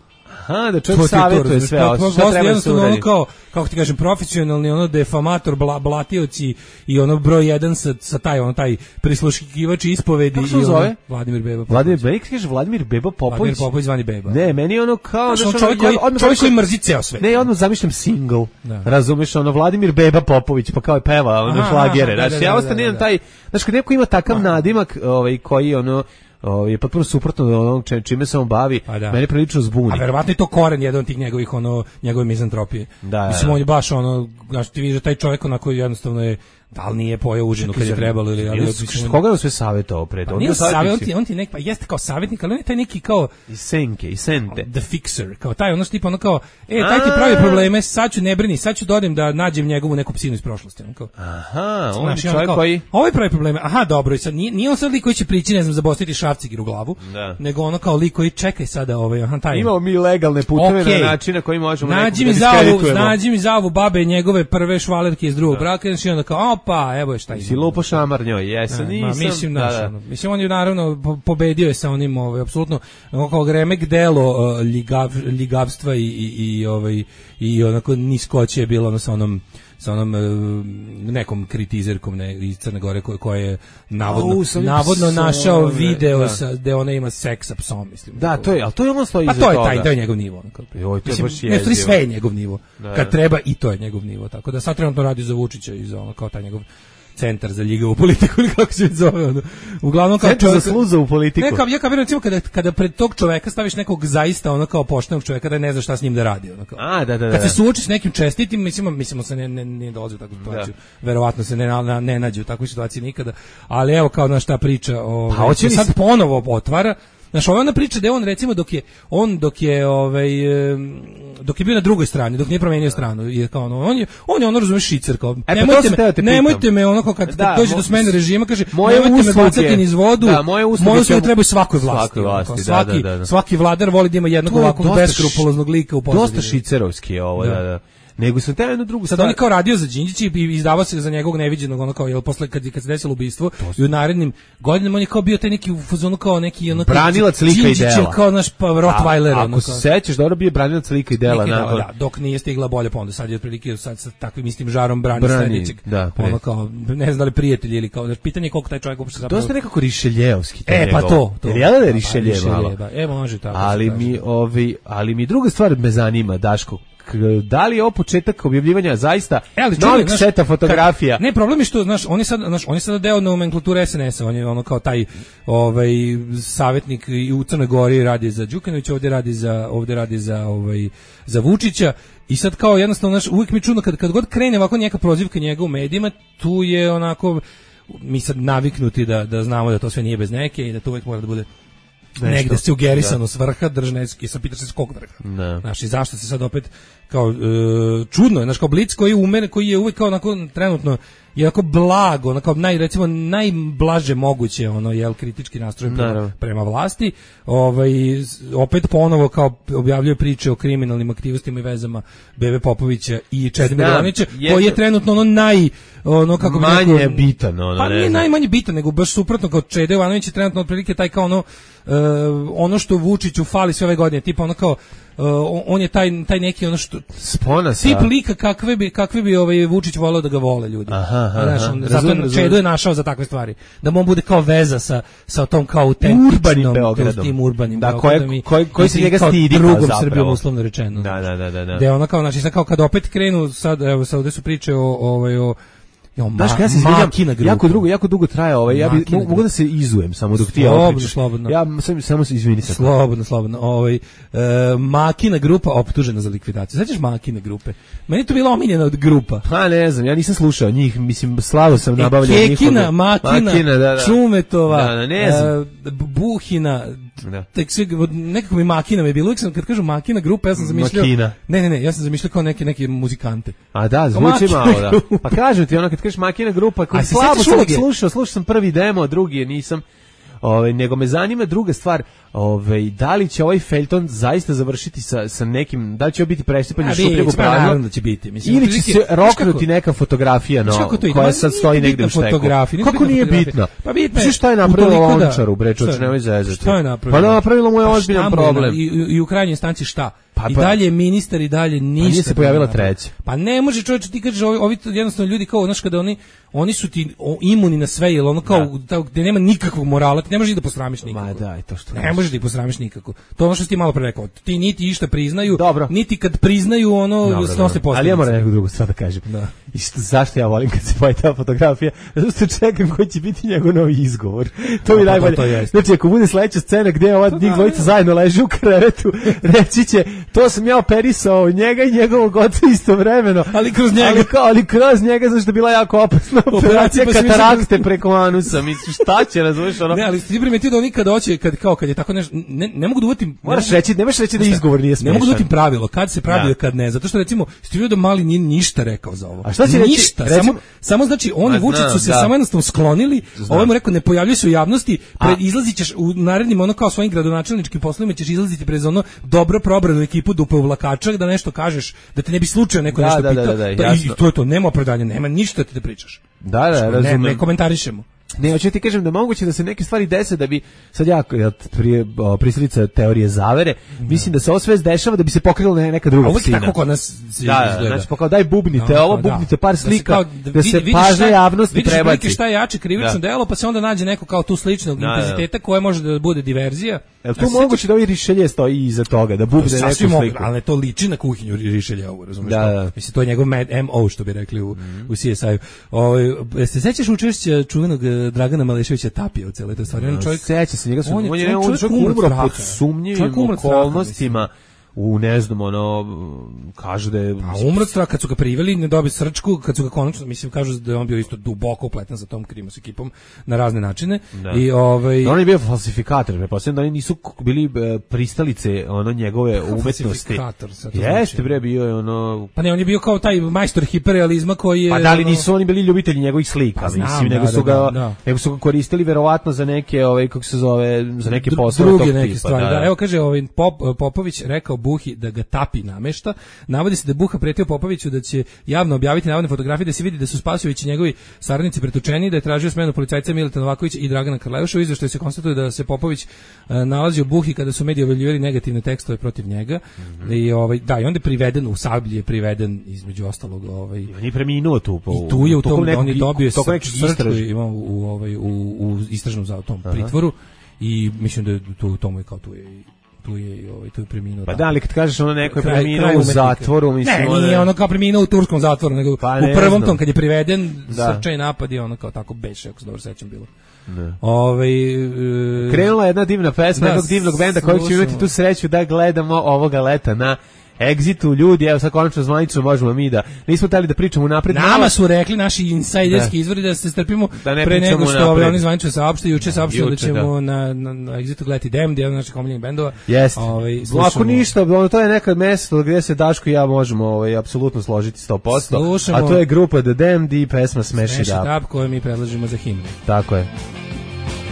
Aha, da čovjek savjetuje sve, a šta treba da se uradi? Kao, kako ti kažem, profesionalni, ono, defamator, bla, blatioci i ono broj jedan sa, sa taj, ono, taj prisluškivač ispovedi. Kako se zove? Vladimir Beba Popović. Vladimir, meni kaže Vladimir Beba Popović. Vladimir Popović zvani Beba. Ne, meni je ono kao... Znaš, on čovjek, koji, ja, čovjek koji mrzi ceo sve. Ne, odmah zamišljam single. Da. Razumeš, ono, Vladimir Beba Popović, pa kao je peva, ono, šlagere. Znaš, da, da, ja ostanem taj... Znaš, kad neko ima takav nadimak, ovaj, koji, ono... O, je potpuno suprotno od onog čime se on bavi, da. Mene prilično zbuni. A verovatno je to koren jedan od tih njegovih, ono, njegove mizantropije. Da, mislim, on je baš, ono, znaš, ti vidiš da taj čovjek onako jednostavno je, da li nije pojeo užinu kad je trebalo ili... Ali, ali, koga je sve savjetovao pred? Pa nije savjet, on ti, on ti nek, pa jeste kao savjetnik, ali on je taj neki kao... I senke, i sente. The fixer, kao taj, ono tipa, ono kao, e, taj ti pravi probleme, sad ću ne brini, sad ću dodim da nađem njegovu neku psinu iz prošlosti. On kao, aha, on je čovjek koji... Ovaj pravi probleme, aha, dobro, i sad nije, nije on sad lik koji će prići, ne znam, zabostiti šrafcigir u glavu, da. Nego ono kao lik koji čekaj sada, ovaj, aha, taj... Imamo mi legalne puteve okay. Na način na koji možemo nađi mi zavu, nađi mi zavu babe njegove prve švalerke iz drugog braka, i onda kao, opa, evo šta si lupo šamar njoj, jesam, ne, nisam. Ma, mislim, da, da. Ono, mislim, on je naravno po, pobedio je sa onim, ovaj, apsolutno, kao remek delo uh, ljigav, ljigavstva i, i, i, ovaj, i onako niskoće je bilo ono sa onom, sa onom uh, nekom kritizerkom ne, iz Crne Gore koja ko je navodno, oh, navodno psom, našao video da. Sa, gde ona ima seks sa psom, mislim. Da, to je, ali to je ono stoji pa iza toga. Pa to je taj, to je njegov nivo. Ono, Joj, to je baš jezivo. Ne, sve je njegov nivo. Da, kad da. Treba i to je njegov nivo. Tako da sad trenutno radi za Vučića i za ono, kao taj njegov centar za ljigavu politiku ili kako se zove ono. Uglavnom kao centar za sluzavu politiku. Ne, kao ja kao recimo kada kada pred tog čoveka staviš nekog zaista ono kao poštenog čoveka da ne znaš šta s njim da radi ono kao. A, da, da, da. Kad se suoči s nekim čestitim, mislimo mislimo se ne ne, ne dolazi u takvu situaciju. Verovatno se ne na, ne nađe u takvoj situaciji nikada. Ali evo kao na šta priča, ovaj pa, hoće sad ponovo otvara. Znaš, ona priča da je on recimo dok je on dok je ovaj dok je bio na drugoj strani, dok nije promenio stranu, je kao ono, on je on je ono razumeš šicer kao e, nemojte pa me, nemojte me ono kao kad, da, kad dođe do smene režima kaže moje nemojte me bacati niz vodu. Da, moje usluge, moje usluge trebaju svakoj vlasti. Svakoj vlasti, kao, svaki, da, da, da. svaki vladar voli da ima jednog ovakvog beskrupuloznog lika u pozadini. Dosta šicerovski je ovo, da, da. da. Nego sam teo jednu drugu sad stvar. on je kao radio za Đinđića i izdavao se za njegovog neviđenog ono kao jel posle kad kad se desilo ubistvo i u narednim godinama on je kao bio taj neki u fazonu kao neki ono branilac lika i dela kao naš pa Rottweiler ono ako se sećaš dobro bio branilac lika i dela nakon da, dok nije stigla bolja pa onda sad je otprilike sad sa takvim istim žarom brani, brani sledećeg da, ono kao ne znam da li prijatelj ili kao pitanje koliko taj čovjek uopšte zapravo dosta nekako Rišeljevski e pa to to je da je Rišeljev malo e može tako ali mi ovi ali mi druga stvar me zanima Daško da li je ovo početak objavljivanja zaista e, novih seta fotografija? Kad, ne, problem je što, znaš, on je sad, znaš, on je sad deo nomenklature es en es a, on je ono kao taj ovaj, savjetnik i u Crnoj Gori radi za Đukanovića, ovdje radi za, ovdje radi za, ovaj, za Vučića i sad kao jednostavno, znaš, uvijek mi čudno, kad, kad god krene ovako neka prozivka njega u medijima, tu je onako, mi sad naviknuti da, da znamo da to sve nije bez neke i da to uvijek mora da bude negde sugerisano s vrha držneski, sam pitaš se s kog vrha. Znaš, i zašto se sad opet kao, e, čudno je, znaš, kao Blic koji je umen, koji je uvijek kao onako trenutno je onako blago, onako naj, recimo najblaže moguće, ono, jel, kritički nastrojen prema, prema vlasti, ovaj, opet ponovo kao objavljuje priče o kriminalnim aktivnostima i vezama Bebe Popovića i Čedomira Jovanovića, koji je trenutno ono naj, ono, kako bi manje je bitan, ono, pa nije najmanje bitan, nego baš suprotno, kao Čede Jovanović je trenutno otprilike taj kao ono, uh, ono što Vučiću fali sve ove godine, tipa ono kao, Uh, on je taj taj neki ono što spona sa tip lika kakve bi kakve bi ovaj Vučić voleo da ga vole ljudi. Aha, aha, znaš, on, zato je Čedo je našao za takve stvari. Da mu on bude kao veza sa sa tom kao autentičnim Beogradom, tim urbanim da koji koji koji se njega stidi drugom Srbijom uslovno rečeno. Da, da, da, da. Da, da je ona kao znači sad kao kad opet krenu sad evo sad ovde su priče o ovaj o Jo, ma, ja se izvinjam, jako dugo, jako dugo traje ovaj, ja bi mogu da se izujem samo dok ti ja pričaš. Slobodno. Ja sam samo se izvini sad. Slobodno, slobodno. Ovaj e, Makina grupa optužena za likvidaciju. Sećaš Makine grupe? Meni to bila omiljena od grupa. Pa ne znam, ja nisam slušao njih, mislim slavo sam nabavljao njihove. Kekina, Makina, Makina da, da. Čumetova, da, da, ne znam. E, Buhina, da. Tek sve, nekako mi Makina mi je bilo, uvijek sam kad kažu Makina grupa, ja sam zamišljao. Makina. Ne, ne, ne, ja sam zamišljao kao neke neke muzikante. A da, zvuči malo, da. Pa kažem ti, ono kad kažeš Makina grupa, koji slabo sam slušao, slušao sam prvi demo, drugi je nisam. Ovaj, nego me zanima druga stvar, ovaj, da li će ovaj feljton zaista završiti sa, sa nekim, da li će biti presipanje šupljeg u prazno, da će biti. Mislim, ili će se roknuti neka fotografija no, koja sad stoji negde u šteku. Kako nije bitna? Pa bitno je. Šta je napravilo Lončaru, bre, čoveče, nemoj zezati. Šta je napravilo? Pa napravilo mu je ozbiljan problem. I, i u krajnjoj instanci šta? Pa, pa, I dalje ministar i dalje ništa. Pa nije se pojavila treća. Pa ne može čovječe, ti kažeš ovi, ovi jednostavno ljudi kao, znaš, kada oni oni su ti o, imuni na sve, jer ono kao da. Gde nema nikakvog morala, ti ne možeš da posramiš nikako. Ma daj, to što. Ne možeš da posramiš nikako. To ono što si ti malo pre rekao. Ti niti išta priznaju, dobro. Niti kad priznaju ono snose posljedice. Ali ja moram neku drugu stvar da kažem. Da. I što, zašto ja volim kad se pojavi ta fotografija? Zato što čekam koji će biti njegov novi izgovor. To mi najbolje. To znači, ako bude sledeća scena gde ova njih dvojica zajedno leže u krevetu, reći će, to sam ja operisao njega i njegovog oca istovremeno. Ali kroz njega. Ali, kao, ali kroz njega, zašto je bila jako opasna operacija pa katarakte preko anusa. Mislim, šta će, razumiješ ono? Ne, ali ti primetio da oni kad hoće, kad, kao kad je tako nešto, ne, ne mogu da uvatim... Moraš reći, nemaš reći da izgovor nije smešan. Ne mogu da uvatim pravilo, kad se pravi, kad ne. Zato što, recimo, stivio da Mali nije ništa rekao za ovo. A šta će reći? Ništa, recimo, samo, samo znači, oni i Vučić su se da. samo jednostavno sklonili, ovaj mu rekao, ne pojavljuje se u javnosti, pred, izlazit ćeš u narednim, ono kao svojim gradonačelničkim poslovima, ćeš izlaziti pred ono dobro probranu ekipu dupe uvlakača, da nešto kažeš, da te ne bi slučajno neko da, nešto da, pitao. Da, da, da, da, I to je to, nema opravdanja, nema ništa da ti pričaš. Da, da, što, razumem. Ne, ne komentarišemo. Ne, hoću ti kažem da moguće da se neke stvari dese da bi sad ja prije prisilica teorije zavere, da. Mislim da se ovo sve dešava da bi se pokrila neka druga scena. scena. Tako kod nas da, izgleda. Znači, pa daj bubnite no, ovo, da. bubnite par slika, da se, kao, da se vidiš pažnja javnosti prebaci. Vidiš šta je jače krivično da. delo, pa se onda nađe neko kao tu sličnog da, intenziteta koja može da bude diverzija. Jel to moguće da ovi Rišelje stoji iza toga, da bubne neku sliku? Mogu, ali to liči na kuhinju Rišelja, ovo, razumiješ? Da, da. Mislim, to je njegov M O, što bi rekli u, mm. u C S I-u. Ovaj, se sećaš učešća čuvenog Dragana Maleševića Tapija u celoj toj stvari? On čovjek, seća se, njega su, on je, on je, on je čovjek umro pod sumnjivim okolnostima. U ne znam, ono, kažu da je... A umro od straha, kad su ga priveli, ne dobio srčku, kad su ga konačno, mislim, kažu da je on bio isto duboko upletan sa tom Krimos ekipom na razne načine. Da. I, ovaj... da on je bio falsifikator, pretpostavljam da oni nisu bili pristalice ono njegove umetnosti. Falsifikator, sad to Jeste, znači. bre, bio je ono... Pa ne, on je bio kao taj majstor hiperrealizma koji je... Pa da li ono... nisu oni bili ljubitelji njegovih slika, pa, znam, mislim, da, nego su ga, da, da. nego su ga koristili verovatno za neke, ovaj, kako se zove, za neke poslove druge tog neke tipa. stvari, Da, da. Evo kaže, ovaj, Pop, Popović rekao Buhi da ga Tapi namešta. Navodi se da je Buha pretio Popoviću da će javno objaviti navodne fotografije, da se vidi da su Spasojević i njegovi saradnici pretučeni, da je tražio smenu policajca Mileta Novakovića i Dragana Karleuša. U izveštaju se konstatuje da se Popović uh, nalazi u Buhi kada su mediji objavljivali negativne tekstove protiv njega. Mm-hmm. I ovaj da, i onda je priveden u Sablji, je priveden između ostalog, ovaj on je preminuo tu po. I tu je u tom, neku, on je dobio srčku ima u, u ovaj u, u istražnom zatom pritvoru i mislim da je tu tomu je kao tu je tu je ovaj tu je preminuo. Pa da, ali kad kažeš ono neko je preminuo u zatvoru, mislim, ne, nije ono kao preminuo u turskom zatvoru, nego pa u prvom tom kad je priveden, da. Srčaj napad je ono kao tako beše, ako se dobro sećam bilo. Ne. Ovaj e, krenula jedna divna pesma da, jednog divnog benda kojeg ćemo imati tu sreću da gledamo ovoga leta na Exitu. Ljudi, evo sad konačno zvanično možemo mi da nismo tali da pričamo napred. Nama su rekli naši insajderski izvori da se strpimo da ne pre nego što napred. oni zvanično saopšte, juče saopštili da ćemo da. na, na, na Exitu gledati Damned, jedan od naših omiljenih bendova. Jeste. Ovaj, ako ništa, ono, to je neka mesto gdje se Daško i ja možemo ovaj, apsolutno složiti sto posto. Slušamo, a to je grupa The Damned i pesma Smash It Up. Up koju mi predlažimo za himnu. Tako je.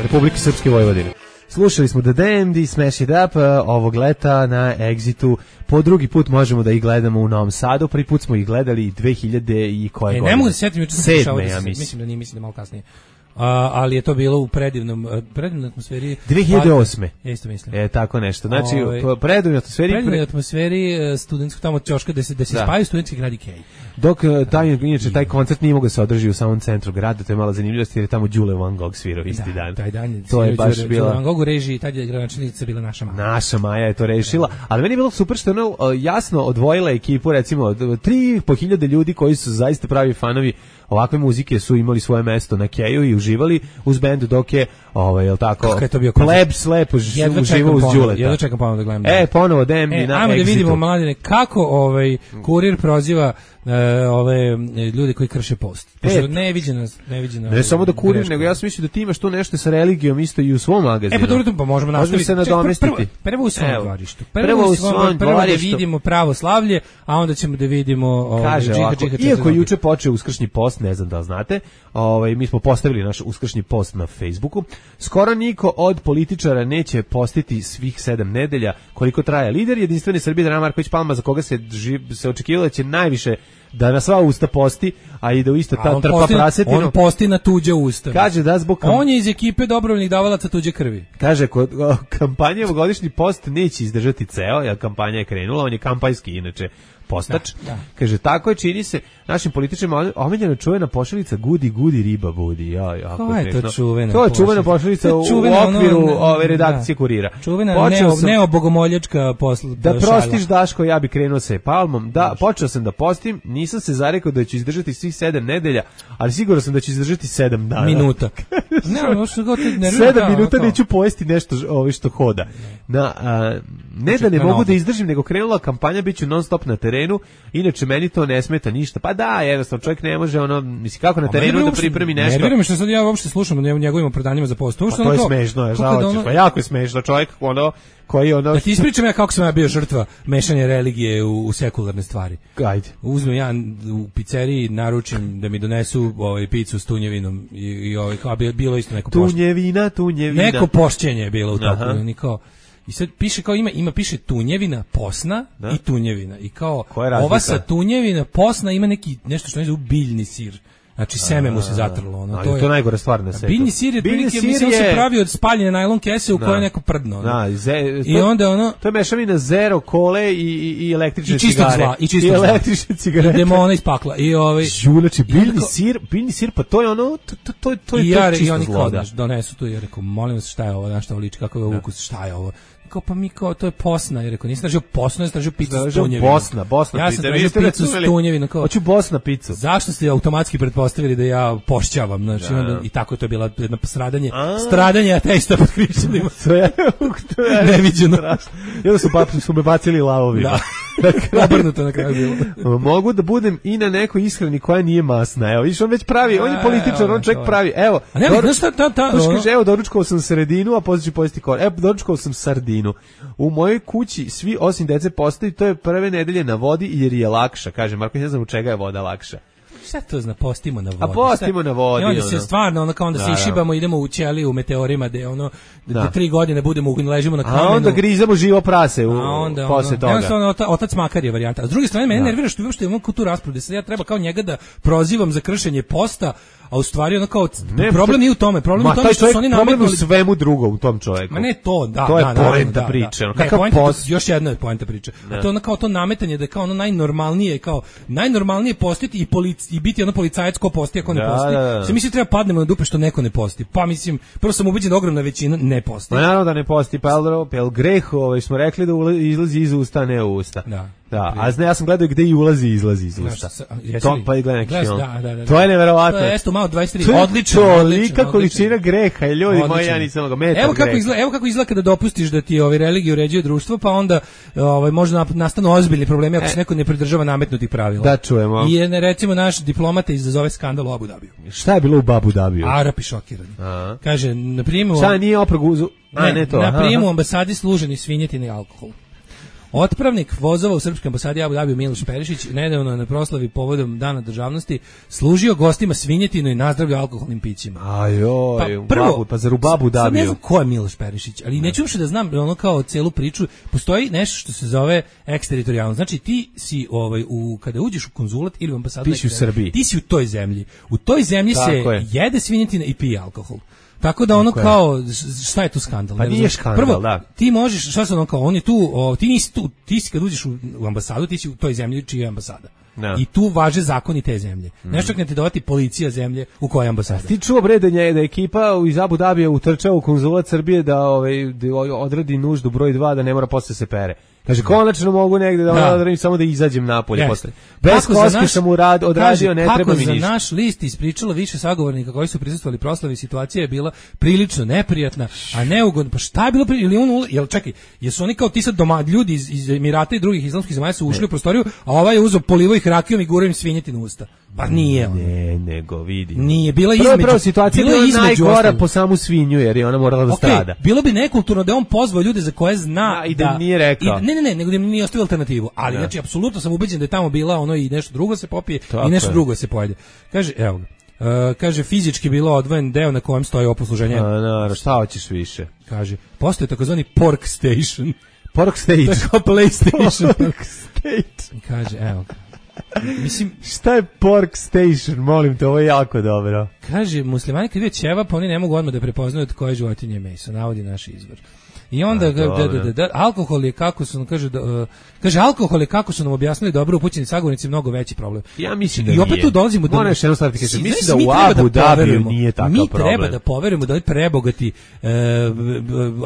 Republike Srpske Vojvodine. Slušali smo The Damned i Smash It Up uh, ovog leta na Exitu. Po drugi put možemo da ih gledamo u Novom Sadu. Prvi put smo ih gledali dve hiljade i koje e, godine? Ne mogu da se sjetim, juče sam Sedme, da ja se, mislim. mislim da nije, mislim da malo kasnije. Uh, ali je to bilo u predivnom predivnoj atmosferi dve hiljade osme. Ja isto mislim. E tako nešto. Znači Ove, u predivnoj atmosferi predivnoj atmosferi uh, studentskog tamo ćoška da se da se da. spaju studentski grad Ikej. Dok taj inače taj koncert nije mogao se održi u samom centru grada, to je mala zanimljivost jer je tamo Đule Van Gogh svirao isti da, dan. Taj dan je to je baš bila Van Gogh u režiji, tad je gradonačelnica bila naša Maja. Naša Maja je to rešila, ali meni je bilo super što ono jasno odvojila ekipu, recimo tri po hiljade ljudi koji su zaista pravi fanovi ovakve muzike su imali svoje mesto na Keju i uživali uz bend, dok je ovaj jel tako Plebs lepo uživao uz Đuleta. Jedva čekam ponovo da gledam. E, ponovo Damned e, na ajmo Exitu. Da vidimo, mladine, kako ovaj Kurir proziva uh, ove ljude koji krše post. Pošto e, neviđena, neviđena. Ne samo da Kurir, greška. Nego ja sam mislio da ti imaš tu nešto sa religijom isto i u svom magazinu. E pa dobro, pa možemo nastaviti. Možemo se nadomestiti. Prvo, prvo u svom dvorištu. Prvo, prvo u svom dvorištu. Da vidimo pravoslavlje, a onda ćemo da vidimo ovaj, kaže džiha, ovako, džiha, iako je juče počeo uskršnji post, ne znam da li znate, ovaj, mi smo postavili naš uskršnji post na Facebooku. Skoro niko od političara neće postiti svih sedam nedelja koliko traje lider Jedinstvene Srbije Dragan Marković Palma, za koga se, se očekivalo da će najviše da na sva usta posti, a i da u isto ta trpa prasetinu. On posti na tuđe usta. Kaže da zbog kam... On je iz ekipe dobrovoljnih davalaca tuđe krvi. Kaže, kod kampanje ovogodišnji post neće izdržati ceo, jer kampanja je krenula, on je kampanjski inače postač. Da, da. Kaže, tako je, čini se našim političarima omiljena čuvena pošalica gudi, gudi, riba budi. Ja, jako Ko je to čuvena To je čuvena pošalica u, čuvena, u okviru ono, ove redakcije da. Kurira. Čuvena neo, sam, neobogomoljačka posla. Da prostiš, Daško, ja bi krenuo sa palmom. Da, Daš. Počeo sam da postim, nisam se zarekao da ću izdržati svih sedam nedelja, ali siguran sam da ću izdržati sedam dana. Minuta. ne, no, što god ne sedam minuta neću pojesti nešto ovi što hoda. Na, a, ne da ne mogu da izdržim, nego krenula kampanja, bit ću non stop na terenu, inače meni to ne smeta ništa. Pa da, jednostavno čovjek ne može, ono, misli kako na terenu da pripremi nešto. Ne vjerujem što sad ja uopšte slušam o njegovim opravdanjima za post. Pa to je smešno, je, žao, pa jako je smešno, čovjek, ono, koji ono... Da ti ispričam ja kako sam ja bio žrtva mešanja religije u, u sekularne stvari. Ajde. Uzmem ja u pizzeriji, naručim da mi donesu ovaj, picu s tunjevinom i, i ovaj, kao bilo isto neko poštenje. Tunjevina, tunjevina. Neko pošćenje je bilo u toku. I kao, i sad piše kao ima ima piše tunjevina posna da? I tunjevina i kao ova sa tunjevina posna ima neki nešto što ne zove biljni sir. Znači seme mu se zatrlo, ono. To je to najgora stvar na svetu. Biljni sir je prilike, mislim se pravi od spaljene najlon kese u kojoj neko prdno. Da, i onda ono to je mešavina zero kole i i, i električne i cigare. Zla, I čistog zla, i električne cigare. I demona iz pakla. I ovaj Žulači biljni sir, biljni sir, pa to je ono, to to to, to je ja, to čisto zlo. Donesu tu i rekao, molim vas, šta je ovo, na šta liči, kakav je ukus, šta je ovo? Kao pa mi kao to je posna, jer rekao nisam tražio posnu, nisam tražio picu s tunjevinom. Bosna, Bosna ja pizza. Ja sam tražio picu s tunjevinom. Hoću Bosna picu. Zašto ste automatski pretpostavili da ja pošćavam? Znači, da. Onda, i tako je to bila jedno stradanje. A. Stradanje ateista pod hrišćanima. To je, to je neviđeno. I onda su, bapli, su me bacili lavovima. Da. Obrnuto na kraju bilo. Mogu da budem i na nekoj ishrani koja nije masna. Evo, viš on već pravi, on je političar, on čovjek pravi. Evo, a ne, doru, šta, ta, ta, ono? Kaže, evo, doručkovao sam sredinu, a poslije ću pojesti kor. Evo, doručkovao sam sardinu. U mojoj kući svi osim dece postaju, to je prve nedelje na vodi jer je lakša. Kaže, Marko, ne znam u čega je voda lakša. Šta to zna, postimo na vodi? A postimo na vodi. I onda se stvarno, ono kao onda se išibamo, idemo u ćeliju, u meteorima, gde ono, da tri godine budemo, ležimo na kamenu. A onda grizamo živo prase u, onda, posle toga. Jednostavno, otac makar je varijanta. A s druge strane, mene nervira što uopšte imamo tu raspravu, da se ja treba kao njega da prozivam za kršenje posta, a u stvari ono kao, ne, problem nije u tome, problem je u tome što su oni nametnuli. Problem u svemu drugom u tom čovjeku. Ma ne to, da, to je da, poenta da, priče. Da, ne, poenta, post... još jedna je poenta priče. A to ono kao to nametanje da je kao ono najnormalnije, kao najnormalnije postiti i, polic, i biti ono policajac ko posti ako ne da, posti. Da, da. Se misli treba padnemo na dupe što neko ne posti. Pa mislim, prvo sam ubeđen da ogromna većina ne posti. Ma naravno da ne posti, pa el greh, ovaj smo rekli da izlazi iz usta, ne u usta. Da. Da, a zna, ja sam gledao gde i ulazi i izlazi iz usta. To pa i gledam neki film. Da, da, da. To je neverovatno. To je esto malo dvadeset tri. Odlično. Tolika količina greha, ljudi moji, ja nisam ga metar. Evo kako izgleda, evo kako izgleda kada dopustiš da ti ovaj religiju uređuje društvo, pa onda ovaj može nastanu ozbiljni problemi ako se neko ne pridržava nametnutih pravila. Da čujemo. I ne recimo naš diplomata izazove skandal u Abu Dabiju. Šta je bilo u Abu Dabiju? Arapi šokirani. Kaže na prijemu. Šta nije oprogu? A ne to. Na prijemu ambasadi služeni svinjetine i alkohol. Otpravnik vozova u srpskoj ambasadi Abu Dabiju Miloš Perišić nedavno na proslavi povodom Dana državnosti služio gostima svinjetinu i nazdravljao alkoholnim pićima. Ajoj, pa prvo, pa zar u Abu Dabiju? Sad ne znam ko je Miloš Perišić, ali neću uopšte da znam ono kao celu priču. Postoji nešto što se zove eksteritorijalno. Znači ti si ovaj u kada uđeš u konzulat ili u ambasadu, ti si u Srbiji. Ti si u toj zemlji. U toj zemlji tako se je. jede svinjetina i pije alkohol. Tako da ono tako kao, šta je tu skandal? Pa nije skandal, prvo, da. ti možeš, šta se ono kao, on je tu, o, ti nisi tu, ti si kad uđeš u, u ambasadu, ti si u toj zemlji čija je ambasada. Da. I tu važe zakoni te zemlje. Mm. Nešto ne te dovati policija zemlje u kojoj je ambasada. Ti čuo bre da je da ekipa iz Abu Dabija utrčao u konzulat Srbije da ovaj da odradi nuždu broj dva da ne mora posle se pere. Kaže konačno mogu negde da, da. odradim samo da izađem napolje yes. posle. Bez koske sam u rad odradio, ne treba mi ništa. Kako za naš list ispričalo više sagovornika koji su prisustvovali proslavi, situacija je bila prilično neprijatna, a neugodna. Pa šta je bilo pri ili on jel čekaj, jesu oni kao ti sad doma ljudi iz, iz Emirata i drugih islamskih zemalja su ušli ne. u prostoriju, a ovaj je uzeo polivo ih rakijom i gurao im svinjetinu u usta. Pa nije on. Ne, nego vidi. Nije bila između. Prvo situacija bila je najgora po samu svinju jer je ona morala da okay, strada. Bilo bi nekulturno da on pozvao ljude za koje zna da, i da, da nije rekao. I, ne, ne, ne, nego da nije ostavio alternativu. Ali da. Znači apsolutno sam ubeđen da je tamo bila ono i nešto drugo se popije tako i nešto je. drugo se pojede. Kaže, evo ga. Uh, kaže fizički bilo odvojen deo na kojem stoji oposluženje. A, naravno, šta hoćeš više? Kaže, postoji takozvani pork station. Pork station. Tako PlayStation. Pork station. Kaže, evo ga. Mislim, šta je pork station? Molim te, ovo je jako dobro. Kaže, muslimani kad vide ćevap, oni ne mogu odmah da prepoznaju od koje životinje je meso, navodi naš izvor. I onda, da, da, da, da, alkohol je kako su nam, kaže, da, uh, kaže, alkohol je kako su nam objasnili dobro upućeni sagovornici mnogo veći problem. Ja mislim da I opet nije. tu dolazimo do... Moram još jedno staviti, kaže, mislim da u Abu Dabiju nije takav mi problem. Mi treba da poverujemo da ovi prebogati uh,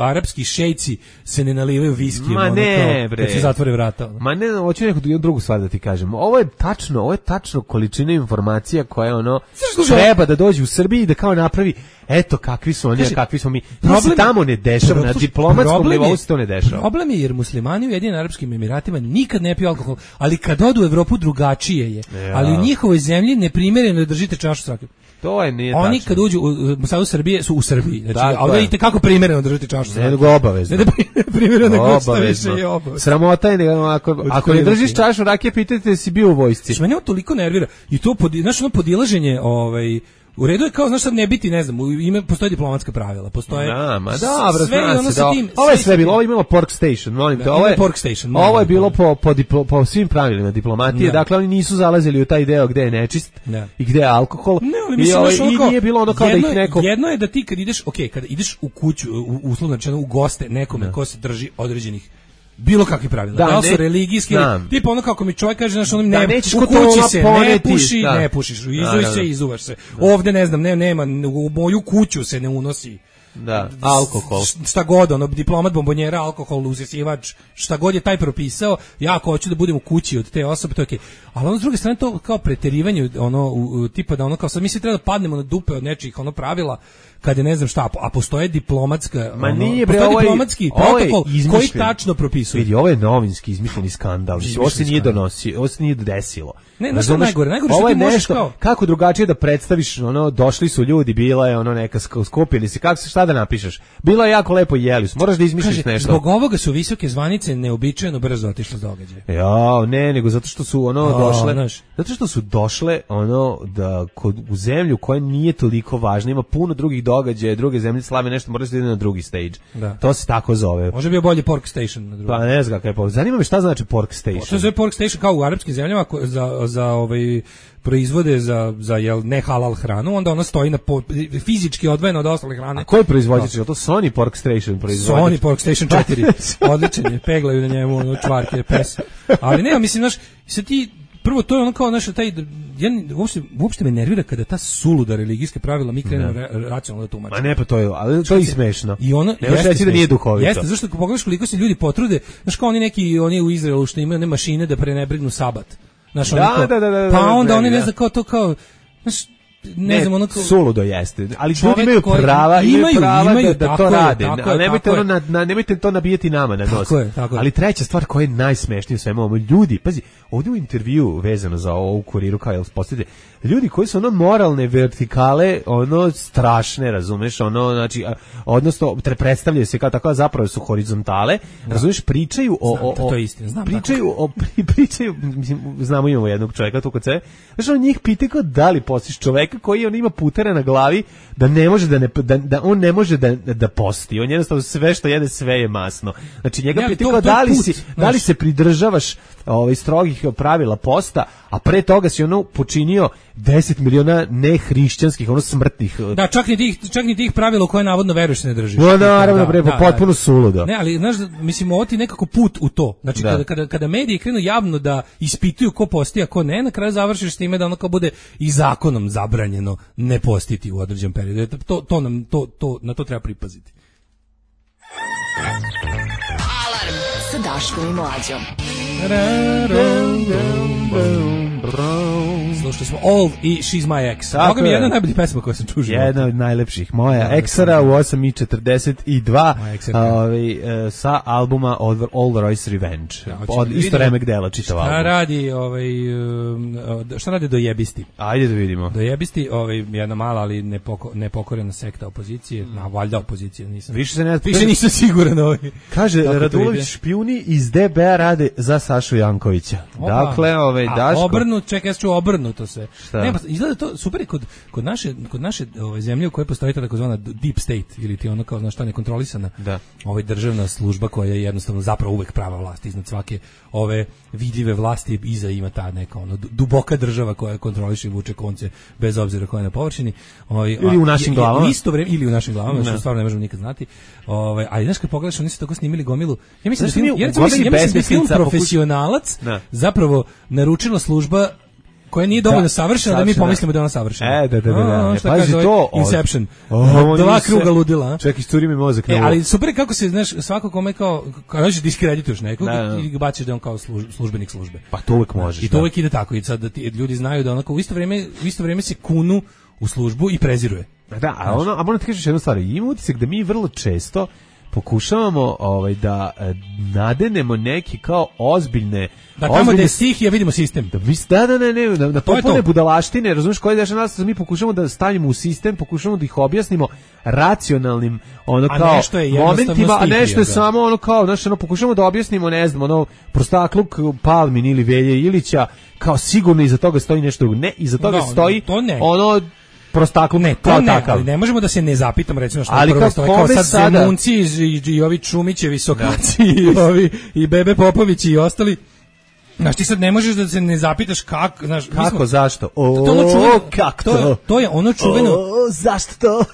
arapski šejci se ne nalivaju viski. Ma ono, ne, kao, bre. Kad se zatvore vrata. Ono. Ma ne, hoću neku drugu stvar da ti kažem. Ovo je tačno, ovo je tačno količina informacija koja ono treba da dođe u Srbiji i da kao napravi eto kakvi su oni, a kakvi smo mi. To se tamo ne dešava, na diplomatskom nivou se to ne dešava. Problem je jer muslimani u Jedinim Arapskim Emiratima nikad ne piju alkohol, ali kad odu u Evropu drugačije je. Ja. Ali u njihovoj zemlji neprimereno držite čašu s rakiom. To je nije Oni tačno. kad uđu u Sadu Srbije su u Srbiji. Znači, a ovdje idete kako primereno držite čašu s rakiom. Ne, nego obavezno. Ne da primereno nego šta više je obavezno. Sramota je, nego ako, ako ne držiš čašu rakije, pitajte si bio u vojsci. Što mene toliko nervira. I to, pod, znaš, ono podilaženje, ovaj, u redu je kao, znaš, sad ne biti, ne znam, u ime postoje diplomatska pravila, postoje da, ma dobro, sve zna ono se, sa da, tim. ovo je sve bilo, ovo je imalo Pork Station, molim te, Da, ovo je, Pork Station, ovo je molim, bilo molim. po, po, diplo, po svim pravilima diplomatije, Da. dakle oni nisu zalazili u taj deo gde je nečist Da. i gde je alkohol. Ne, ali I, mislim, ovaj, znaš, ono i kao, nije bilo ono kao jedno, da ih neko... Jedno je da ti kad ideš, ok, kada ideš u kuću, u, uslovno rečeno u goste nekome Da. ko se drži određenih bilo kakvi pravila. Da, Da, li su ne- religijski, znam. tipa ono kako mi čovjek kaže, znaš, ono Da, ne, nećeš u kod kući toga se ne poneti, puši, da. ne pušiš, izuj Da, da, da. se, izuvaš se. Ovde, ne znam, ne, nema, u moju kuću se ne unosi. Da, alkohol. S- Šta god, ono, diplomat, bombonjera, alkohol, uzesivač, šta god je taj propisao, ja ako hoću da budem u kući od te osobe, to je okej. Ali ono s druge strane to kao preterivanje, ono, u, u, tipa da ono kao sad mi se treba da padnemo na dupe od nečih ono pravila, kad je ne znam šta, a postoje diplomatska, Ma ono, nije, bre, postoje ovo je- diplomatski ovo je protokol koji izmišljen. tačno propisuje. Vidi, ovo je novinski izmišljeni skandal. Mislim, ovo se Izmišljeni nije skandal. donosio, ovo se nije desilo. Ne, znaš šta je Razumeš? najgore? Najgore što Ovo je ti možeš nešto, kao- kako drugačije da predstaviš, ono, došli su ljudi, bila je ono neka sk- skupili se, kako se, šta da napišeš? Bilo je jako lepo, jeli su, moraš da izmišljiš Kaže, nešto. zbog ovoga su visoke zvanice neobičajeno brzo otišle s događaja. Ja, ne, nego zato što su ono A, došle, znaš. zato što su došle ono da kod u zemlju koja nije toliko važna, ima puno drugih događaja, druge zemlje slave nešto, mora se ide na drugi stage. Da. To se tako zove. Može bi bio bolji Pork Station na drugom. Pa ne znam kakav je povod. Zanima me šta znači Pork Station. To se zove Pork Station kao u arapskim zemljama ko- za, za ovaj proizvode za, za jel, ne halal hranu, onda ona stoji na po, fizički odvojena od ostale hrane. A ko je proizvođač? Je to Sony Pork Station proizvođač? Sony Pork Station četiri. Odličan je, peglaju na njemu ono čvarke, pes. Ali ne, mislim, znaš, se ti prvo to je ono kao naša taj ja uopšte, uopšte me nervira kada ta suluda religijska pravila mi krenemo ra, racionalno da tumačimo. Ma ne, pa to je, ali to je i smešno. I ono ne možeš reći da nije duhovito. Jeste, zašto ako pogledaš koliko se ljudi potrude, znaš kao oni neki oni u Izraelu što imaju one mašine da prenebrignu sabat. Znaš, Da, ono kao, da, da, da, pa da, onda da, oni ne da. znam kao to kao, znaš, ne, ne znam, ono kao, suludo jeste, ali čovek ljudi imaju koji- prava, imaju, imaju, prava imaju, da, da tako to je, rade, tako je, ali nemojte, tako ono je. na, na, nemojte to nabijati nama na nos. Tako je, tako je. Ali treća stvar koja je najsmešnija u svemu ovome, ljudi, pazi, ovdje u intervju vezano za ovo u Kuriru, kao jel postavite, ljudi koji su ono moralne vertikale, ono strašne, razumeš, ono, znači, a, odnosno, tre- predstavljaju se kao tako, a zapravo su horizontale, razumeš, pričaju o... Znam o, da o to je istina, znam pričaju o, pri, pričaju, mislim, znamo imamo jednog čovjeka tu kod sebe, znaš, on njih pita kao da li postiš čovjeka koji on ima putera na glavi, da ne može da ne, da, da on ne može da, da posti, on jednostavno sve što jede, sve je masno. Znači, njega Ne, ali pita to- kao to je da li put, si, znaš. da li se pridržavaš ovaj strogih pravila posta, a pre toga si ono počinio deset miliona nehrišćanskih, ono smrtnih. Da, čak ni tih, čak ni tih pravila u koje navodno veruješ se ne držiš. No, naravno, Da, bre, da, potpuno da. suludo. Ne, ali znaš, mislim, ovo ti je nekako put u to. Znači, Da. kada, kada, kada mediji krenu javno da ispituju ko posti, a ko ne, na kraju završiš s time da ono kao bude i zakonom zabranjeno ne postiti u određenom periodu. To, to nam, to, to, na to treba pripaziti. Alarm sa Daškom i Mlađom. Slušali smo All i She's My Ex. Tako Boga mi je je. jedna od najboljih pesma koja sam čuo u životu. Jedna od najlepših. Moja Da, Eksara u osam i četrdeset dva Moja Eksarka. ovaj, e, sa albuma All, All Royce Revenge. Da, hoćemo Od da isto vidimo remek dela čitav Šta album. radi, ovaj, um, šta radi dojebisti? Ajde da vidimo. Dojebisti, ovaj, jedna mala, ali nepoko, nepokorena sekta opozicije, na valjda opozicije, nisam. Više se ne... Više nisam siguran ovaj. Kaže, Kako to Radulović ide? špijuni iz D B A rade za Sašu Jankovića. Opa. Dakle, ovaj, A Daško... obrnut, čekaj, ja ću obrnuto se. Šta? Ne, pa izgleda to super je kod kod naše kod naše ove zemlje u kojoj postoji ta takozvana deep state ili ti ono kao znaš šta nekontrolisana. Da. Ovaj državna služba koja je jednostavno zapravo uvek prava vlast iznad svake ove vidljive vlasti iza ima ta neka ono du- duboka država koja kontroliše i vuče konce bez obzira koja je na površini. Ovaj Ili u našim a- glavama. U isto vreme ili u našim glavama, što Da. stvarno ne možemo nikad znati. Ovaj a znaš kad pogledaš oni su tako snimili gomilu. Ja mislim Znaš, da film, mi u ja recimo mislim, Gomili ja mislim da je film besmislica pokuš- Profesionalac Da. zapravo naručila služba koja nije dovoljno Da, savršena da mi savršena. pomislimo da je ona savršena. E, da, da, da. da. A, šta Pazi kaže ovaj to. o- Inception. o, Dva oni se- kruga ludila. a? Čekaj, isturi mi mozak. E, na ovo. ali super je kako se, znaš, svako kome kao, kao hoćeš diskredituješ nekog Da, da. i ga baciš da je on kao služ- službenik službe. Pa to uvek možeš. I to da. uvek ide tako. I sad da ti ljudi znaju da onako u isto vrijeme, u isto vrijeme se kunu u službu i preziruje. Da, a ono, a moram ti kažeš jednu stvar, ima utisak da mi vrlo često pokušavamo ovaj da e, nadenemo neki kao ozbiljne Da tamo ozbiljne gde je stihija vidimo sistem. da mi da da ne ne da, da To je potpune to. budalaštine, razumeš, koje deša nas mi pokušavamo da stavimo u sistem, pokušavamo da ih objasnimo racionalnim ono A kao nešto je jednostavno momentima, a stihija, nešto je da. samo ono kao, znači ono pokušavamo da objasnimo, ne znam, ono prostakluk Palmin ili Velje Ilića, kao sigurno iza toga stoji nešto drugo. Ne, iza toga Da, stoji to ne. ono prostakluk ne, kao ne, takav. Ali ne možemo da se ne zapitamo recimo što ali prvo stoje kao sad sada... Zemunci i, i ovi Čumićevi Sokaci i ovi i Bebe Popović i ostali. Znaš, ti sad ne možeš da se ne zapitaš kako, znaš, kako, smo, zašto? O, to, ono čuveno, kako to? To, to je ono čuveno. O, zašto to?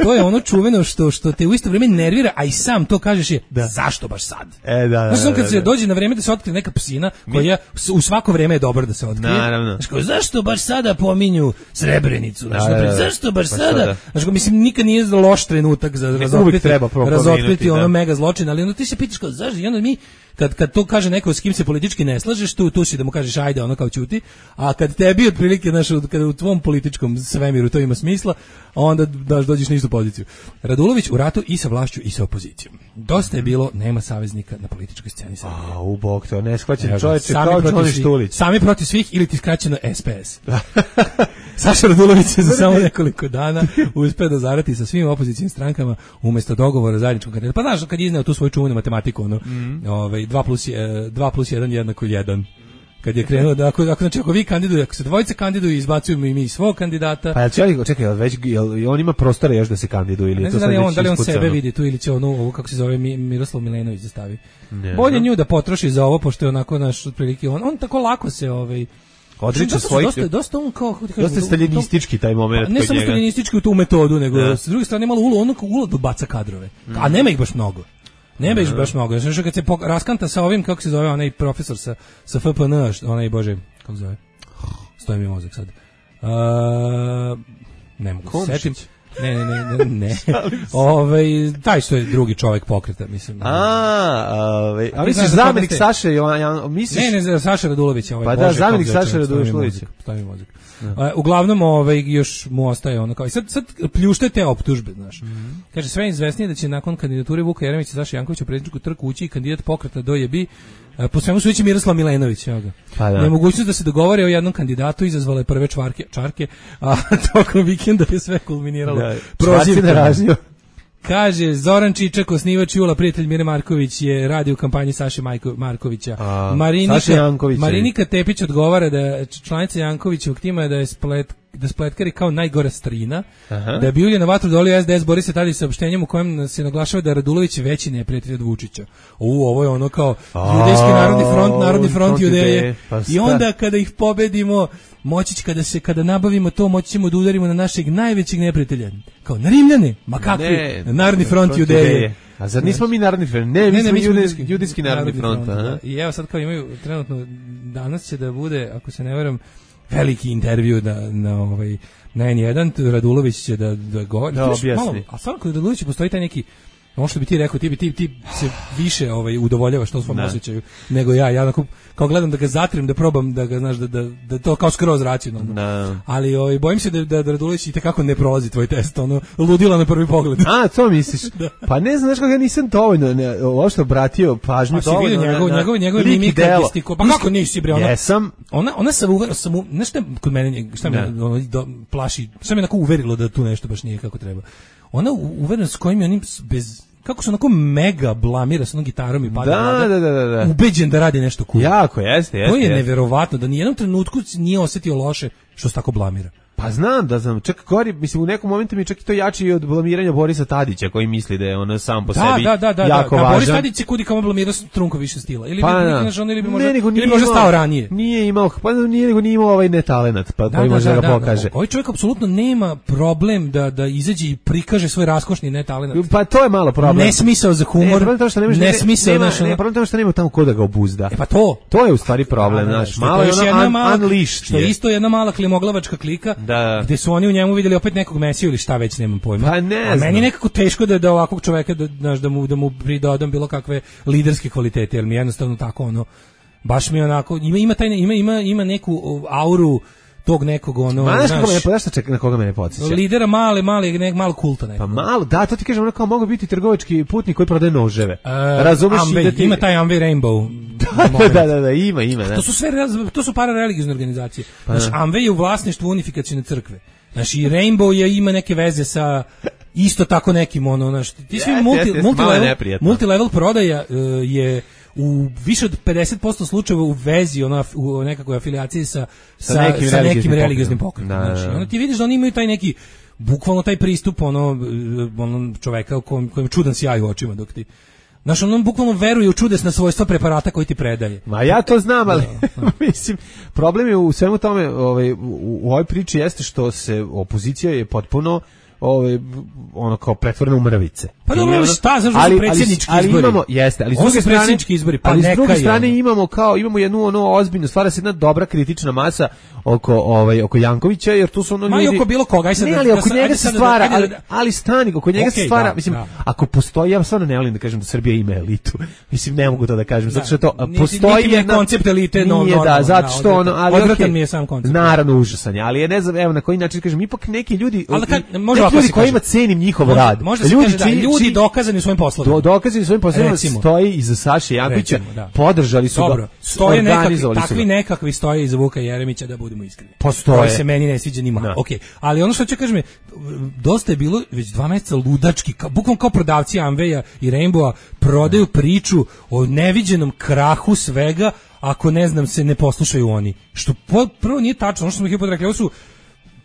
To je ono čuveno što što te u isto vrijeme nervira, a i sam to kažeš je, da. Zašto baš sad? E, da, da, znaš, kad da, se da. dođe na vrijeme da se otkrije neka psina, koja u svako vrijeme je dobro da se otkrije. Naravno. Znaš, kao, zašto baš sada pominju Srebrenicu? Znaš, da, da, da. zašto baš pa sada? sada? Znaš, kao, mislim, nikad nije loš trenutak za razotkriti, razotkriti ono da. mega zločin, ali onda ti se pitaš kao, zašto? I onda mi kad kad to kaže neko s kim se politički ne slažeš, tu tu si da mu kažeš ajde, ono kao ćuti, a kad tebi otprilike naš kad u tvom političkom svemiru to ima smisla, onda daš dođeš na istu poziciju. Radulović u ratu i sa vlašću i sa opozicijom. Dosta je bilo, nema saveznika na političkoj sceni Srbije. A, u bog to, ne shvaćam čovječe kao Čoni Štulić. Sami protiv svih ili ti skraćeno S P S. Saša Radulović je za samo nekoliko dana uspeo da zarati sa svim opozicijskim strankama umjesto dogovora zajedničkog kandidata. Pa znaš, kad je izneo tu svoju čuvenu matematiku, ono, mm. ovaj, dva plus jedan jednako jedan. Kad je krenuo da ako, ako znači ako vi kandidujete, ako se dvojice kandiduju, izbacujemo i mi svog kandidata. Pa čekaj, čekaj, već jel on ima prostora još da se kandiduje ili ne to sad sad on, da li on ispucano? Sebe vidi tu ili će ono ovo kako se zove Miroslav Milenović da stavi. Ne, bolje nju da potroši za ovo pošto je onako naš otprilike on on tako lako se ovaj odriče svojih dosta dosta on kao kažem, dosta staljinistički taj momenat. Ne samo staljinistički u tu metodu, nego da. S druge strane malo ulo ono ulo baca kadrove. Mm. A nema ih baš mnogo. Nema ih baš mnogo. Znači kad se raskanta sa ovim kako se zove onaj profesor sa sa F P N, onaj bože, kako se zove? Stoji mi mozak sad. Uh, ne mogu se setim. Ne, ne, ne, ne, ne. Ovaj taj što je drugi čovjek pokreta, mislim. A, ovaj, a misliš zamjenik Saše, misliš? Ne, ne, Saša Radulović, ovaj. Pa da, zamjenik Saše Radulović. Stavi mozak. Uh, uglavnom ovaj još mu ostaje ono kao i sad sad pljušte te optužbe, znaš. Mm -hmm. Kaže sve izvesnije da će nakon kandidature Vuka Jeremića i Saše Jankovića u predsjedničku trku ući i kandidat pokreta do jebi uh, po svemu sudeći Miroslav Milenović, evo ga. Pa da. Nemogućnost da se dogovore o jednom kandidatu izazvale prve čvarke, čarke, a tokom vikenda je sve kulminiralo. Prozivkom. Kaže, Zoran Čičak, osnivač Jula, prijatelj Mire Marković, je radio u kampanji Saše Majko, Markovića. A, Marinika, Marinika Tepić odgovara da članica Jankovićevog tima je da je splet, da spletkari kao najgora strina, aha. Da bi ulje na vatru dolio S D S Boris se tada saopštenjem u kojem se naglašava da je Radulović veći neprijatelj od Vučića. U, ovo je ono kao judejski narodni front, narodni front judeje. Pa i onda kada ih pobedimo, moći kada se kada nabavimo to, moći ćemo da udarimo na našeg najvećeg neprijatelja. Kao na Rimljane, ma kakvi? Ne, narodni front, front judeje. judeje. A zar nismo mi narodni front? Ne, mi ne, smo ne, judijski, judijski narodni, narodni front. front da. I evo sad kao imaju trenutno danas će da bude, ako se ne varam, veliki intervju da na ovaj na N jedan Radulović će da da govori. Da, malo, a stvarno kod Radulovića postoji taj neki ono što bi ti rekao, ti bi ti, ti se više ovaj udovoljavaš to svom osjećaju nego ja. Ja onako, kao gledam da ga zatrim, da probam da ga znaš da da, da to kao skroz racionalno. No. Ali ovaj bojim se da da, da Radulović i tekako ne prolazi tvoj test, ono ludila na prvi pogled. A, to misliš? Da. Pa ne znaš kako ja nisam dovoljno ne, uopšte obratio pažnju pa dovoljno. Pa njegov njegov njegov mimika gestiko. Pa kako nisi bre ona? Jesam. Ona ona se uver, sam nešto kod mene šta me ono, do, plaši, šta me onako uverilo da tu nešto baš nije kako treba. Ona uverena s kojim onim bez kako se onako mega blamira sa onom gitarom i pada da, da, da, da, da. ubeđen da radi nešto cool. Jako, jeste, jeste. To je jeste. neverovatno da ni jednom trenutku nije osjetio loše što se tako blamira. Pa znam da znam, čak gori, mislim u nekom momentu mi čak i to jači i od blamiranja Borisa Tadića koji misli da je ono sam po da, sebi da, da, da, jako da, važan. Boris Tadić je kudi kao blamirao Trunko više stila. Ili pa, bi da. naš on ili bi možda, ne, ili možda stao ranije. Nije imao, pa nije nego nije imao ovaj netalenat, pa da, koji da, može da, da ga pokaže. Da, ovaj čovjek apsolutno nema problem da da izađe i prikaže svoj raskošni netalenat. Pa to je malo problem. Ne smisao za humor. Ne, to što ne, ne smisao naš. Ne, problem to što nema tamo ko da ga obuzda. E pa to. To je u stvari problem, znaš. Malo je ona unleashed. Što je isto jedna mala klimoglavačka klika, gde su oni u njemu vidjeli opet nekog Mesiju ili šta već, nemam pojma. Pa ne a meni je nekako teško da da ovakvog čoveka da znaš da mu da mu pridodam bilo kakve liderske kvalitete, jer mi jednostavno tako ono baš mi onako ima ima taj ima ima ima neku auru tog nekog ono znaš kako me podašta čeka na koga me ne podsjeća. Lidera male male nek malo kulta nekako. Pa malo, da, to ti kažem, ono kao mogu biti trgovački putnik koji prodaje noževe. Uh, Razumeš Amway, da ti ima taj Amway Rainbow. da, da, da, da, ima, ima, da. To su sve to su parareligiozne organizacije. Pa, znači Amway je u vlasništvu unifikacione crkve. Znači Rainbow je ima neke veze sa isto tako nekim ono, znači ti svi multi, multi level, multi level prodaja uh, je u više od pedeset posto slučajeva u vezi, ona, u nekakvoj afilijaciji sa, sa, sa nekim, sa religijskim, nekim religijskim pokretom. Da, Znači, da. onda ti vidiš da oni imaju taj neki, bukvalno taj pristup ono, ono čoveka kojem, kojem čudan sjaj u očima dok ti... Znaš, on bukvalno veruje u čudesna svojstva preparata koji ti predaje. Ma ja to znam, ali mislim, problem je u svemu tome, ovaj, u, u ovoj priči jeste što se opozicija je potpuno ovaj ono kao pretvorena u mrvice. Pa dobro, šta, znaš, ali, predsjednički ali, izbori. Ali imamo, jeste, ali s druge strane, izbori, pa ali s druge neka strane je, imamo kao imamo jednu ono ozbiljnu, stvara se jedna dobra kritična masa oko ovaj oko Jankovića, jer tu su ono Ma ljudi. Ma i oko bilo koga, aj sad. Ne, ali oko njega se stvara, ali, ali stani, oko njega se stvara, mislim, ako postoji, ja stvarno ne volim da kažem da Srbija ima elitu. Mislim, ne mogu to da kažem, zato što to postoji jedan koncept elite, no, no, da, zato što ono, ali odvratan mi je sam koncept. Naravno užasan je, ali je ne znam, evo na koji način kažem, ipak neki ljudi, ljudi kojima cenim njihov može, rad. Može ljudi, kaže, da, ljudi či, dokazani u svojim poslovima. Do, dokazani u svojim poslovima stoji iza Saše Jankovića, recimo, da. Podržali su Dobro, ga, stoje nekakvi, takvi ga. nekakvi stoje iza Vuka Jeremića, da budemo iskreni. Postoje. Koji se meni ne sviđa ni malo. Okay. Ali ono što ću kažem, dosta je bilo već dva meseca ludački, ka, bukvalno kao prodavci Amveja i Rainbowa prodaju priču o neviđenom krahu svega, ako ne znam se ne poslušaju oni. Što prvo nije tačno, ono što smo ih rekli, ovo su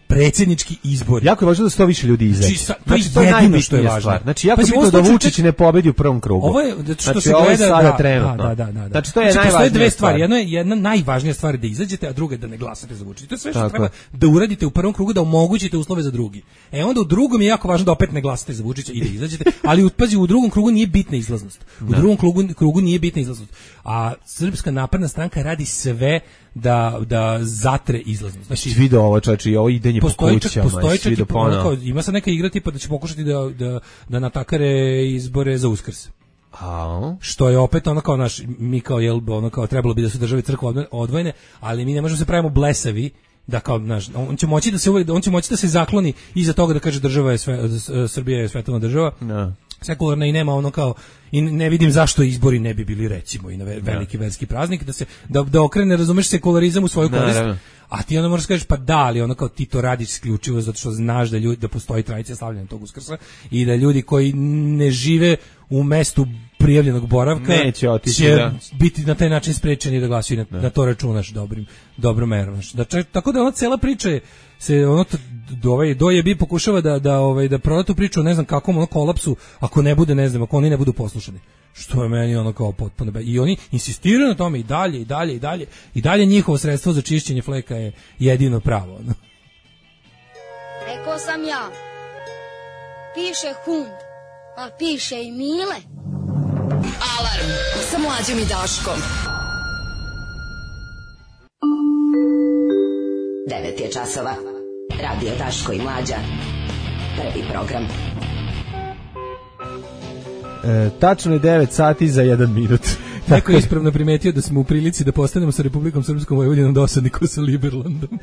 predsjednički izbori. Jako je važno da sto više ljudi izađe. Znači, znači, to je jedino što je važno. Stvar. Znači, jako je bitno da Vučić ne pobedi u prvom krugu. Ovo je, što znači, se ovo gleda, je sada da, trenutno. Da, da, da, da. Znači, to je znači, najvažnija dve stvari. stvar. Jedno je, jedna najvažnija stvar je da izađete, a druga je da ne glasate za Vučića. To je sve što tako treba da uradite u prvom krugu, da omogućite uslove za drugi. E onda u drugom je jako važno da opet ne glasate za Vučića i da izađete, ali pazi, u drugom krugu nije bitna izlaznost. U da. drugom krugu, krugu nije bitna izlaznost. A Srpska napredna stranka radi sve da da zatre izlaznost. Znači video ovo čači i ovo idenje po kućama. Postoji čak i kao, ima sad neka igra tipa da će pokušati da da da natakare izbore za Uskrs. A što je opet ono kao naš mi kao jel ono kao trebalo bi da su države i crkva odvojene, ali mi ne možemo se pravimo blesavi da kao naš on će moći da se on će moći da se zakloni iza toga da kaže država je sve Srbija je svetovna država. Da. Sekularna i nema ono kao i ne vidim zašto izbori ne bi bili recimo i na veliki verski praznik da se da, da okrene razumeš sekularizam u svoju korist. A ti onda možeš kažeš pa da, ali ono kao ti to radiš isključivo zato što znaš da ljudi da postoji tradicija slavljenja tog Uskrsa i da ljudi koji ne žive u mestu prijavljenog boravka neće otići, će da. biti na taj način sprečeni da glasuju na, da to računaš dobrim dobrom merom. Da čak, tako da ona cela priča je se ono do ovaj do je bi pokušava da da ovaj da proda tu priču, ne znam kakvom ono kolapsu ako ne bude, ne znam, ako oni ne budu poslušani. Što je meni ono kao potpuno be... i oni insistiraju na tome i dalje i dalje i dalje i dalje njihovo sredstvo za čišćenje fleka je jedino pravo. Rekao sam ja. Piše hund, a piše i Mile. Alarm sa Mlađom i Daškom. devet je časova. Radio Daško i Mlađa. Prvi program. E, tačno je devet sati za jedan minut. Neko je ispravno primetio da smo u prilici da postanemo sa Republikom Srpskom Vojvodinom dosadni ko sa Liberlandom.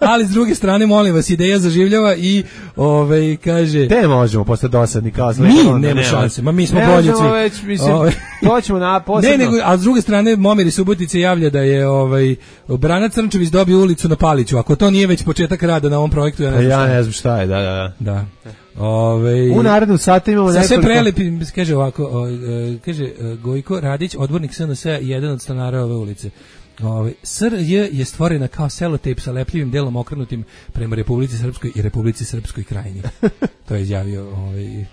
Ali s druge strane, molim vas, ideja zaživljava i ovaj kaže... Te možemo postati dosadni kao s Liberlandom. Mi nema šanse, ma mi smo bolji svi. Već, mislim, ove... to ćemo na posebno... Ne, nego, a s druge strane, Momir iz Subotice javlja da je ovaj, Brana Crnčević dobio ulicu na Paliću. Ako to nije već početak rada na ovom projektu, ja ne znam ja šta. Ja ne znam šta je, da, da, da. Ove, u narednom satu imamo nekoliko... Sve prelepi, kaže ovako, o, e, kaže Gojko Radić, odbornik S N S-a, jedan od stanara ove ulice. Ove, S R J je stvorena kao selotejp sa lepljivim delom okrenutim prema Republici Srpskoj i Republici Srpskoj krajini. To je izjavio ovaj,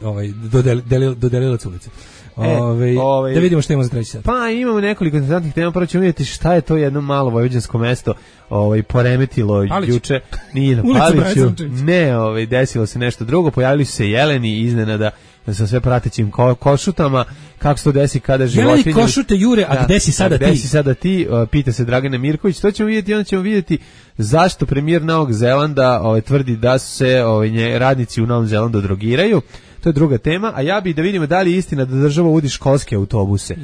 ovaj, dodel, dodelilac ulice. E, ove, ove, da vidimo što imamo za treći sat. Pa imamo nekoliko interesantnih tema, prvo ćemo vidjeti šta je to jedno malo vojvođansko mesto ovaj, poremetilo Palić. Juče. Nije na Paliću, ne, ovaj, desilo se nešto drugo, pojavili su se jeleni iznenada sa sve pratećim ko, košutama, kako se to desi kada životinje... Jeleni košute jure, a da, gde si sada a ti? Gde si sada ti, uh, pita se Dragana Mirković, to ćemo vidjeti, onda ćemo vidjeti zašto premijer Novog Zelanda ovaj, tvrdi da su se ovaj, nje, radnici u Novom Zelandu drogiraju. To je druga tema, a ja bih da vidimo da li je istina da država uvodi školske autobuse.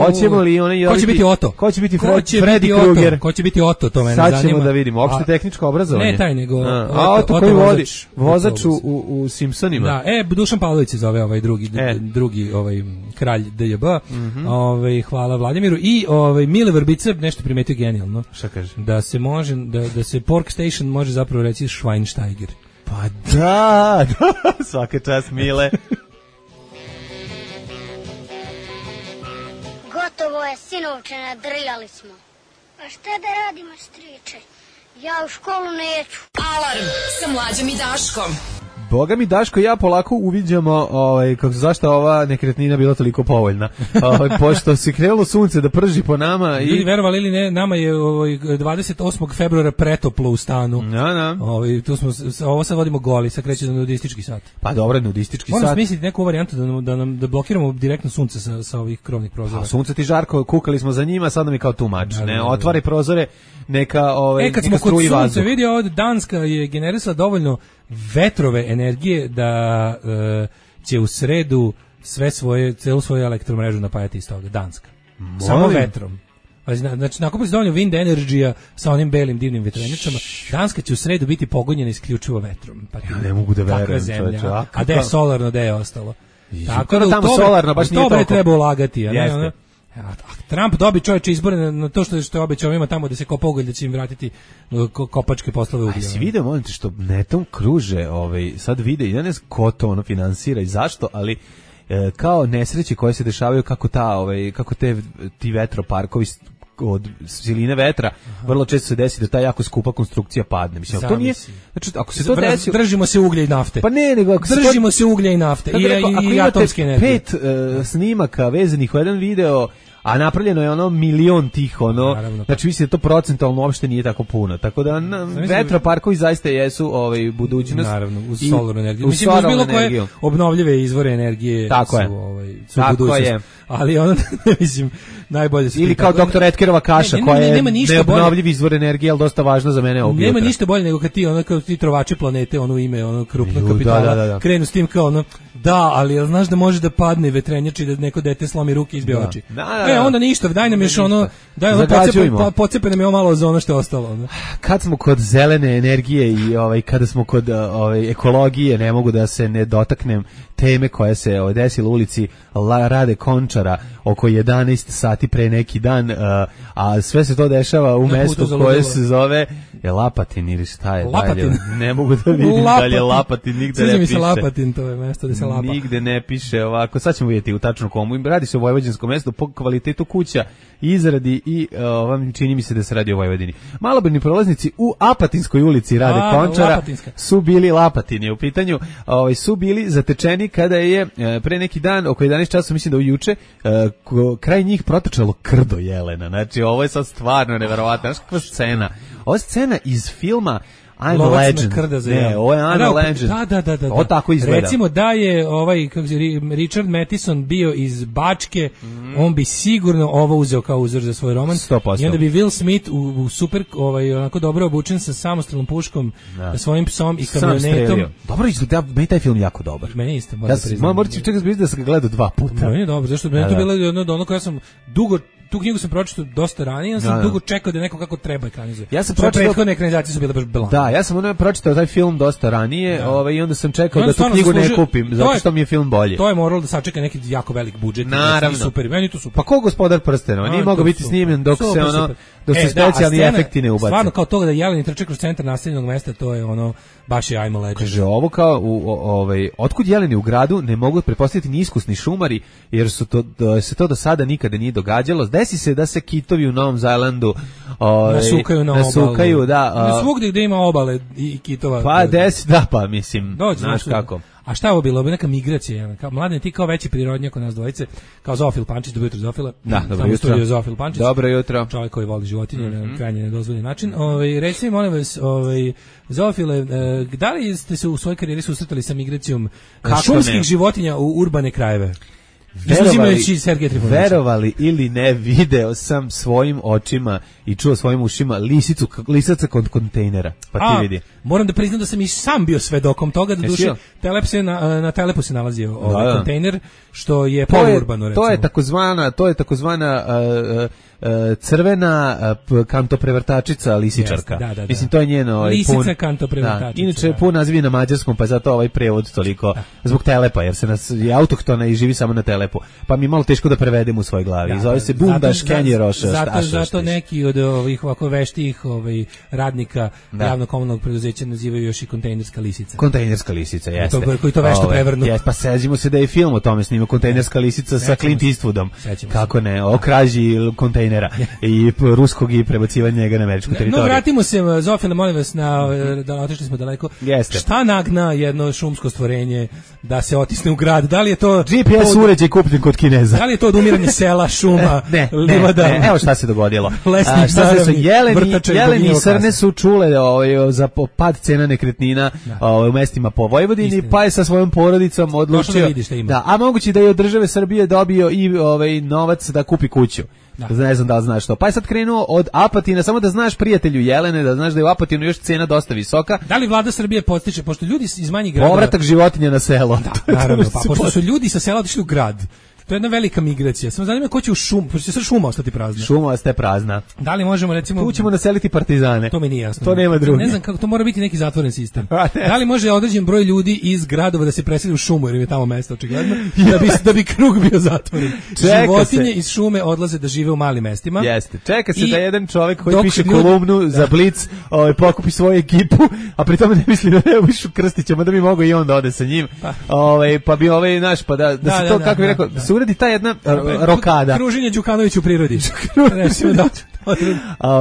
Hoćemo li one... Ko će biti Oto? Ko će biti Fred, će Freddy biti Krueger? Ko će biti Oto, to mene Sad zanima. ćemo da vidimo, opšte tehničko obrazovanje. Ne taj, nego... A, Oto, a Oto koji Oto vodi, vozač u, u Simpsonima. Da, e, Dušan Pavlović se zove ovaj drugi, e. drugi ovaj, kralj D J B. Mm -hmm. ovaj, hvala Vladimiru. I ovaj, Mile Vrbica nešto primetio genijalno. Šta kaže? Da se može, da, da se Pork Station može zapravo reći Schweinsteiger. Pa da, da, svaka čast Mile. je, sinovče, nadrljali smo. A šta da radimo, striče? Ja u školu neću. Alarm sa Mlađom i Daškom. Boga mi, Daško, ja polako uviđamo ovaj, kako, zašto ova nekretnina bila toliko povoljna. Ovaj, pošto se krenulo sunce da prži po nama. I... Ljudi, verovali ili ne, nama je ovaj, dvadeset osmog februara pretoplo u stanu. Ja, ja. Ovaj, tu smo, ovo sad vodimo goli, sad kreće za nudistički sat. Pa dobro, nudistički Moram sat. Moram smisliti neku varijantu da, nam, da, nam, da blokiramo direktno sunce sa, sa ovih krovnih prozora. A sunce ti žarko, kukali smo za njima, sad nam je kao tumač. Da, ne, otvari prozore, neka, ovaj, e, kad neka smo kod sunca, vazduh. vidi ovdje, Danska je generisala dovoljno vetrove energije da e, će u sredu sve svoje, celu svoju elektromrežu napajati iz toga, Danska. Molim. Samo vetrom. Znači, nakupili se dovoljno wind energy-a sa onim belim divnim vetrenjačama. Danska će u sredu biti pogonjena isključivo vetrom. Pa ja ne mogu da verujem. Zemlja, a, a da je solarno, da je ostalo. I, tako da tamo solarno baš nije toliko. Treba ulagati. A ne, ono, Trump dobi čovječe izbore na, na to što, što je obećao ima tamo da se kopa ugalj, da će im vratiti ko, kopačke poslove uglja. A si vidio, molim te, što netom kruže, ovaj, sad vide, ja ne znam ko to ono finansira i zašto, ali e, kao nesreće koje se dešavaju, kako ta, ovaj, kako te, ti vetroparkovi od siline vetra, aha, vrlo često se desi da ta jako skupa konstrukcija padne. Mislim, to nije, znači, ako se to desi... Držimo se uglja i nafte. Pa ne, nego... Ako Držimo se, to, se uglja i nafte i, rekao, i, i atomske energije. Pet uh, snimaka vezanih u jedan video, a napravljeno je ono milion tih, ono, naravno, znači mislim da to procentualno uopšte nije tako puno, tako da na, vetroparkovi zaista jesu ovaj, budućnost. Naravno, uz solarnu energiju. Mislim, uz bilo koje obnovljive izvore energije tako su, je. Ovaj, su budućnost. Je. Ali ono, mislim, najbolje su... Ili kao doktor Etkerova kaša, ne, ne, koja je neobnovljiv izvor energije, ali dosta važno za mene ovdje. Nema ništa bolje nego kad ti, ono, kao ti trovači planete, ono ime, ono, krupno kapitala, da, da, da. krenu s tim kao ono, da, ali jel znaš da može da padne vetrenjač i da neko dete slomi ruke i izbije oči. Da, da, da. E, onda ništa, daj nam još ono, daj ono, pocepe, pocepe nam je malo za ono što je ostalo. Ono. Kad smo kod zelene energije i ovaj, kada smo kod ovaj, ekologije, ne mogu da se ne dotaknem teme koja se ovaj, desila u ulici La Rade Končara oko jedanaest sati pre neki dan, uh, a sve se to dešava u na mestu koje se zove je Lapatin ili šta je Lapatin. Dalje. Ne mogu da vidim dalje je Lapatin, nigde ne piše. Se Lapatin, to je mesto gde se lapa. Nigde ne piše ovako, sad ćemo vidjeti u tačno komu. Radi se o vojvođanskom mestu po kvalitetu kuća, izradi i uh, čini mi se da se radi o Vojvodini. Malobrojni prolaznici u Apatinskoj ulici Rade a, Končara Lapatinska. Su bili Lapatini u pitanju, ovaj, su bili zatečeni kada je pre neki dan oko jedanaest časova, mislim da u juče, uh, kraj njih protočalo krdo jelena. Znači, ovo je sad stvarno neverovatno. Znaš kakva scena? Ovo je scena iz filma I'm a Legend. Ne, ovo je I'm a Legend. Da, da, da, da. Ovo tako izgleda. Recimo da je ovaj, kako se, Richard Matheson bio iz Bačke, mm. on bi sigurno ovo uzeo kao uzor za svoj roman. sto posto. I onda bi Will Smith u, u super, ovaj, onako dobro obučen sa samostrelnom puškom, da. Svojim psom i kamionetom. Dobro izgleda, meni taj film jako dobar. Meni isto, moram ja priznati. Moram reći čekaj da sam ga gledao dva puta. Meni je dobro, zašto meni to bilo jedno od ono koje ja sam dugo tu knjigu sam pročitao dosta ranije, ja sam da, dugo čekao da neko kako treba ekranizuje. Ja sam pročitao prethodne ekranizacije su bile baš belan. Da, ja sam ono pročitao taj film dosta ranije, da. Ovaj i onda sam čekao da tu knjigu ne kupim, zato što mi je film bolji. To je moralo da sačeka neki jako velik budžet i super, meni to super. Pa ko Gospodar prstenova, nije mogao biti snimljen dok super, se ono super. Dok se e, specijalni da, efekti ne ubace. Stvarno kao toga da Jeleni trče kroz centar naseljenog mesta, to je ono baš je I'm a Legend. Kaže ovo kao u ovaj otkud Jeleni u gradu ne mogu pretpostaviti ni iskusni šumari jer su to da se to do sada nikada nije događalo. Desi se da se kitovi u Novom Zelandu ovaj nasukaju na nasukaju, obalu. Da. Uh, svugdje gde ima obale i kitova. Pa desi, da pa mislim. Dođe, znaš kako. A šta je ovo bilo? Neka migracija. Kao mladen ti kao veći prirodnjak od nas dvojice, kao Zofil Pančić, dobro jutro Zofile. Da, dobro jutro. Zofil Pančić. Dobro jutro. Čovjek koji voli životinje mm-hmm. na krajnje nedozvoljen način. Ovaj reci mi molim vas, ovaj Zofile, da li ste se u svojoj karijeri susretali sa migracijom kako šumskih ne? životinja u urbane krajeve? Verovali, verovali ili ne, video sam svojim očima i čuo svojim ušima lisicu, lisaca kod kontejnera, pa ti A, vidi. Moram da priznam da sam i sam bio svedokom toga, da duše telep se na, na telepu se nalazio ovaj da, kontejner, što je polurbano, recimo. To je takozvana, to je takozvana uh, crvena uh, kantoprevrtačica lisičarka. Yes, da, da, da. Mislim, to je njeno... Ovaj, Lisica pun, kantoprevrtačica. Da. Inače, da. pun naziv je na mađarskom, pa zato ovaj prevod toliko, da. Zbog telepa, jer se nas, je autohtona i živi samo na telepu. Pa mi je malo teško da prevedem u svojoj glavi. Da, zove se Bundaš Kenjeroša. Zato, zato neki od ovih ovako veštih ovaj, radnika da. Javno-komunalnog preduzeća nazivaju još i kontejnerska lisica. Kontejnerska lisica, jeste. To, koji to vešto ove, prevrnu. Jest, pa seđimo se da je film o tome snima, kontejnerska lisica sa Clint Eastwoodom. Kako ne, o krađi kontejnera i ruskog i prebacivanja njega na američku teritoriju. No, vratimo se, Zofila, molim vas, na, da otišli smo daleko. Jeste. Šta nagna jedno šumsko stvorenje da se otisne u grad? Da li je to... G P S od... uređaj kupljen kod Kineza. Da li je to odumiranje sela, šuma, ne, livada? Ne, ne, evo šta se dogodilo. Lesnik, A, šta se jeleni, jeleni i srne kasa. su čule ovaj, za pad cena nekretnina ovaj, u mestima po Vojvodini, Istina. Pa je sa svojom porodicom odlučio... Da, vidi šta ima. Da, a moguće da je od države Srbije dobio i ovaj, novac da kupi kuću. Da. Ne znam da li znaš to. Pa je sad krenuo od Apatina, samo da znaš prijatelju Jelene, da znaš da je u Apatinu još cena dosta visoka. Da li vlada Srbije postiče, pošto ljudi iz manjih gradova... Povratak životinja na selo. Da, naravno, pa pošto su ljudi sa sela otišli u grad. To je jedna velika migracija. Samo zanima ko će u šum, pošto će sad šuma ostati prazna. Šuma ostaje prazna. Da li možemo recimo... Tu ćemo naseliti partizane. To mi nije jasno. To nema drugi. Ne znam kako, to mora biti neki zatvoren sistem. Da li može određen broj ljudi iz gradova da se preseli u šumu, jer im je tamo mesto očigledno, da bi, da bi krug bio zatvoren. Čeka Životinje se. Iz šume odlaze da žive u malim mestima. Jeste. Čeka se I da jedan čovjek koji piše ljudi... kolumnu da. Za Blic ovaj, pokupi svoju ekipu, a pri tome ne misli da ne uvišu Krstićem, da bi mogao i on da ode sa njim. Pa, ovaj, pa bi ovaj naš, pa da, da, da se da, to, da, kako da, bi rekao, da se uredi ta jedna rokada. Kruženje Đukanović u prirodi. da.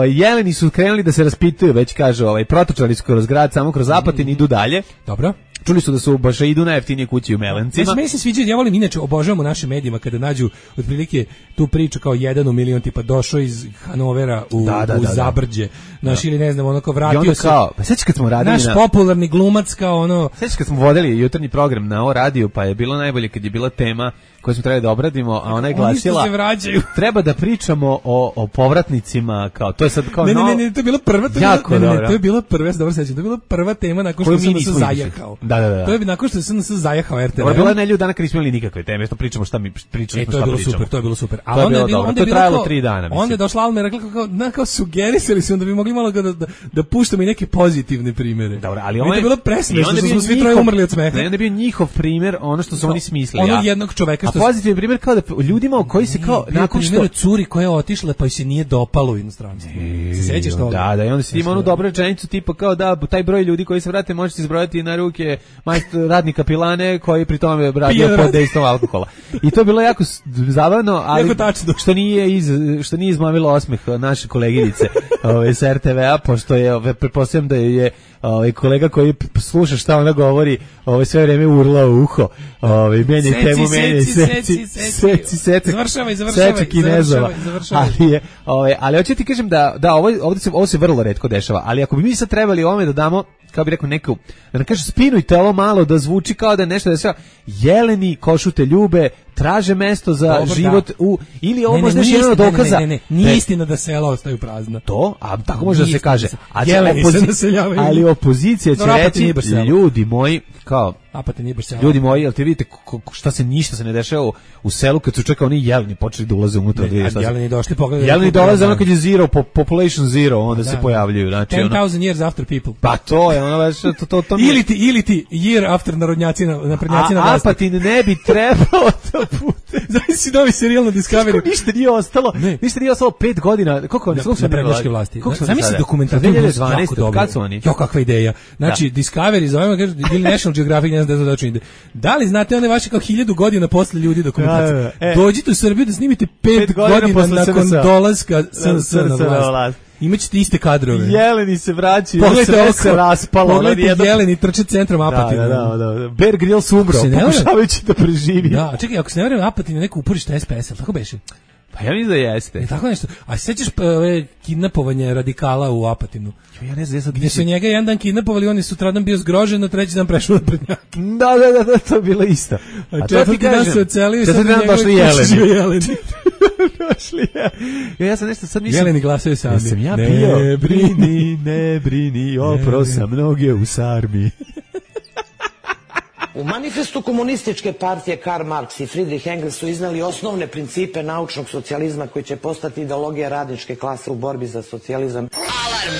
Jeleni su krenuli da se raspituju, već kaže, ovaj, protočali su kroz grad, samo kroz Apatin, idu dalje. Dobro. Čuli su da su baš idu na jeftinije kući u Melencima. Meni se sviđa, ja volim, inače obožavam u našim medijima kada nađu otprilike tu priču kao jedan u milion, tipa došao iz Hanovera u, da, da, u da, Zabrđe, naš ili ne znam, ono kao vratio I onda se. Kao, pa sećaš kad smo radili naš na... popularni glumac kao ono... Sećaš kad smo vodili jutarnji program na O radiju, pa je bilo najbolje kad je bila tema koju smo trebali da obradimo, a ona je glasila... Oni se vraćaju. Treba da pričamo o, o povratnicima, kao, to je sad kao... Ne, no... ne, ne, ne, to je bila prva... To jako ne, ne, dobro. ne, to je bila prva, ja se dobro sećam, to je bila prva tema nakon što sam se zajahao. Da, da, da. To je nakon što sam se zajahao R T V. Ovo je bila nelju dana kad nismo imali nikakve teme, što pričamo šta mi pričamo, e, šta pričamo. To je bilo super, to je bilo super. A onda je bilo, onda je bilo trajalo tri dana, mislim. Onda je došla Alma i rekla kao, na, kao sugerisali su, onda bi mogli malo da, da, da puštamo i neke pozitivne primere. Dobro, ali on je bilo presmešno, što smo svi troje umrli od smeha. Ne, onda je bio njihov primer, ono što su oni smislili. Ono jednog čoveka što... A pozitivan primer kao da ljudima koji se kao... Nakon što... curi koja je otišla pa joj se nije dopalo u inostranstvu. Se sećaš toga? Da, da, i onda se ima onu dobru rečenicu tipa kao da taj broj ljudi koji se vrate možete izbrojati na ruke majstor radnika pilane koji pri tome radio pod dejstvom alkohola. I to je bilo jako zabavno, ali što nije iz što nije izmamilo osmeh naše koleginice ove s R T V-a, pošto je pretpostavljam da je ovaj kolega koji sluša šta ona govori, ovaj sve vreme urla u uho. Ovaj menja temu, menja seci, seci, seci. Završavaj, završavaj, završavaj, završavaj. Ali je, ovaj, ali hoću ti kažem da da ovo ovde se ovo se vrlo retko dešava, ali ako bi mi sad trebali ovome da damo, kao bi rekao neku, da ne kaže spinujte ovo malo da zvuči kao da je nešto da se jeleni košute ljube, traže mesto za Dobar, život da. u ili ovo možda je jedan od dokaza. Ne, ne, ne, nije istina da sela ostaju prazna. To, a tako može da se kaže. A opozicija, ali opozicija će reći, ljudi moji, kao Apatin nije baš selo. Ljudi moji, jel te vidite šta se ništa se ne dešava u, u selu kad su čeka oni jeleni počeli da ulaze unutra. Ne, a jeleni došli pogledaju. Jeleni dolaze ono kad je zero, population zero, onda da, se pojavljuju. Znači, ten thousand years after people. Pa to je ono već, to, to, to ili ti, ili ti year after narodnjaci na, naprednjaci na vlasti. A Apatin ne bi trebalo da bude. Zavisi novi serijal na Discovery. Ništa nije ostalo, ne. ništa nije ostalo pet godina. Koliko oni su na prednjačke vlasti? Zamisli dokumentarni dve hiljade dvanaeste. Kad su oni? Jo, kakva ideja. Znači, Discovery, zovemo, kaže, ili National Geographic, ne znam da to čini. Da li znate one vaše kao hiljadu godina posle ljudi dokumentacije? Ja, e, Dođite u Srbiju da snimite pet, pet godina, godina nakon dolaska S N S na vlast. Imaćete iste kadrove. Jeleni se vraćaju, sve se raspalo. Pogledajte jeleni trče centrom Apatina. Da, da, da. Bear Grylls umro, pokušavajući da preživi. Da, čekaj, ako se ne vreme Apatina neko uporište S P S, tako beše? Pa ja mislim da jeste. E, tako nešto. A sećaš ove kidnapovanje radikala u Apatinu? Ja ne znam, ja sad gdje su njega jedan dan kidnapovali, on je sutradan bio zgrožen, na treći dan prešao na prednjak. Da, da, da, da, to je bilo isto. A, a četvrti dan se ocelio i sad na njegove kući jeleni. Došli jeleni. Ja, ja sam nešto sad mislim... Jeleni glasaju sami. Ja sam ja pio. Ne brini, ne brini, opro sam noge u sarmi. U manifestu komunističke partije Karl Marx i Friedrich Engels su iznali osnovne principe naučnog socijalizma koji će postati ideologija radničke klase u borbi za socijalizam. Alarm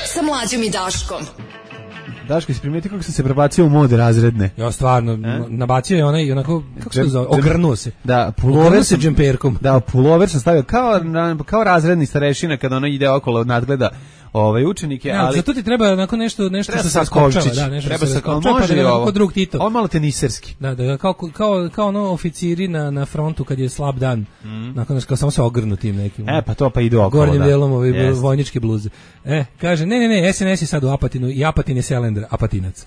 sa Mlađom i Daškom. Daško, si primijeti kako sam se prebacio u mod razredne? Ja, stvarno, e? nabacio je onaj, onako, kako se to zove, ogrnuo se. Da, pulover se džemperkom. Da, pulover sam stavio kao, kao razredni starešina kada ono ide okolo nadgleda ovaj učenike, ja, ali zato ti treba onako nešto nešto treba što sa se skopčava, da, nešto treba se se skopčava, može pa ovo drug Tito. On malo teniserski. Da, da, kao kao kao ono oficiri na na frontu kad je slab dan. Mm. Nakon što samo se ogrnu tim nekim. E pa to pa ide okolo. Gornjim da. delom ove yes. vojničke bluze. E, kaže ne ne ne, S N S je sad u Apatinu i Apatin je Selendra, Apatinac.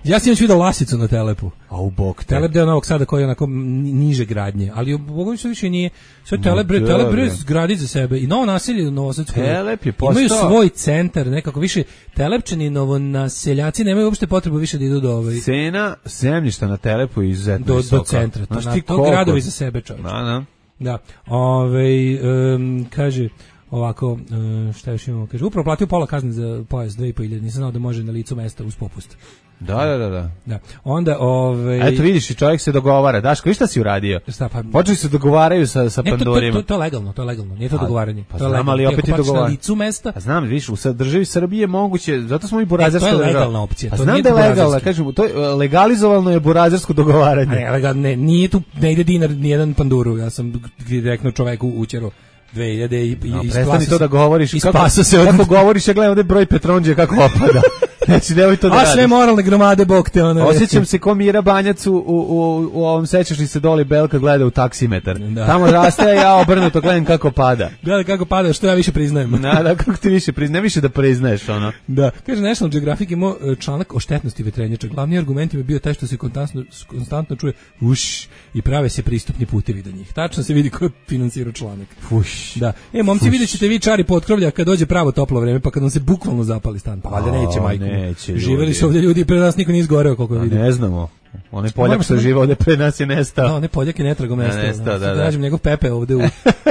Ja sam još vidio Lasicu na Telepu. A u bok te. Telep deo Novog Sada koji je onako niže gradnje, ali u Bogoviću što više nije. Sve Telep, bre, Telep bre gradi za sebe i novo naselje u Novosadsku. Telep je postao. Imaju svoj centar, nekako više Telepčani, novonaseljaci nemaju uopšte potrebu više da idu do ovaj. Cena zemljišta na Telepu je izuzetno do, visoka. Do centra, to, na, to gradovi za sebe, čovječe. Da, da. Da, ovaj, um, kaže ovako, uh, šta još imamo, kaže, upravo platio pola kazne za pojas, dve i po hiljade, nisam znao da može na licu mesta uz popust. Da, da, da, da. Da. Onda, ovaj eto vidiš, i čovjek se dogovara. Daško, šta si uradio? Šta pa? Počeli se dogovaraju sa sa ne, pandurima. To, to, to, to je legalno, to je legalno. Nije to dogovaranje. Pa to je znam, ali opet je dogovaranje. Na licu mesta. A znam, vidiš, u državi Srbije moguće, zato smo i burazerska država. To je legalna opcija. A znam da je legalna, kažem, to je legalizovano je burazersko dogovaranje. Ne, legalno, ne, nije tu, ne ide dinar ni jedan panduru. Ja sam direktno čoveku učero dve hiljade i no, prestani to da govoriš kako, se od... kako govoriš, ja gledam ovdje broj Petronđe kako opada. Znači, nemoj to da radiš. A sve moralne gromade, bog te ono. Osjećam se ko Mira Banjac u, u, u, u ovom sećaš li se doli Belka gleda u taksimetar. Da. Tamo raste, a ja obrnuto gledam kako pada. Gleda kako pada, što ja više priznajem. Da, da, kako ti više priznajem, više da priznaješ ono. Da, kaže National Geographic imao članak o štetnosti vetrenjača. Glavni argument je bio taj što se konstantno, konstantno čuje uš i prave se pristupni putevi do njih. Tačno se vidi ko je finansirao članak. Fuš. Da. E, momci, vidjet ćete vi čari potkrovlja kad dođe pravo toplo vreme, pa kad nam se bukvalno zapali stan. Pa valjda neće, majko. Neće, živeli su ovdje ljudi, pre nas niko nije izgoreo, koliko vidim. Ne znamo. Onaj Poljak što živa ovdje pre nas je nestao. Da, onaj Poljak je netragom nestao. Ja, nestao, da, da. Nađem njegov Pepe ovdje u,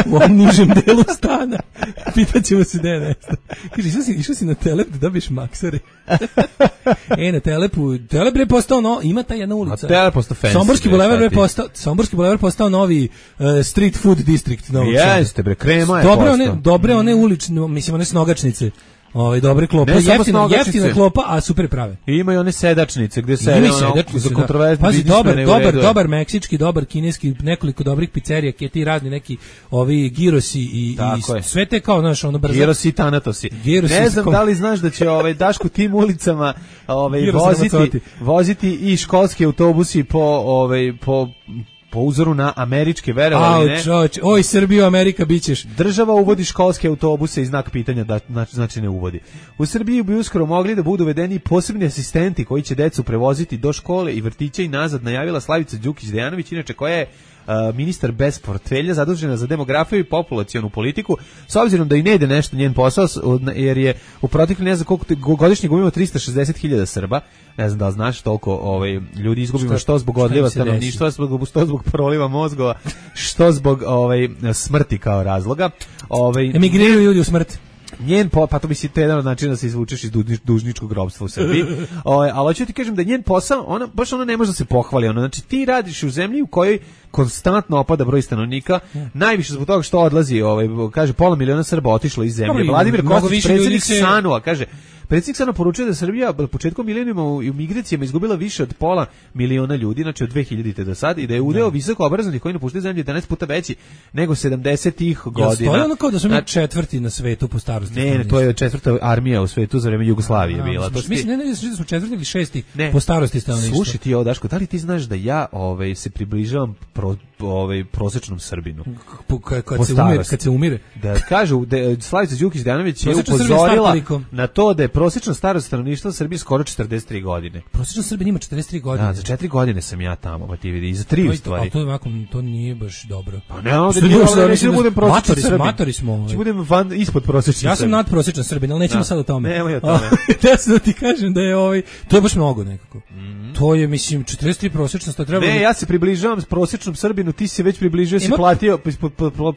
u ovom nižem delu stana. Pitaćemo se gde je nestao. Kaže, išao si, išao si na Telep da dobiješ maksare. E, na Telepu, Telep je postao, no, ima ta jedna ulica. A Telep postao fancy. Somborski bulevar je postao, Somborski bulevar postao novi uh, street food district. Jeste, bre, krema je dobre postao. One, dobre one ulične, mislim, one snogačnice. Ovaj dobre klope, jeftina, jeftina klopa, a super prave. I imaju one sedačnice gde se ono za kontroverzne. Pazi, dobar, dobar, dobar meksički, dobar kineski, nekoliko dobrih pizzerija, keti razni neki ovi girosi i, i sve te kao znaš, ono brzo. Girosi i tanatosi. Girosi ne znam kom... da li znaš da će ovaj Daško tim ulicama ovaj voziti, voziti i školski autobusi po ovaj po po uzoru na američke, verovali ne? Čoč, oj, Srbiju, Amerika, bićeš. Država uvodi školske autobuse i znak pitanja da znači ne uvodi. U Srbiji bi uskoro mogli da budu uvedeni posebni asistenti koji će decu prevoziti do škole i vrtića i nazad, najavila Slavica Đukić-Dejanović, inače koja je Uh, ministar bez portfelja zadužena za demografiju i populacionu politiku, s obzirom da i ne ide nešto njen posao, jer je u protekli ne znam koliko godišnje gubimo tristo šezdeset hiljada Srba, ne znam da li znaš toliko ovaj, ljudi izgubimo što, što zbog odliva stanovništva, što zbog proliva mozgova, što zbog ovaj, smrti kao razloga. Ovaj, emigriraju ljudi u smrt. Njen po, pa to bi si to jedan od načina da se izvučeš iz dužničkog ropstva u Srbiji. O, ali hoću ti kažem da njen posao, ona baš ona ne može da se pohvali. Ona, znači ti radiš u zemlji u kojoj konstantno opada broj stanovnika, mm. najviše zbog toga što odlazi, ovaj, kaže pola miliona Srba otišlo iz zemlje. Dobre, Vladimir Kostić, predsjednik se... Sanua, kaže predsjednik Sanua poručuje da Srbija početkom milenijuma u migracijama izgubila više od pola miliona ljudi, znači od dve hiljadite do sad, i da je udeo visoko obrazovanih koji napuštaju zemlju jedanaest puta veći nego sedamdesetih godina. Ja stoji ono kao da smo mi četvrti na svetu po starosti? Ne, ne, to je četvrta armija u svetu za vreme Jugoslavije bila. To mislim, ne, ne, ne, smo četvrti ili šesti ne. po starosti stanovništva. Slušaj ti ovo, Daško, da li ti znaš da ja ovaj, se približavam pro, ovaj, prosječnom Srbinu? Kad, kad, se umire, kad se umire? Da kažu, da, Slavica Đukić-Dejanović je upozorila na to da je prosječna starost stanovništva u Srbiji skoro četrdeset tri godine. Prosječna Srbija ima četrdeset tri godine. Da, za četiri godine sam ja tamo, pa ti vidi, i za tri u stvari. A to, ovako, to nije baš dobro. Pa ne, ovdje nije dobro, neću da budem prosječan Srbin. Matori smo. Ovaj. Ću budem van, ispod prosječan Ja sam nadprosječan Srbin, ali nećemo da. sad o tome. Nemoj o tome. Ja sam da ti kažem da je ovaj, to je baš mnogo nekako. Mm. To je, mislim, četrdeset tri prosječnost, to treba... Ne, ja se približavam s prosječnom Srbinu godinu, ti si već približio, si platio,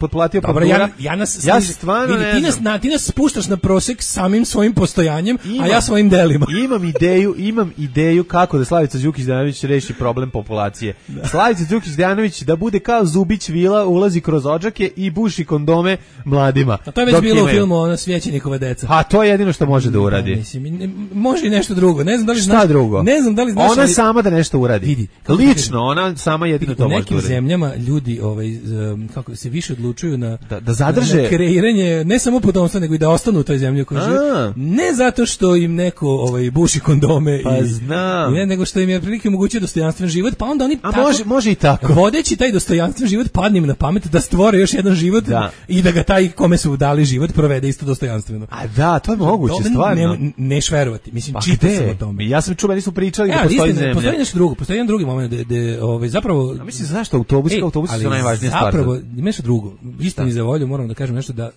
potplatio Dobro, ja, ja nas, ja stvarno vidi, ne ti nas, na, ti nas spuštaš na prosek samim svojim postojanjem, imam, a ja svojim delima. Imam ideju, imam ideju kako da Slavica Đukić-Dejanović reši problem populacije. Da. Slavica Đukić-Dejanović da bude kao Zubić Vila, ulazi kroz odžake i buši kondome mladima. A to je već bilo imaju. U filmu ona Svjećenikova deca. Pa to je jedino što može da uradi. Da, mislim, ne, može i nešto drugo. Ne znam da li Šta znaš, drugo? Ne znam da li znaš. Ona ali, sama da nešto uradi. Vidi, lično ona sama jedino to može da uradi. U nekim zemljama ljudi ovaj kako se više odlučuju na da, da zadrže na kreiranje ne samo potomstva nego i da ostanu u toj zemlji u kojoj žive. Ne zato što im neko ovaj buši kondome pa i znam. Ne, nego što im je prilike omogućio dostojanstven život, pa onda oni A tako, može može i tako. Vodeći taj dostojanstven život padne im na pamet da stvore još jedan život da. I da ga taj kome su dali život provede isto dostojanstveno. A da, to je moguće, Dobre, stvarno. Ne, neš verovati. Mislim, pa čitao sam o tome. Ja sam čuo, meni su pričali ja, da postoji istina, zemlja. Postoji nešto drugo, postoji jedan drugi moment da da ovaj zapravo A mislim zašto autobus, ej, autobusi su najvažnija stvar. Zapravo ima nešto drugo. Istini za volju moram da kažem nešto da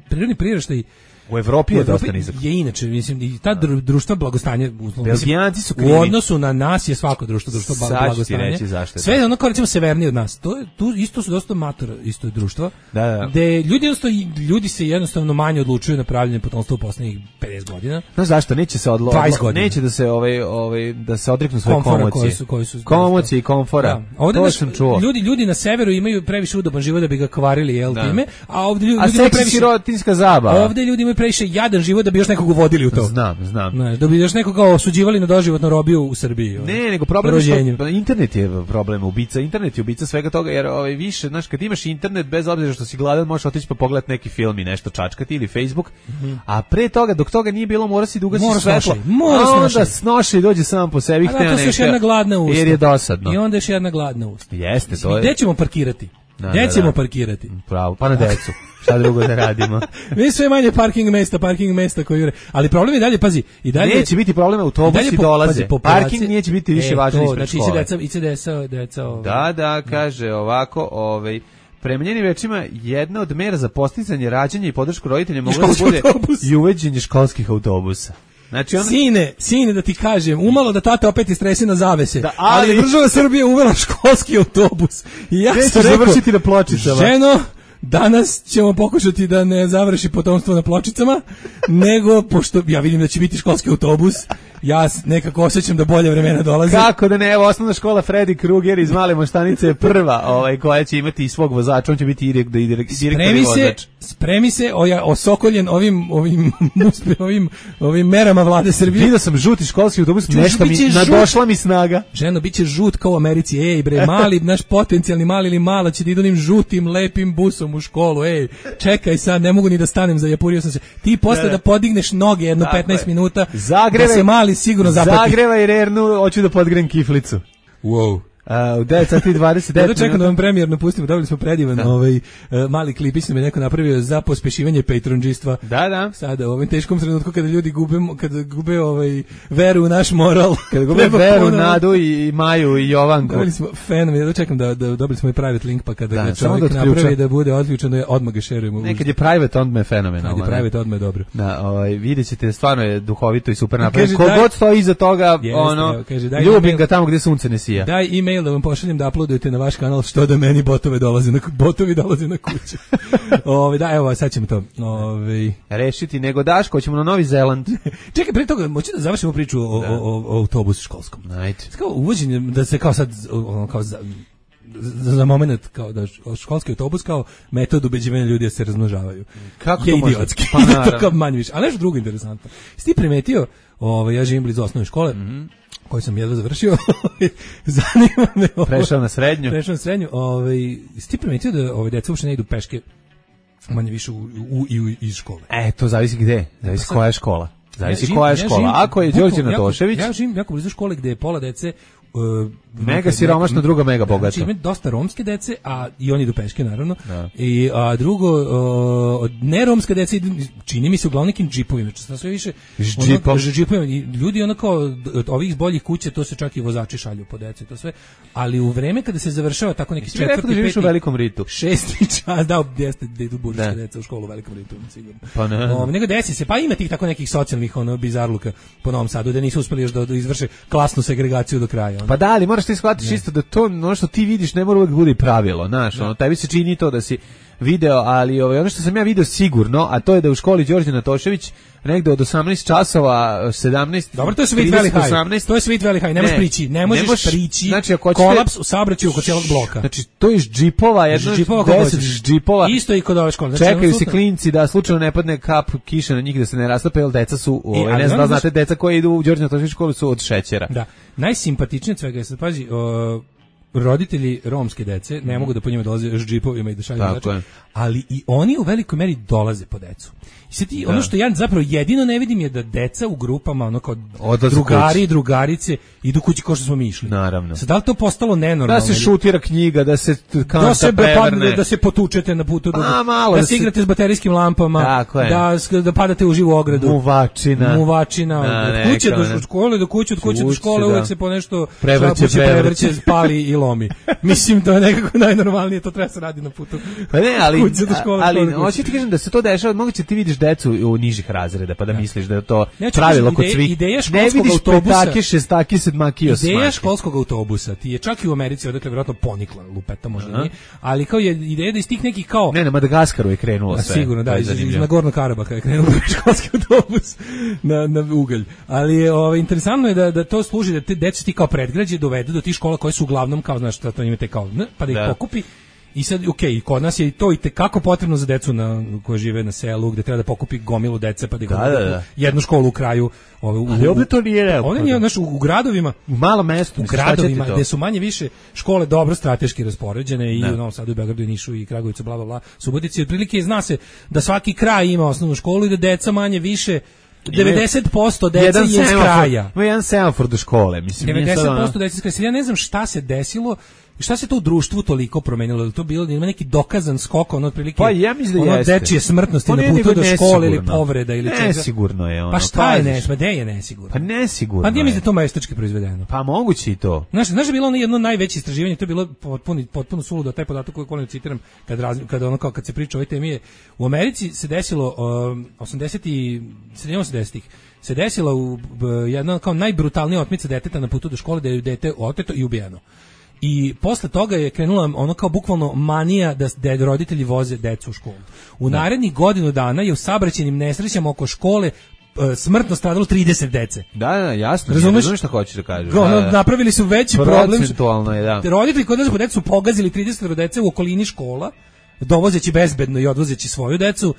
prirodni priraštaj u Evropi je dosta nizak. Je inače, mislim, i ta dru, društva blagostanja Belgijanci su krivi. U odnosu na nas je svako društvo društvo blagostanja. Sve je ono kao recimo severnije od nas. To je, tu isto su dosta mator isto je društvo. Da, da. Gde ljudi jednostavno, ljudi se jednostavno manje odlučuju na pravljenje potomstva u poslednjih pedeset godina. No zašto neće se odlo neće da se ovaj ovaj da se odreknu svoje komocije. Koji su koji su komocije i komfora. Da. Ovde to sam čuo. Ljudi ljudi na severu imaju previše udoban život da bi ga kvarili jel time, a ovde ljudi imaju previše sirotinjska zabava. Ovde ljudi imaju previše jadan život da bi još nekog uvodili u to. Znam, znam. Ne, da bi još nekog osuđivali na doživotnu robiju u Srbiji. Ne, nego problem je što internet je problem, ubica, internet je ubica svega toga, jer ovaj više, znaš, kad imaš internet, bez obzira što si gladan, možeš otići pa pogledati neki film i nešto čačkati ili Facebook, mm-hmm. a pre toga, dok toga nije bilo, mora si da ugasi svetlo. Mora snoši. Onda snoši i dođe sam po sebi. A da, to se još jedna gladna usta. Jer je dosadno. I onda još jedna gladna usta. Jeste, to je. Gde ćemo parkirati? Gde ćemo parkirati? Pravo, pa na decu. Šta drugo da radimo? Mi sve manje parking mesta, parking mesta koji jure. Ali problem je dalje, pazi, i dalje neće biti problem, autobusi dolaze. Po, parking neće biti više e, važan ispred znači, škole. Znači, I C D S-a, deca, ovaj. Da, da, kaže ovako, ovaj prema njenim rečima, jedna od mera za posticanje rađanja i podršku roditelja mogla da bude autobus. I uvođenje školskih autobusa. Znači on... Sine, sine da ti kažem, umalo da tata opet istresi na zavese, da, ali... ali država Srbije uvela školski autobus. I ja sam rekao, završiti na Pločicama. Ženo, danas ćemo pokušati da ne završi potomstvo na Pločicama, nego, pošto ja vidim da će biti školski autobus, ja nekako osjećam da bolje vremena dolaze. Kako da ne, evo osnovna škola Freddy Krueger iz Male Moštanice je prva ovaj, koja će imati i svog vozača, on će biti i direktor i vozač. Spremi se, oja, osokoljen ovim, ovim, ovim, ovim merama vlade Srbije. Vidio sam žuti školski autobus, nešto mi, nadošla mi snaga. Ženo, bit će žut kao u Americi, ej bre, mali, naš potencijalni mali ili mala će da idu onim žutim, lepim busom u školu, ej, čekaj sad, ne mogu ni da stanem, zajapurio sam se. Ti posle da podigneš noge jedno petnaest minuta, Zagreve, da se mali sigurno zapati. Zagrevaj rernu, hoću da podgrem kiflicu. Wow. Uh, u devet sati dvadeset devet čekam da vam premijerno pustimo, dobili smo predivan ovaj, uh, mali klipić nam je neko napravio za pospešivanje patronđistva. Da, da. Sada u ovom teškom trenutku kada ljudi gube, kada gube ovaj, veru u naš moral. Kada gube veru, ponovno. Nadu i Maju i Jovanku. Dobili smo fenom, ja da čekam da, da dobili smo i private link, pa kada da, ga čovjek da napravi da bude odključeno, odmah ga šerujemo. Nekad je private, odmah je fenomenalno. Kad je private, odmah je dobro. Da, ovaj, vidjet ćete, stvarno je duhovito i super napravljeno. Kogod stoji iza toga, yes, ono, evo, kaže, ljubim email, ga tamo gdje sunce ne sija. Daj e-mail da vam pošaljem da uploadujete na vaš kanal što da meni botove dolaze na botovi dolaze na kuću. Ove da evo sad ćemo to ove rešiti nego Daško ćemo na Novi Zeland. Čekaj, pre toga hoćemo da završimo priču o, o, o, o autobusu školskom. Ajde. Kao uvođenje da se kao sad ono kao za, za, za moment kao da školski autobus kao metod ubeđivanja ljudi da se razmnožavaju. Kako je to idiotski. Pa to kao manje više. Ali nešto drugo interesantno. Jesi ti primetio, ovaj ja živim blizu osnovne škole. Mm-hmm. Koji sam jedva završio, zanima me. Ovo. Prešao na srednju. Prešao na srednju. Ovaj, ti primetio da ove deca uopšte ne idu peške manje više u, u, i u, iz škole? E, to zavisi gde. Zavisi koja je škola. Zavisi ja koja je škola. Ja živim, Ako je Đorđe Natošević... Ja živim jako blizu škole gde je pola dece... Uh, mega siromašno, druga mega bogata. Znači ima dosta romske dece, a i oni idu peške naravno. Da. I a drugo uh, ne romske dece čini mi se uglavnom nekim džipovima, znači sve više ono, džipovima. I ljudi onako od ovih boljih kuća to se čak i vozači šalju po deci, to sve. Ali u vreme kada se završava tako neki četvrti, peti, u velikom ritu. Šesti čas, da, jeste da idu burske deca u školu u velikom ritu, sigurno. Pa ne. O, nego desi se, pa ima tih tako nekih socijalnih ono bizarluka po Novom Sadu da nisu uspeli još da, da izvrše klasnu segregaciju do kraja. Pa da, ali moraš ti shvatiti isto da to ono što ti vidiš ne mora uvijek bude pravilo, znaš, ono, tebi se čini to da si video, ali ovaj, ono što sam ja video sigurno, a to je da u školi Đorđe Natošević negde od osamnaest časova, sedamnaest Dobro, to je Sweet Valley High. osamnaest To je Sweet Valley High. Ne možeš prići, ne možeš ne mož, prići. Znači, ako ćete, kolaps u saobraćaju oko cijelog bloka. Znači, to je džipova, jedno deset džipova. Isto i kod ove škole. Znači, čekaju se klinci da slučajno ne padne kap kiše na njih, da se ne rastape, jer deca su, ovaj, ne znam da znate, deca koji idu u Đorđe Natošević školu su od šećera. Da. Najsimpatičnije svega je, sad pazi, o, roditelji romske dece ne mogu da po njima dolaze s džipovima i da šalju mlače, ali i oni u velikoj meri dolaze po decu. I sad ti, ono što ja zapravo jedino ne vidim je da deca u grupama, ono kao odlaze drugari i drugarice idu kući kao što smo mi išli. Naravno. Sad, da li to postalo nenormalno? Da se šutira knjiga, da se kanta da se prevrne. Da se potučete na putu, A, malo, da, da se igrate s baterijskim lampama, da, da padate u živu ogradu. Muvačina. Muvačina. Od kuće do škole, do kuće, od kuće do škole, uvek se po nešto prevrće, prevrće, pali i lomi. Mislim, to je nekako najnormalnije, to treba se radi na putu. Pa ne, ali, kuće do škole, ali, hoću ti kažem da se to dešava, moguće ti vidiš decu u nižih razreda, pa da misliš da je to pravilo kod svih. Ideja ne vidiš autobusa, petake, šestake, sedmake i osmake. Ideja školskog autobusa ti je čak i u Americi, odakle vjerojatno ponikla, lupeta možda nije, ali kao je ideja da iz tih nekih kao... Ne, na Madagaskaru je krenulo sve. Sigurno, da, iz, iz Nagorno Karabaka je krenulo školski autobus na, na ugalj. Ali je, ovaj, interesantno je da, da to služi, da te deca ti kao predgrađe dovedu do tih škola koje su uglavnom kao, znaš, to imate kao, pa da ih da. pokupi. I sad, ok, kod nas je i to i tekako potrebno za decu na, koje žive na selu, gde treba da pokupi gomilu dece, pa da, da, da, da. jednu školu u kraju. Ove, u, ali ovdje to nije neophodno. Ovdje nije, znaš, u, u gradovima, u malom mestu, u gradovima, gde su manje više škole dobro strateški raspoređene i da. u Novom Sadu, i Beogradu, i Nišu, i Kragujevcu, bla, bla, bla, Subotici, otprilike zna se da svaki kraj ima osnovnu školu i da deca manje više devedeset posto dece je iz kraja. Ima jedan semafor do škole, mislim. devedeset posto dece iz kraja. Ja ne znam šta se desilo, šta se to u društvu toliko promenilo, da to bilo, ima neki dokazan skok, ono otprilike, pa ja mislim da ono jeste. Dečije smrtnosti na putu do škole ili povreda ili čega. Nesigurno je ono. Pa šta je nesigurno? Pa je nesigurno? Pa nesigurno. Pa gdje mislim da to majstorski proizvedeno? Pa moguće i to. Znaš, znaš da je bilo ono jedno najveće istraživanje, to je bilo potpuno, potpuno suludo, taj podatak koji volim citiram, kad, raz, kad, ono kao, kad se priča o ovoj temi je, u Americi se desilo um, osamdesetih, sedamdesetih se desila u jedna kao najbrutalnija otmica deteta na putu do škole, da je dete oteto i ubijeno. I posle toga je krenula ono kao bukvalno manija da, da roditelji voze decu u školu. U da. narednih godinu dana je u saobraćajnim nesrećama oko škole smrtno stradalo trideset dece. Da, da, jasno. Razumeš, razumeš šta hoćeš da kažeš. Da, da. Napravili su veći problem. Procentualno je, da. Roditelji kod nas po decu pogazili trideset dece u okolini škola, dovozeći bezbedno i odvozeći svoju decu,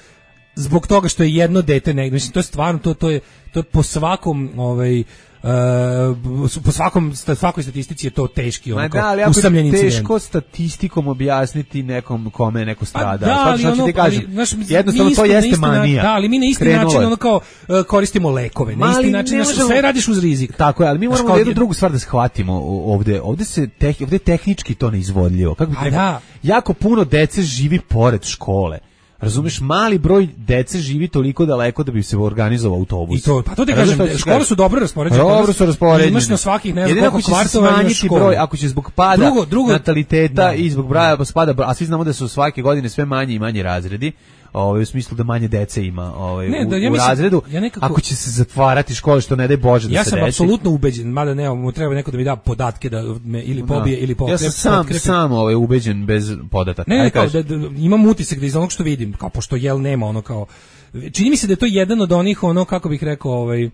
zbog toga što je jedno dete negdje. Mislim, to je stvarno, to, to je, to je po svakom, ovaj, Uh, po svakom svakoj statistici je to teški onako da, usamljeni incident. Teško statistikom objasniti nekom kome neko strada. Da, ali ono, ti kažem, ali, naš, jednostavno to jeste manija. Da, ali mi na isti Krenulo način je. ono kao uh, koristimo lekove. Na isti način naš, možemo, sve radiš uz rizik. Tako je, ali mi moramo jednu drugu stvar da shvatimo ovde. Ovde se teh, ovde tehnički to neizvodljivo. Kako bi rekao, da. Jako puno dece živi pored škole. Razumeš, mali broj dece živi toliko daleko da bi se organizovao autobus. I to, pa to ti kažem, škole su dobro raspoređene. Dobro su raspoređene. Imaš na svakih ne znam koliko kvartova imaš školu. Broj, ako će zbog pada drugo, drugo, nataliteta da, i zbog broja da. spada, a svi znamo da su svake godine sve manje i manje razredi, ovaj, u smislu da manje dece ima ovaj, ne, da, ja u, mislim, u razredu, ja nekako, ako će se zatvarati škole, što ne daj Bože da ja se desi. Ja sam apsolutno ubeđen, mada ne, mu treba neko da mi da podatke da me ili pobije, da. ili pokrep. Ja sam sam, sam ovaj, ubeđen bez podataka. Ne, ne, kao, da, da, imam utisak da iz onog što vidim, kao pošto jel nema ono kao, čini mi se da je to jedan od onih, ono, kako bih rekao, ovaj,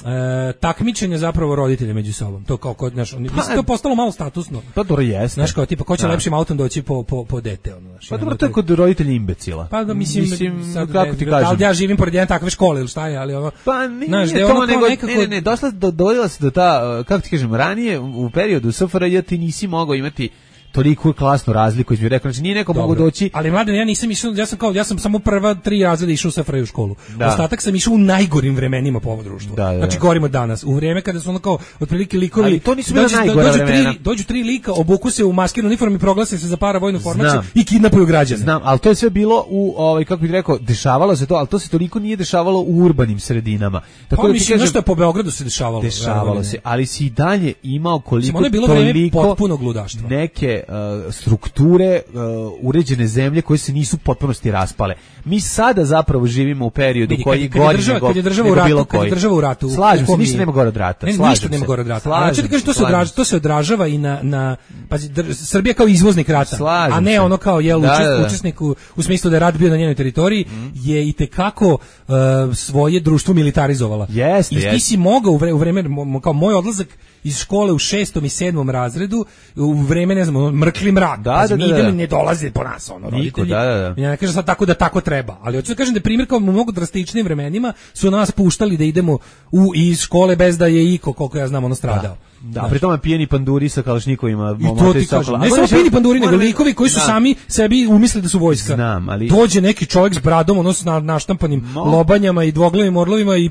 E, takmičenje zapravo roditelja među sobom. To kao kod naš, mislim pa, to postalo malo statusno. Pa dobro jeste. Znaš kao tipa ko će da. lepšim autom doći po po po dete ono, znaš. Pa dobro to je kod roditelja imbecila. Pa da mislim, mislim sad, kako ti kažem. Da ja živim pored jedne takve škole ili šta je, ali ono. Pa nije, znaš, to ono nego, nekako... ne, ne, ne, došla do, dovodila se do ta, kako ti kažem, ranije u periodu S F R J ti nisi mogao imati toliko klasnu razliku, između rekao, znači nije neko mogu doći. Ali mladen, ja nisam išao, ja sam kao ja sam samo prva tri razreda išao sa Freju u školu. Da. Ostatak sam išao u najgorim vremenima po ovom društvu. Da, da, znači gorimo danas. U vrijeme kada su ono kao otprilike likovi, ali to nisu bila najgora dođu vremena. Tri, dođu tri lika, obuku se u maskirnu uniformu i proglase se za paravojnu formaciju i kidnapuju građane. Znam, ali to je sve bilo u ovaj kako bih rekao, dešavalo se to, ali to se toliko nije dešavalo u urbanim sredinama. Tako pa, da mislim nešto po Beogradu se dešavalo. Dešavalo se, ali si i dalje imao koliko ono je bilo toliko potpunog ludaštva. Neke uh, strukture uh, uređene zemlje koje se nisu potpunosti raspale. Mi sada zapravo živimo u periodu Vidi, koji kad, kad gori država, nego, kad je država u ratu, kad je država u ratu. Slažem se, ništa nema gore od rata. Ne, ništa nema gore od rata. A što ti kažeš, to se odražava, to se odražava i na na pa Srbija kao izvoznik rata, slažem a ne se. ono kao jel da, učesnik, da, da. učesnik u, u smislu da je rat bio na njenoj teritoriji mm. je i te kako uh, svoje društvo militarizovala. Jeste, I ti jeste. si mogao u vreme, u vreme kao moj odlazak iz škole u šestom i sedmom razredu u vreme, ne znam, mrkli mrak. Da, Pazi, da, mi da, idemo da. ne dolaze po nas, ono, Niko, roditelji. da, da, da. Ja ne kažem sad tako da tako treba, ali hoću da kažem da je primjer kao u mnogo drastičnim vremenima su nas puštali da idemo u iz škole bez da je iko, koliko ja znam, ono stradao. Da, da pri tome pijeni panduri sa kalašnikovima. I to ti kažem, ne samo pijeni panduri, nego likovi koji su da. sami sebi umislili da su vojska. Znam, ali... Dođe neki čovjek s bradom, ono s na, naštampanim no. lobanjama i dvoglavim orlovima i, i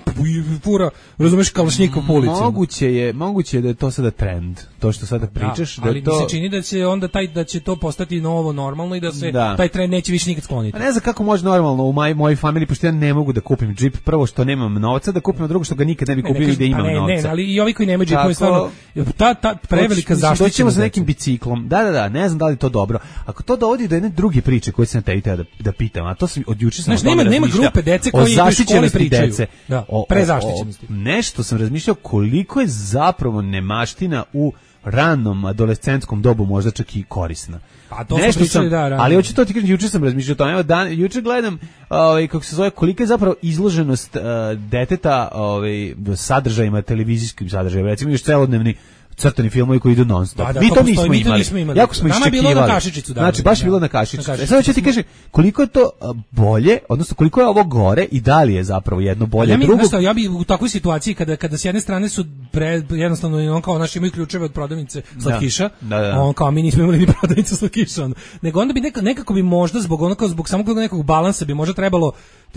fura, razumeš, kalašnjikov po ulici. Moguće je, moguće je da je to sada trend, to što sada pričaš. Da, ali da to... mi se čini da će onda taj, da će to postati novo normalno i da se da. taj trend neće više nikad skloniti. A ne znam kako može normalno u moj, mojoj familiji, pošto ja ne mogu da kupim džip, prvo što nemam novca, da kupim, a drugo što ga nikad ne bi kupili ne, ne, da imam ne, novca. Ne, ali i ovi koji nemaju džipove stvarno, ta, ta prevelika zaštita. Doćemo sa nekim biciklom. Da, da, da, ne znam da li je to dobro. Ako to dovodi do jedne druge priče koje sam tebi da da pitam, a to sam od juče sam znači, nema nema grupe dece koji u školi pričaju. Dece, da, o, prezaštićenosti. O, o, nešto sam razmišljao koliko je zapravo nemaština u ranom adolescentskom dobu možda čak i korisna. Pa to nešto sam, da, ali hoću to ti kažem, juče sam razmišljao o tome. Evo dan, juče gledam, ovaj kako se zove, kolika je zapravo izloženost uh, deteta, ovaj sadržajima, televizijskim sadržajima, recimo još celodnevni crtani filmovi koji idu non stop. Da, da, mi to, to nismo, postoji, imali. nismo imali. Jako smo Nama iščekivali. Je bilo na kašičicu, da. Znači baš je da, bilo na kašičicu. Na kašičicu. E sad hoću ti kažem koliko je to bolje, odnosno koliko je ovo gore i da li je zapravo jedno bolje ja mi, drugo. Ja bi u takvoj situaciji kada kada s jedne strane su pre, jednostavno on kao naši imaju ključeve od prodavnice slatkiša, da, da, da. on kao mi nismo imali ni prodavnice slatkiša, on. Nego onda bi nekako, nekako bi možda zbog onako zbog samog nekog balansa bi možda trebalo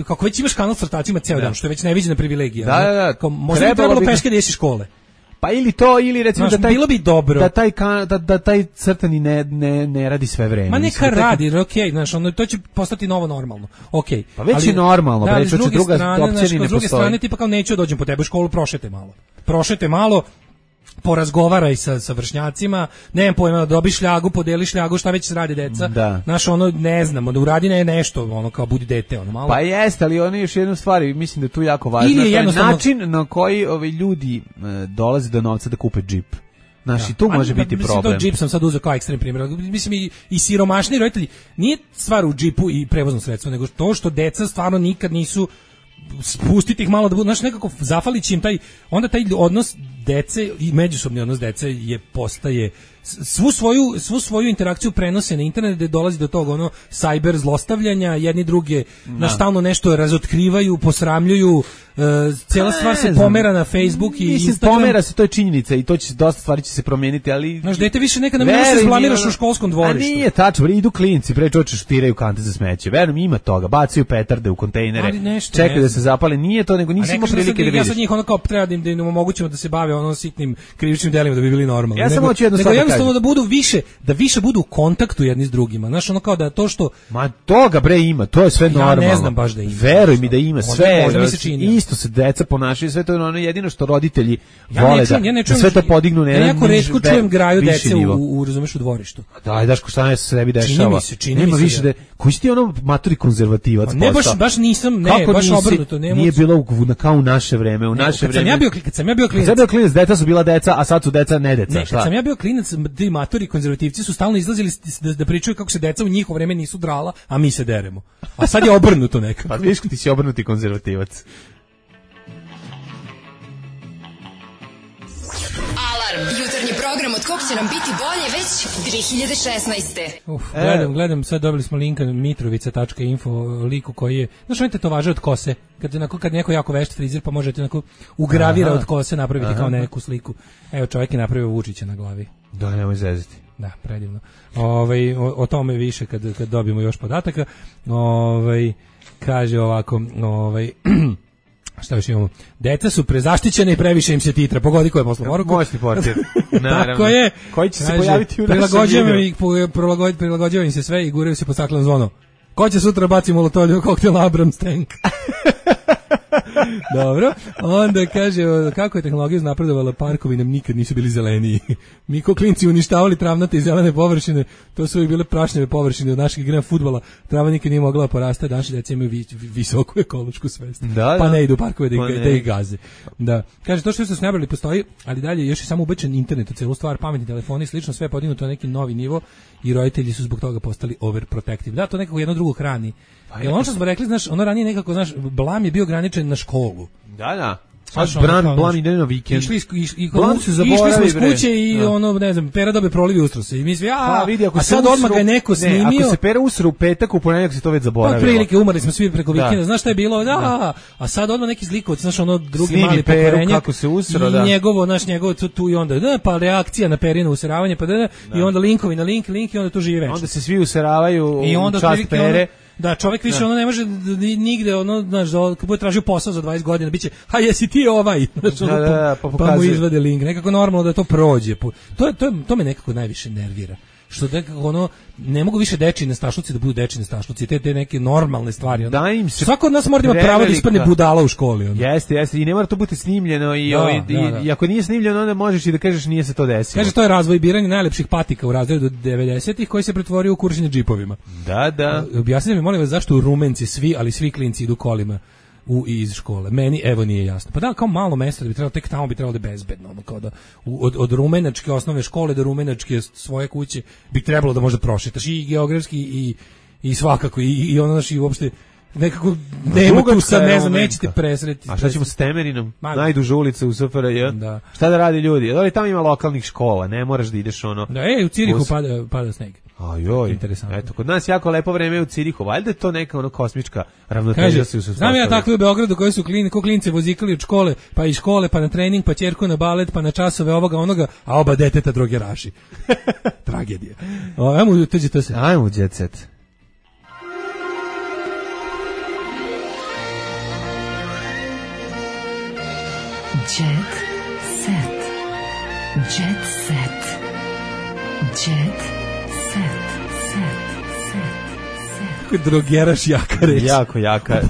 kako već imaš kanal s crtacima ceo dan, što je već neviđena privilegija. Da, da, da. Kao, možda bi trebalo peške da jesi škole. Pa ili to, ili recimo Znaš, da taj, bilo bi dobro. Da taj, da, da taj crtani ne, ne, ne radi sve vreme. Ma neka radi, okej, okay, znaš, ono, to će postati novo normalno. Okej. Okay. Pa već ali, je normalno, da, već druge druga strane, opcija znaš, ni ne s druge postoji. strane, tipa kao neću dođem po tebe u školu, prošete malo. Prošete malo, porazgovaraj sa, sa vršnjacima, nemam pojma, dobi šljagu, podeli šljagu, šta već radi deca. Da. Znaš, ono, ne znam, da uradi ne nešto, ono, kao budi dete, ono, malo. Pa jeste, ali ono je još jednu stvar, mislim da je tu jako važno. Ili je jednostavno... način na koji ovi ljudi e, dolaze do novca da kupe džip. Znaš, i tu može a, biti mislim, problem. Mislim, džip sam sad uzeo kao ekstrem primjer. Mislim, i, i siromašni roditelji, nije stvar u džipu i prevoznom sredstvu, nego to što deca stvarno nikad nisu spustiti ih malo da budu, znaš, nekako zafalići im taj, onda taj odnos dece i međusobni odnos dece je postaje svu svoju svu svoju interakciju prenose na internet gde dolazi do toga ono cyber zlostavljanja, jedni druge na stalno nešto razotkrivaju, posramljuju, e, cijela stvar se pomera na Facebook i mislim, Instagram. Pomera se, to je činjenica i to će dosta stvari će se promijeniti, ali znaš, dete više nekad ne možeš se zblamiraš u školskom dvorištu. A nije tačno, idu klinci, pre čoče šutiraju kante za smeće. Verujem, ima toga, bacaju petarde u kontejnere, čekaju da se zapale, nije to, nego nisi imao prilike da vidiš. Ja sad njih ono kao treba da im, da im omogućimo da se bave ono sitnim krivičnim delima da bi bili normalni. Ja samo hoću jedno stvar da kažem. Jednostavno da budu više, da više budu u kontaktu jedni s drugima. Znaš, ono kao da to što... Ma toga bre ima, to je sve normalno. Ja ne znam baš da ima. Veruj mi da ima sve. Možda mi se čini. Isto se deca ponašaju, sve to je ono jedino što roditelji ja vole čujem, da, ja ne čujem, da sve to podignu na jedan niž, ja jako retko čujem graju dece nivo. u, u, razumeš, u dvorištu. Daj, daš ko šta ne se sebi dešava. Čini mi se, čini Nema mi se više da... Koji si ti ono maturi konzervativac ne, baš, baš nisam, ne, kako baš nisi, obrnuto. Ne nije bilo u, kao u naše vreme, u naše kad vreme. Sam ja bio, kad sam ja bio klinac. Kad sam bio klinac, deca su bila deca, a sad su deca ne deca. Ne, kad sam ja bio klinac, ti maturi konzervativci su stalno izlazili da, da pričaju kako se deca u njihovo vreme nisu drala, a mi se deremo. A sad je obrnuto nekako. Pa vidiš, ti si obrnuti konzervativac. Alarm, jutarnji program od kog će nam biti bolje već dve hiljade šesnaeste. Uf, gledam, gledam, sad dobili smo link na mitrovica tačka info liku koji je, znaš, on te to važe od kose, kad, onako, kad neko jako vešt frizer, pa možete onako ugravira aha, od kose napraviti aha, kao neku sliku. Evo, čovjek je napravio Vučića na glavi. Da, nemoj zezati. Da, predivno. Ovaj, o, o tome više kad, kad dobijemo još podataka. Ovaj, kaže ovako, ovaj... Šta još imamo? Deca su prezaštićene i previše im se titra. Pogodi ko je poslao poruku. Moćni portir. Tako je. Koji će se kaže, pojaviti u našem videu. Prilagođava im se sve i guraju se po staklenu zvono. Ko će sutra baci molotov koktel Abrams tank? Dobro. Onda kaže, kako je tehnologija napredovala, parkovi nam nikad nisu bili zeleniji. Mi ko klinci uništavali travnate i zelene površine, to su uvijek bile prašnjave površine od našeg igranja fudbala. Trava nikad nije mogla porasta, danas djeca imaju vi, visoku ekološku svest. Da, pa da. ne idu u parkove da, Pa ih, da ih gaze. Da. Kaže, to što su se nabrali postoji, ali dalje još je samo ubećen internet u celu stvar, pametni telefoni, slično sve je podignuto na neki novi nivo i roditelji su zbog toga postali overprotective. Da, to nekako jedno drugo hrani. Pa Jer ono što smo rekli, znaš, ono ranije nekako, znaš, blam je bio ograničen na školu. Da, da. Sad bran, blam ide na vikend. Išli, iš, i, blam se zaboravi, išli smo iz kuće bre. i da. ono, ne znam, Pera dobe prolivi ustrose. I mi svi, a, pa, vidi, ako a sad odmah ga je neko snimio. Ne, ako se Pera usre u petak, u ponedjeljak se to već zaboravilo. Pa prilike, umrli smo svi preko vikenda. Da. Znaš šta je bilo? Da, da. A sad odmah neki zlikovac, znaš, ono drugi Snimi mali Peru, pokvarenjak. kako se usro, I da. njegovo, znaš, njegovo tu, tu i onda, da, pa reakcija na Perino useravanje, pa da, da, i onda linkovi na link, link i onda tu živi večno. Onda se svi useravaju I onda u čast Pere. Ono, da, čovjek više da. ono ne može nigde, ono, znaš, kad bude tražio posao za dvadeset godina, biće, ha, jesi ti ovaj, znaš, ono, da, da, da, pa, pa mu izvade link, nekako normalno da to prođe. To, to, to me nekako najviše nervira. Što nekako ono, ne mogu više dečiji nestašluci da budu dečiji nestašluci, te, te neke normalne stvari. Ono. Da im se svako od nas mora da ima pravo da ispadne budala u školi. Ono. Jeste, jeste, i ne mora to biti snimljeno i, da, ovaj, da, da. i, i ako nije snimljeno, onda možeš i da kažeš nije se to desilo. Kaže, to je razvoj biranja najlepših patika u razredu devedesetih koji se pretvorio u kuršenje džipovima. Da, da. Objasnite mi, molim vas, zašto u Rumenci svi, ali svi klinci idu kolima u iz škole. Meni evo nije jasno. Pa da, kao malo mesto da bi trebalo, tek tamo bi trebalo da je bezbedno, ono kao da u, od, od rumenačke osnovne škole do rumenačke svoje kuće bi trebalo da možda prošetaš i geografski i i svakako i i ono naši uopšte nekako nema tu sad, ne znam, nećete presretiti. A šta ćemo s Temerinom? Najduža ulica u S F R J. Da. Šta da radi ljudi? Da li tamo ima lokalnih škola, ne moraš da ideš ono. Da, ej, u Cirihu Us... pada pada sneg. Ajoj, interesantno. Eto, kod nas jako lepo vreme u Cirihu, valjda je to neka ono kosmička ravnoteža se uspostavlja. Znam ja takve u Beogradu koji su klini, ko klinci vozikali od škole, pa iz škole, pa na trening, pa ćerku na balet, pa na časove ovoga onoga, a oba deteta drogeraši. Tragedija. O, ajmo, tuđi to se. Ajmo, jet set. Jet set. Jet set. Jet set. Drogeraš jaka reč. Jako jaka.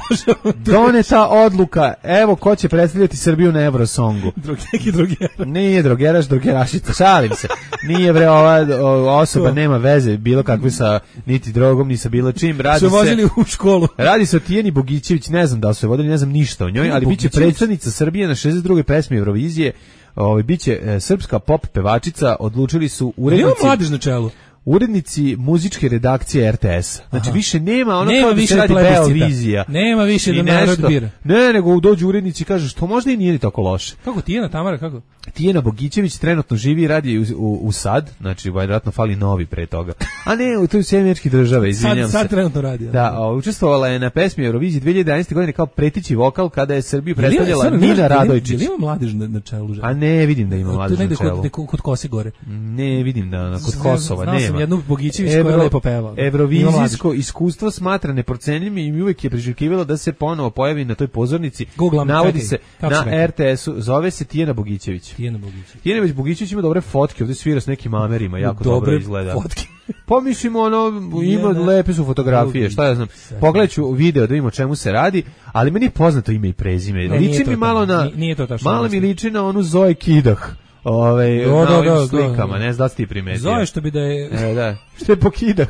Doneta odluka. Evo ko će predstavljati Srbiju na Eurosongu. Drog, neki droger. Nije drogeraš, drogerašica. Šalim se. Nije bre ova osoba nema veze bilo kakve sa niti drogom, ni sa bilo čim. Radi su vozili u školu. Radi se o Tijeni Bogićević, ne znam da li su je vodili, ne znam ništa o njoj, ali biće predstavnica Srbije na šezdeset drugoj pesmi Eurovizije. Ovaj biće e, srpska pop pevačica, odlučili su urednici. Nema mladež na čelu. Urednici muzičke redakcije R T S. Znači Aha. više nema ono nema kao da se radi Beovizija. Nema više da narod bira. Ne, nego dođu urednici i kažu što možda i nije ni tako loše. Kako Tijena Tamara, kako? Tijena Bogićević trenutno živi i radi u, u, u sad, znači vjerojatno fali novi pre toga. A ne, u toj Sjedinjene Američke Države, izvinjam sad, se. Sad trenutno radi. Da, o, učestvovala je na pesmi Eurovizije dve hiljade jedanaeste. godine kao pretići vokal kada je Srbiju predstavljala Nina Radojčić. Je li ima mladež na, na čelu? A ne, vidim da ima mladež na čelu. Kod, kod, kod Kose gore. Ne, vidim da na, kod Kosova nema. Znao sam jednu Bogićević koja je lepo pevao. Eurovizijsko iskustvo smatra neprocenljivim i uvijek je priželjkivalo da se ponovo pojavi na toj pozornici. Googlam, navodi čekaj, se na R T S-u, zove se Tijena Bogićević. Tijena Bogićević. Tijena Bogićević ima dobre fotke, ovdje svira s nekim Amerima, jako dobre dobro izgleda. Fotke. Pa mislim, ono, ima lepe su fotografije, šta ja znam. Pogledat ću video da vidimo o čemu se radi, ali meni je poznato ime i prezime. Ne, liči mi malo na, nije to malo mi liči na onu Zoe Kidah. Ove, do, na do, ovim do, slikama, do. ne znam da si ti primetio. Zoe što bi da je... E, da, što je po Kidah.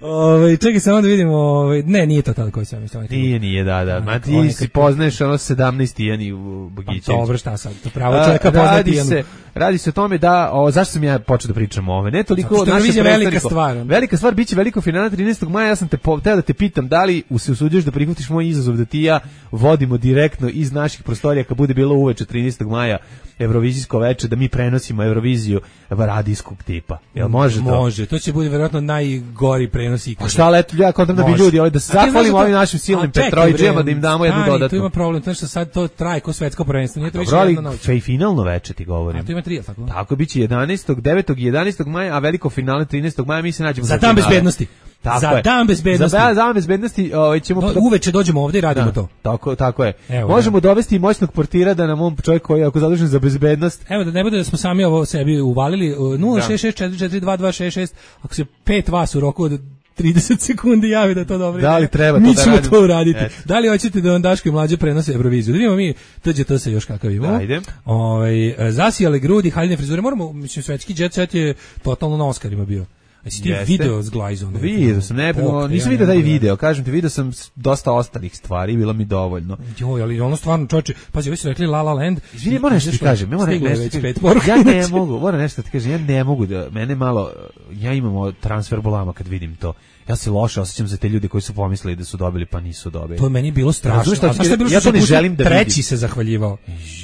Ove, čekaj samo da vidimo, ove, ne, nije to tada koji sam mislio. Nije, nije, da, da. Ma ti si poznaješ ono sedamnaest Tijeni u Bogićević. Pa dobro, šta sad, to pravo čovjeka pozna Tijenu. Se, radi se o tome da, o, zašto sam ja počeo da pričam o ove? Ne toliko o naše predstavniko. Velika stvar. Velika stvar, bit će veliko finale trinaestog maja, ja sam te teo da te pitam da li se usuđuješ da prihvatiš moj izazov da ti ja vodimo direktno iz naših prostorija kad bude bilo uveče trinaestog maja Eurovizijsko veče, da mi prenosimo Euroviziju radijskog tipa. Jel može to? Može, to će bude vjerojatno najgori prenos ikada. A šta leto, ja kontam da bi ljudi, ali da se zahvalimo ovim našim silnim Petrovićima, da im damo jednu dodatnu. Tu ima problem, to što sad to traje ko svetsko prvenstvo, nije to više jedna noć. Dobro, finalno veče ti govorim. A to ima tri, tako? Tako biće jedanaestog, devetog i jedanaestog maja, a veliko finale trinaestog maja, mi se nađemo za dan bezbednosti. Tako za je. dan bezbednosti. Za dan bezbednosti, ovaj ćemo Do, uveče dođemo ovdje i radimo da, to. Tako, tako je. Evo, možemo dovesti i moćnog portira da nam on čovjek koji je ako zadužen za bezbednost. Evo da ne bude da smo sami ovo sebi uvalili nula šest šest četiri četiri dva dva šest šest, ako se pet vas u roku od trideset sekundi javi da to dobro. Da li treba to mi da ćemo radimo? to uraditi. Et. Da li hoćete da vam Daško i Mlađa prenose Euroviziju? Da vidimo mi T Đ T se još kakav imamo. Ajde. Ovaj zasijale grudi, haljine frizure. Moramo, mislim, svetski jet set je totalno na Oscarima bio. A si ti video s Glajzom? Vidio sam, ne, Pok, nisam ja vidio taj video, kažem ti, vidio sam dosta ostalih stvari, bilo mi dovoljno. Joj, ali ono stvarno, čoče, pazi, ovi su rekli La La Land. Izvini, moram nešto ti kažem, ja moram nešto ti ja ne mogu, moram nešto ti kažem, ja ne mogu da, mene malo, ja imam transfer bolama kad vidim to. Ja se loše osjećam za te ljude koji su pomislili da su dobili pa nisu dobili. To je meni bilo strašno. Šta, šta je bilo ja to ne želim da vidim. Treći se zahvaljivao.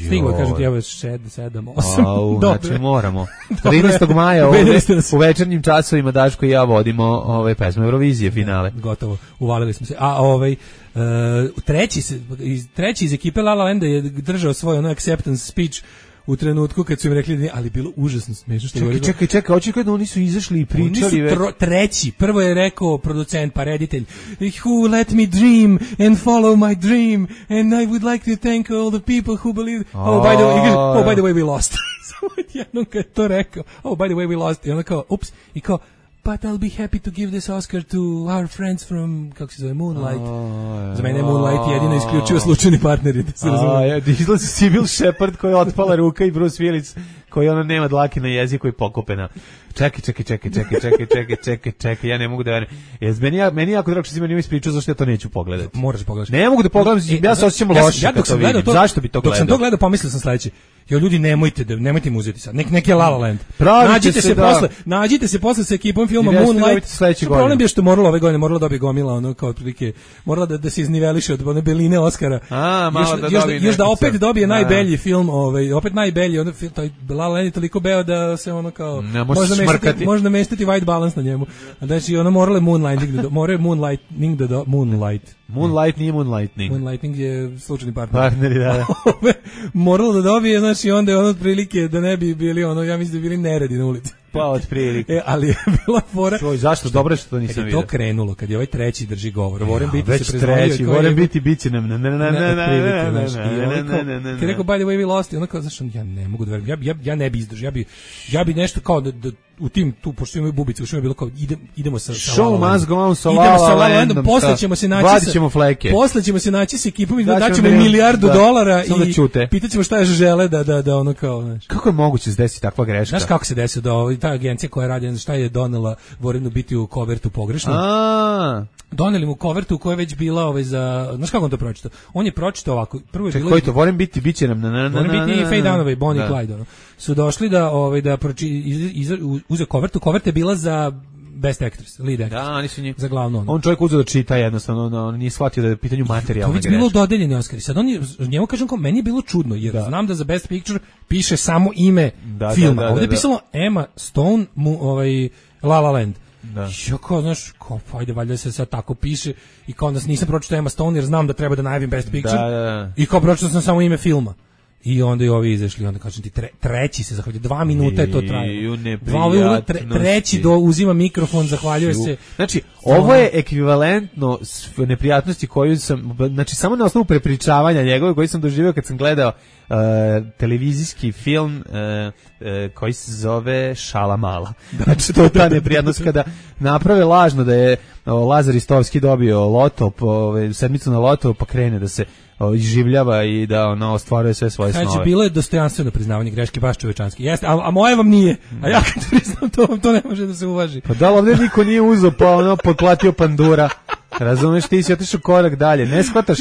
Stiglo kažem ti evo sedam osam. Au, znači moramo. trinaestog maja ovdje u večernjim časovima Daško i ja vodimo ove pesme Eurovizije finale. Ja, gotovo. Uvalili smo se. A ovaj uh, treći se iz treći iz ekipe La La Landa je držao svoj ono acceptance speech u trenutku kad su im rekli, ali bilo užasno smešno što čekaj, čekaj, čekaj, očekaj da oni su izašli i pričali. Oni su tro, treći, prvo je rekao producent pa reditelj, who let me dream and follow my dream and I would like to thank all the people who believe, oh by the way, oh by the way we lost. Samo jednom kad to rekao, oh by the way we lost, i onda kao, ups, i kao, but I'll be happy to give this Oscar to our friends from, kako se zove, Moonlight. Oh, za mene je Moonlight jedino isključivo slučajni partneri, da se razumije. Ja, izlazi Sybil Shepherd koji je otpala ruka i Bruce Willis koji ona nema dlake na jeziku i pokopena. Čekaj, čekaj, čekaj, čekaj, čekaj, čekaj, čekaj, čekaj, ja ne mogu da verujem. Jez meni ja meni jako drago što si meni ispričao zašto ja to neću pogledati. Moraš pogledati. Ne mogu da pogledam, e, ja se osjećam loše. Ja dok sam gledao to, zašto bi to gledao? Dok sam to gledao, pomislio sam sledeće. Jo ljudi, nemojte da nemojte mu uzeti sad. Nek nek je La La Land. Nađite se da... posle, nađite se posle sa ekipom filma Moonlight. Problem je što moralo ove godine moralo da bi gomila ono kao otprilike morala da da se izniveliše od one beline Oskara. A, malo još, da još, dobije još da opet dobije najbolji film, ovaj opet najbolji, on taj La La Land je toliko beo da se ono kao možda mestiti, možda mestiti white balance na njemu. Znači ono morale Moonlighting da more Moonlightning da Moonlight. Moonlight nije Moonlightning. Moonlighting je slučajni partner. Partneri, da, da. Moralo da dobije, znači onda je ono otprilike da ne bi bili ono, ja mislim da bili neredi na ulici. Pa otprilike. E, ali je bila fora. Čuj, zašto? Dobro što to nisam vidio. Kad je to krenulo, kad je ovaj treći drži govor, Voren biti se prezvonio. Već treći, Voren biti, bit će nam. Ne, ne, ne, ne, ne, ne. Kad je rekao, by the way we lost, i ono kao, znaš, ja ne mogu da verujem, ja, ja, ja ne bi izdržao, ja bi, ja bi nešto kao da, da u tim, tu, pošto imaju bubice, u je bilo kao, ide, idemo sa, sa Show must go on sa La La Landom, posle ćemo se naći vadit ćemo fleke. Posle ćemo se naći s ekipom i daćemo milijardu dolara i pitaćemo šta je žele da, da, da ono kao, znaš. Kako je moguće se desi takva greška? Znaš kako se desi da ta agencija koja radi, šta je donela Vorenu biti u kovertu pogrešno? A doneli mu kovertu koja je već bila ovaj za, znaš kako on to pročitao? On je pročitao ovako, prvo je Ček, bilo koji to Voren biti biće nam na na na. Voren biti i Faye Dunaway, Bonnie i Clyde, ono. Su došli da ovaj da proči uze kovertu, koverta je bila za Best Actress, lead actress. Da, oni su njih za glavno ono. On čovjek uzeo da čita jednostavno, on, on nije shvatio da je pitanje materijalne greške. To je bilo dodeljeni Oskari. Sad on je, njemu kažem kao, meni je bilo čudno, jer da. znam da za Best Picture piše samo ime da, filma. Da, da, Ovdje je da, pisalo Emma Stone, mu, ovaj, La La Land. Da. I kao, znaš, kao, ajde, valjda se sad tako piše i kao onda nisam pročitao Emma Stone jer znam da treba da najavim Best Picture. Da, da. I kao pročitao sam samo ime filma. I onda i ovi izašli, onda kažem ti tre, treći se zahvaljuje, dva minuta je to trajalo. Dva, tre, treći do uzima mikrofon, zahvaljuje se. Znači, ovo je ekvivalentno neprijatnosti koju sam, znači samo na osnovu prepričavanja njegove koji sam doživio kad sam gledao uh, televizijski film uh, uh, koji se zove Šala mala. Znači, to je ta neprijatnost kada naprave lažno da je uh, Lazar Istovski dobio loto, po, sedmicu na loto, pa krene da se izživljava i da ono ostvaruje sve svoje snove. Znači, bilo je dostojanstveno priznavanje greške, baš čovečanski. Jeste, a, a moje vam nije. A ja kad priznam to, to ne može da se uvaži. Pa da li ovdje niko nije uzeo, pa ono, potplatio pandura. Razumeš, ti si otišao korak dalje. Ne shvataš,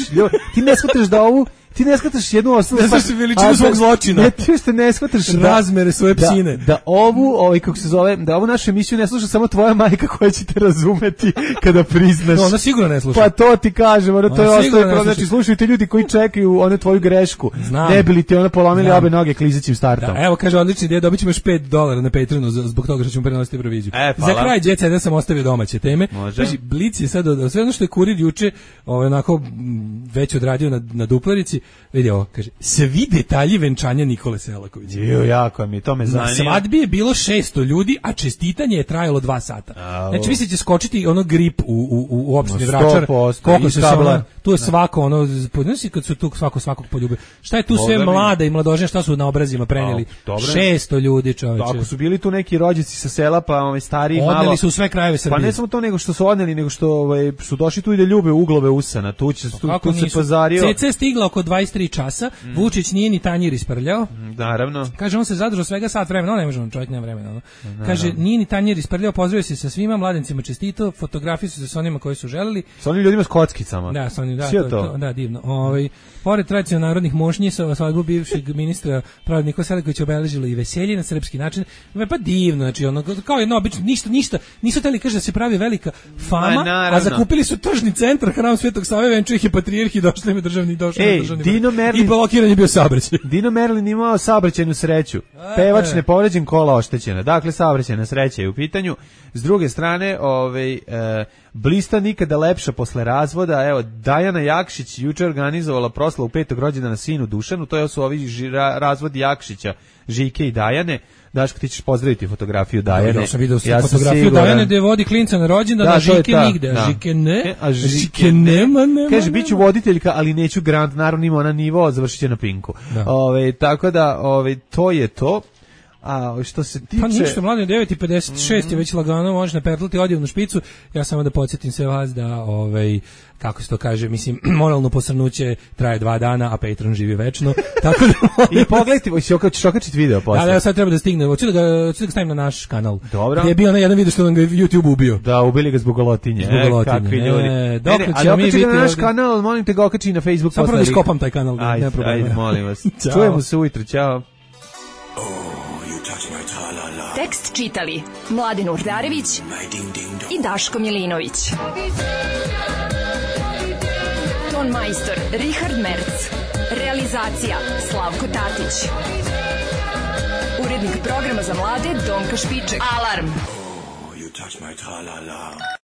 ti ne shvataš da ovu ti ne shvataš jednu osnovu. Ne shvataš veličinu svog zločina. Ne, ti što ne shvataš razmere svoje psine. Da, da ovu, ovaj, kako se zove, da ovu našu emisiju ne sluša samo tvoja majka koja će te razumeti kada priznaš. No, ona sigurno ne sluša. Pa to ti kažem, ono, to je ostaje problem. Znači, slušajte ljudi koji čekaju one tvoju grešku. Znam. Ne bi li ti ona polomili obe noge klizećim startom. Da, evo, kaže, odlični ideja, dobit ćemo još pet dolara na Patreonu zbog toga što ćemo prenositi Euroviziju. E, za kraj Jet Seta sam ostavio domaće teme. Znači, Blic je sad, sve ono što je Kurir juče, ovaj, onako, već odradio na, na duplerici, vidi ovo, kaže, svi detalji venčanja Nikole Selakovića. Jo, jako mi, to me zanima. Na svadbi je bilo šesto ljudi, a čestitanje je trajalo dva sata. A, znači, vi će skočiti ono grip u, u, u opštini Vračar. Koliko se ono, tu je svako, ono, podnosi kad su tu svako svakog poljubio. Šta je tu sve mi... mlada i mladoženja, šta su na obrazima prenijeli? šesto ljudi, čoveče. Ako su bili tu neki rođaci sa sela, pa ovaj stariji malo. Odneli su u sve krajeve Srbije. Pa ne samo to, nego što su odneli, nego što ovaj, su došli tu i da ljube uglove usana. Tu će tu, tu se pazario. C C stigla oko dvadeset tri časa. Mm. Vučić nije ni tanjir isprljao. Naravno. Kaže, on se zadržao svega sat vremena, on ne može, on čovjek nema vremena. No. Kaže, nije ni tanjir isprljao, pozdravio se sa svima, mladencima čestitao, fotografije su se sa onima koji su želeli. Sa onim ljudima s kockicama. Da, sa onim, da, to, to, da, divno. Ovaj, pored tradicionalnih narodnih mošnji sa svadbu bivšeg ministra Pravda Nikole Selakovića obeležilo i veselje na srpski način. Pa divno, znači ono kao jedno obično, ništa, ništa, nisu hteli kaže da se pravi velika fama, a, a zakupili su tržni centar, hram Svetog Save, venčuje ih je patrijarh i došli im državni došao Ej, državni Dino Merlin, i blokiran je bio saobraćaj. Dino Merlin imao saobraćajnu sreću. Pevač ne povređen, kola oštećena. Dakle, saobraćajna sreća je u pitanju. S druge strane, ovaj, e, blista nikada lepša posle razvoda. Evo, Dajana Jakšić juče organizovala proslavu petog rođendana sinu Dušanu. To su ovi žira, razvod Jakšića, Žike i Dajane. Daško, ti ćeš pozdraviti fotografiju Dajane. Ja sam vidio ja fotografiju Dajane gde vodi klinca na rođendan, da, a Žike nigde. A Žike ne, a Žike, žike nema, nema. Kaže, bit ću voditeljka, ali neću Grand, naravno ima ona nivo, završit će na Pinku. Ove, tako da, ove, to je to. A što se tiče... Pa ništa, mladen, devet i pedeset šest mm-hmm. je već lagano, možeš napetlati odjevnu špicu. Ja samo da podsjetim sve vas da, ovaj, kako se to kaže, mislim, moralno posrnuće traje dva dana, a Patreon živi večno. Tako da... I pogledajte, ćeš okačiti video posle. Da, da, sad treba da stigne. Hoću da ga, hoću da ga stavim na naš kanal. Dobro. Gdje je bio na jedan video što nam ga YouTube ubio. Da, ubili ga zbog golotinje. Zbog golotinje. E, kakvi ljudi. E, dok ne, ne, ali okači ga na naš kanal, molim te ga okači na Facebook. Samo prvo da skopam taj kanal. Ajde, ajde, molim vas. Čujemo se ujutro, čao. Tekst čitali Mladen Urdarević i Daško Milinović. Ton majstor Richard Merc. Realizacija Slavko Tatić. Urednik programa za mlade Donka Špiček. Alarm!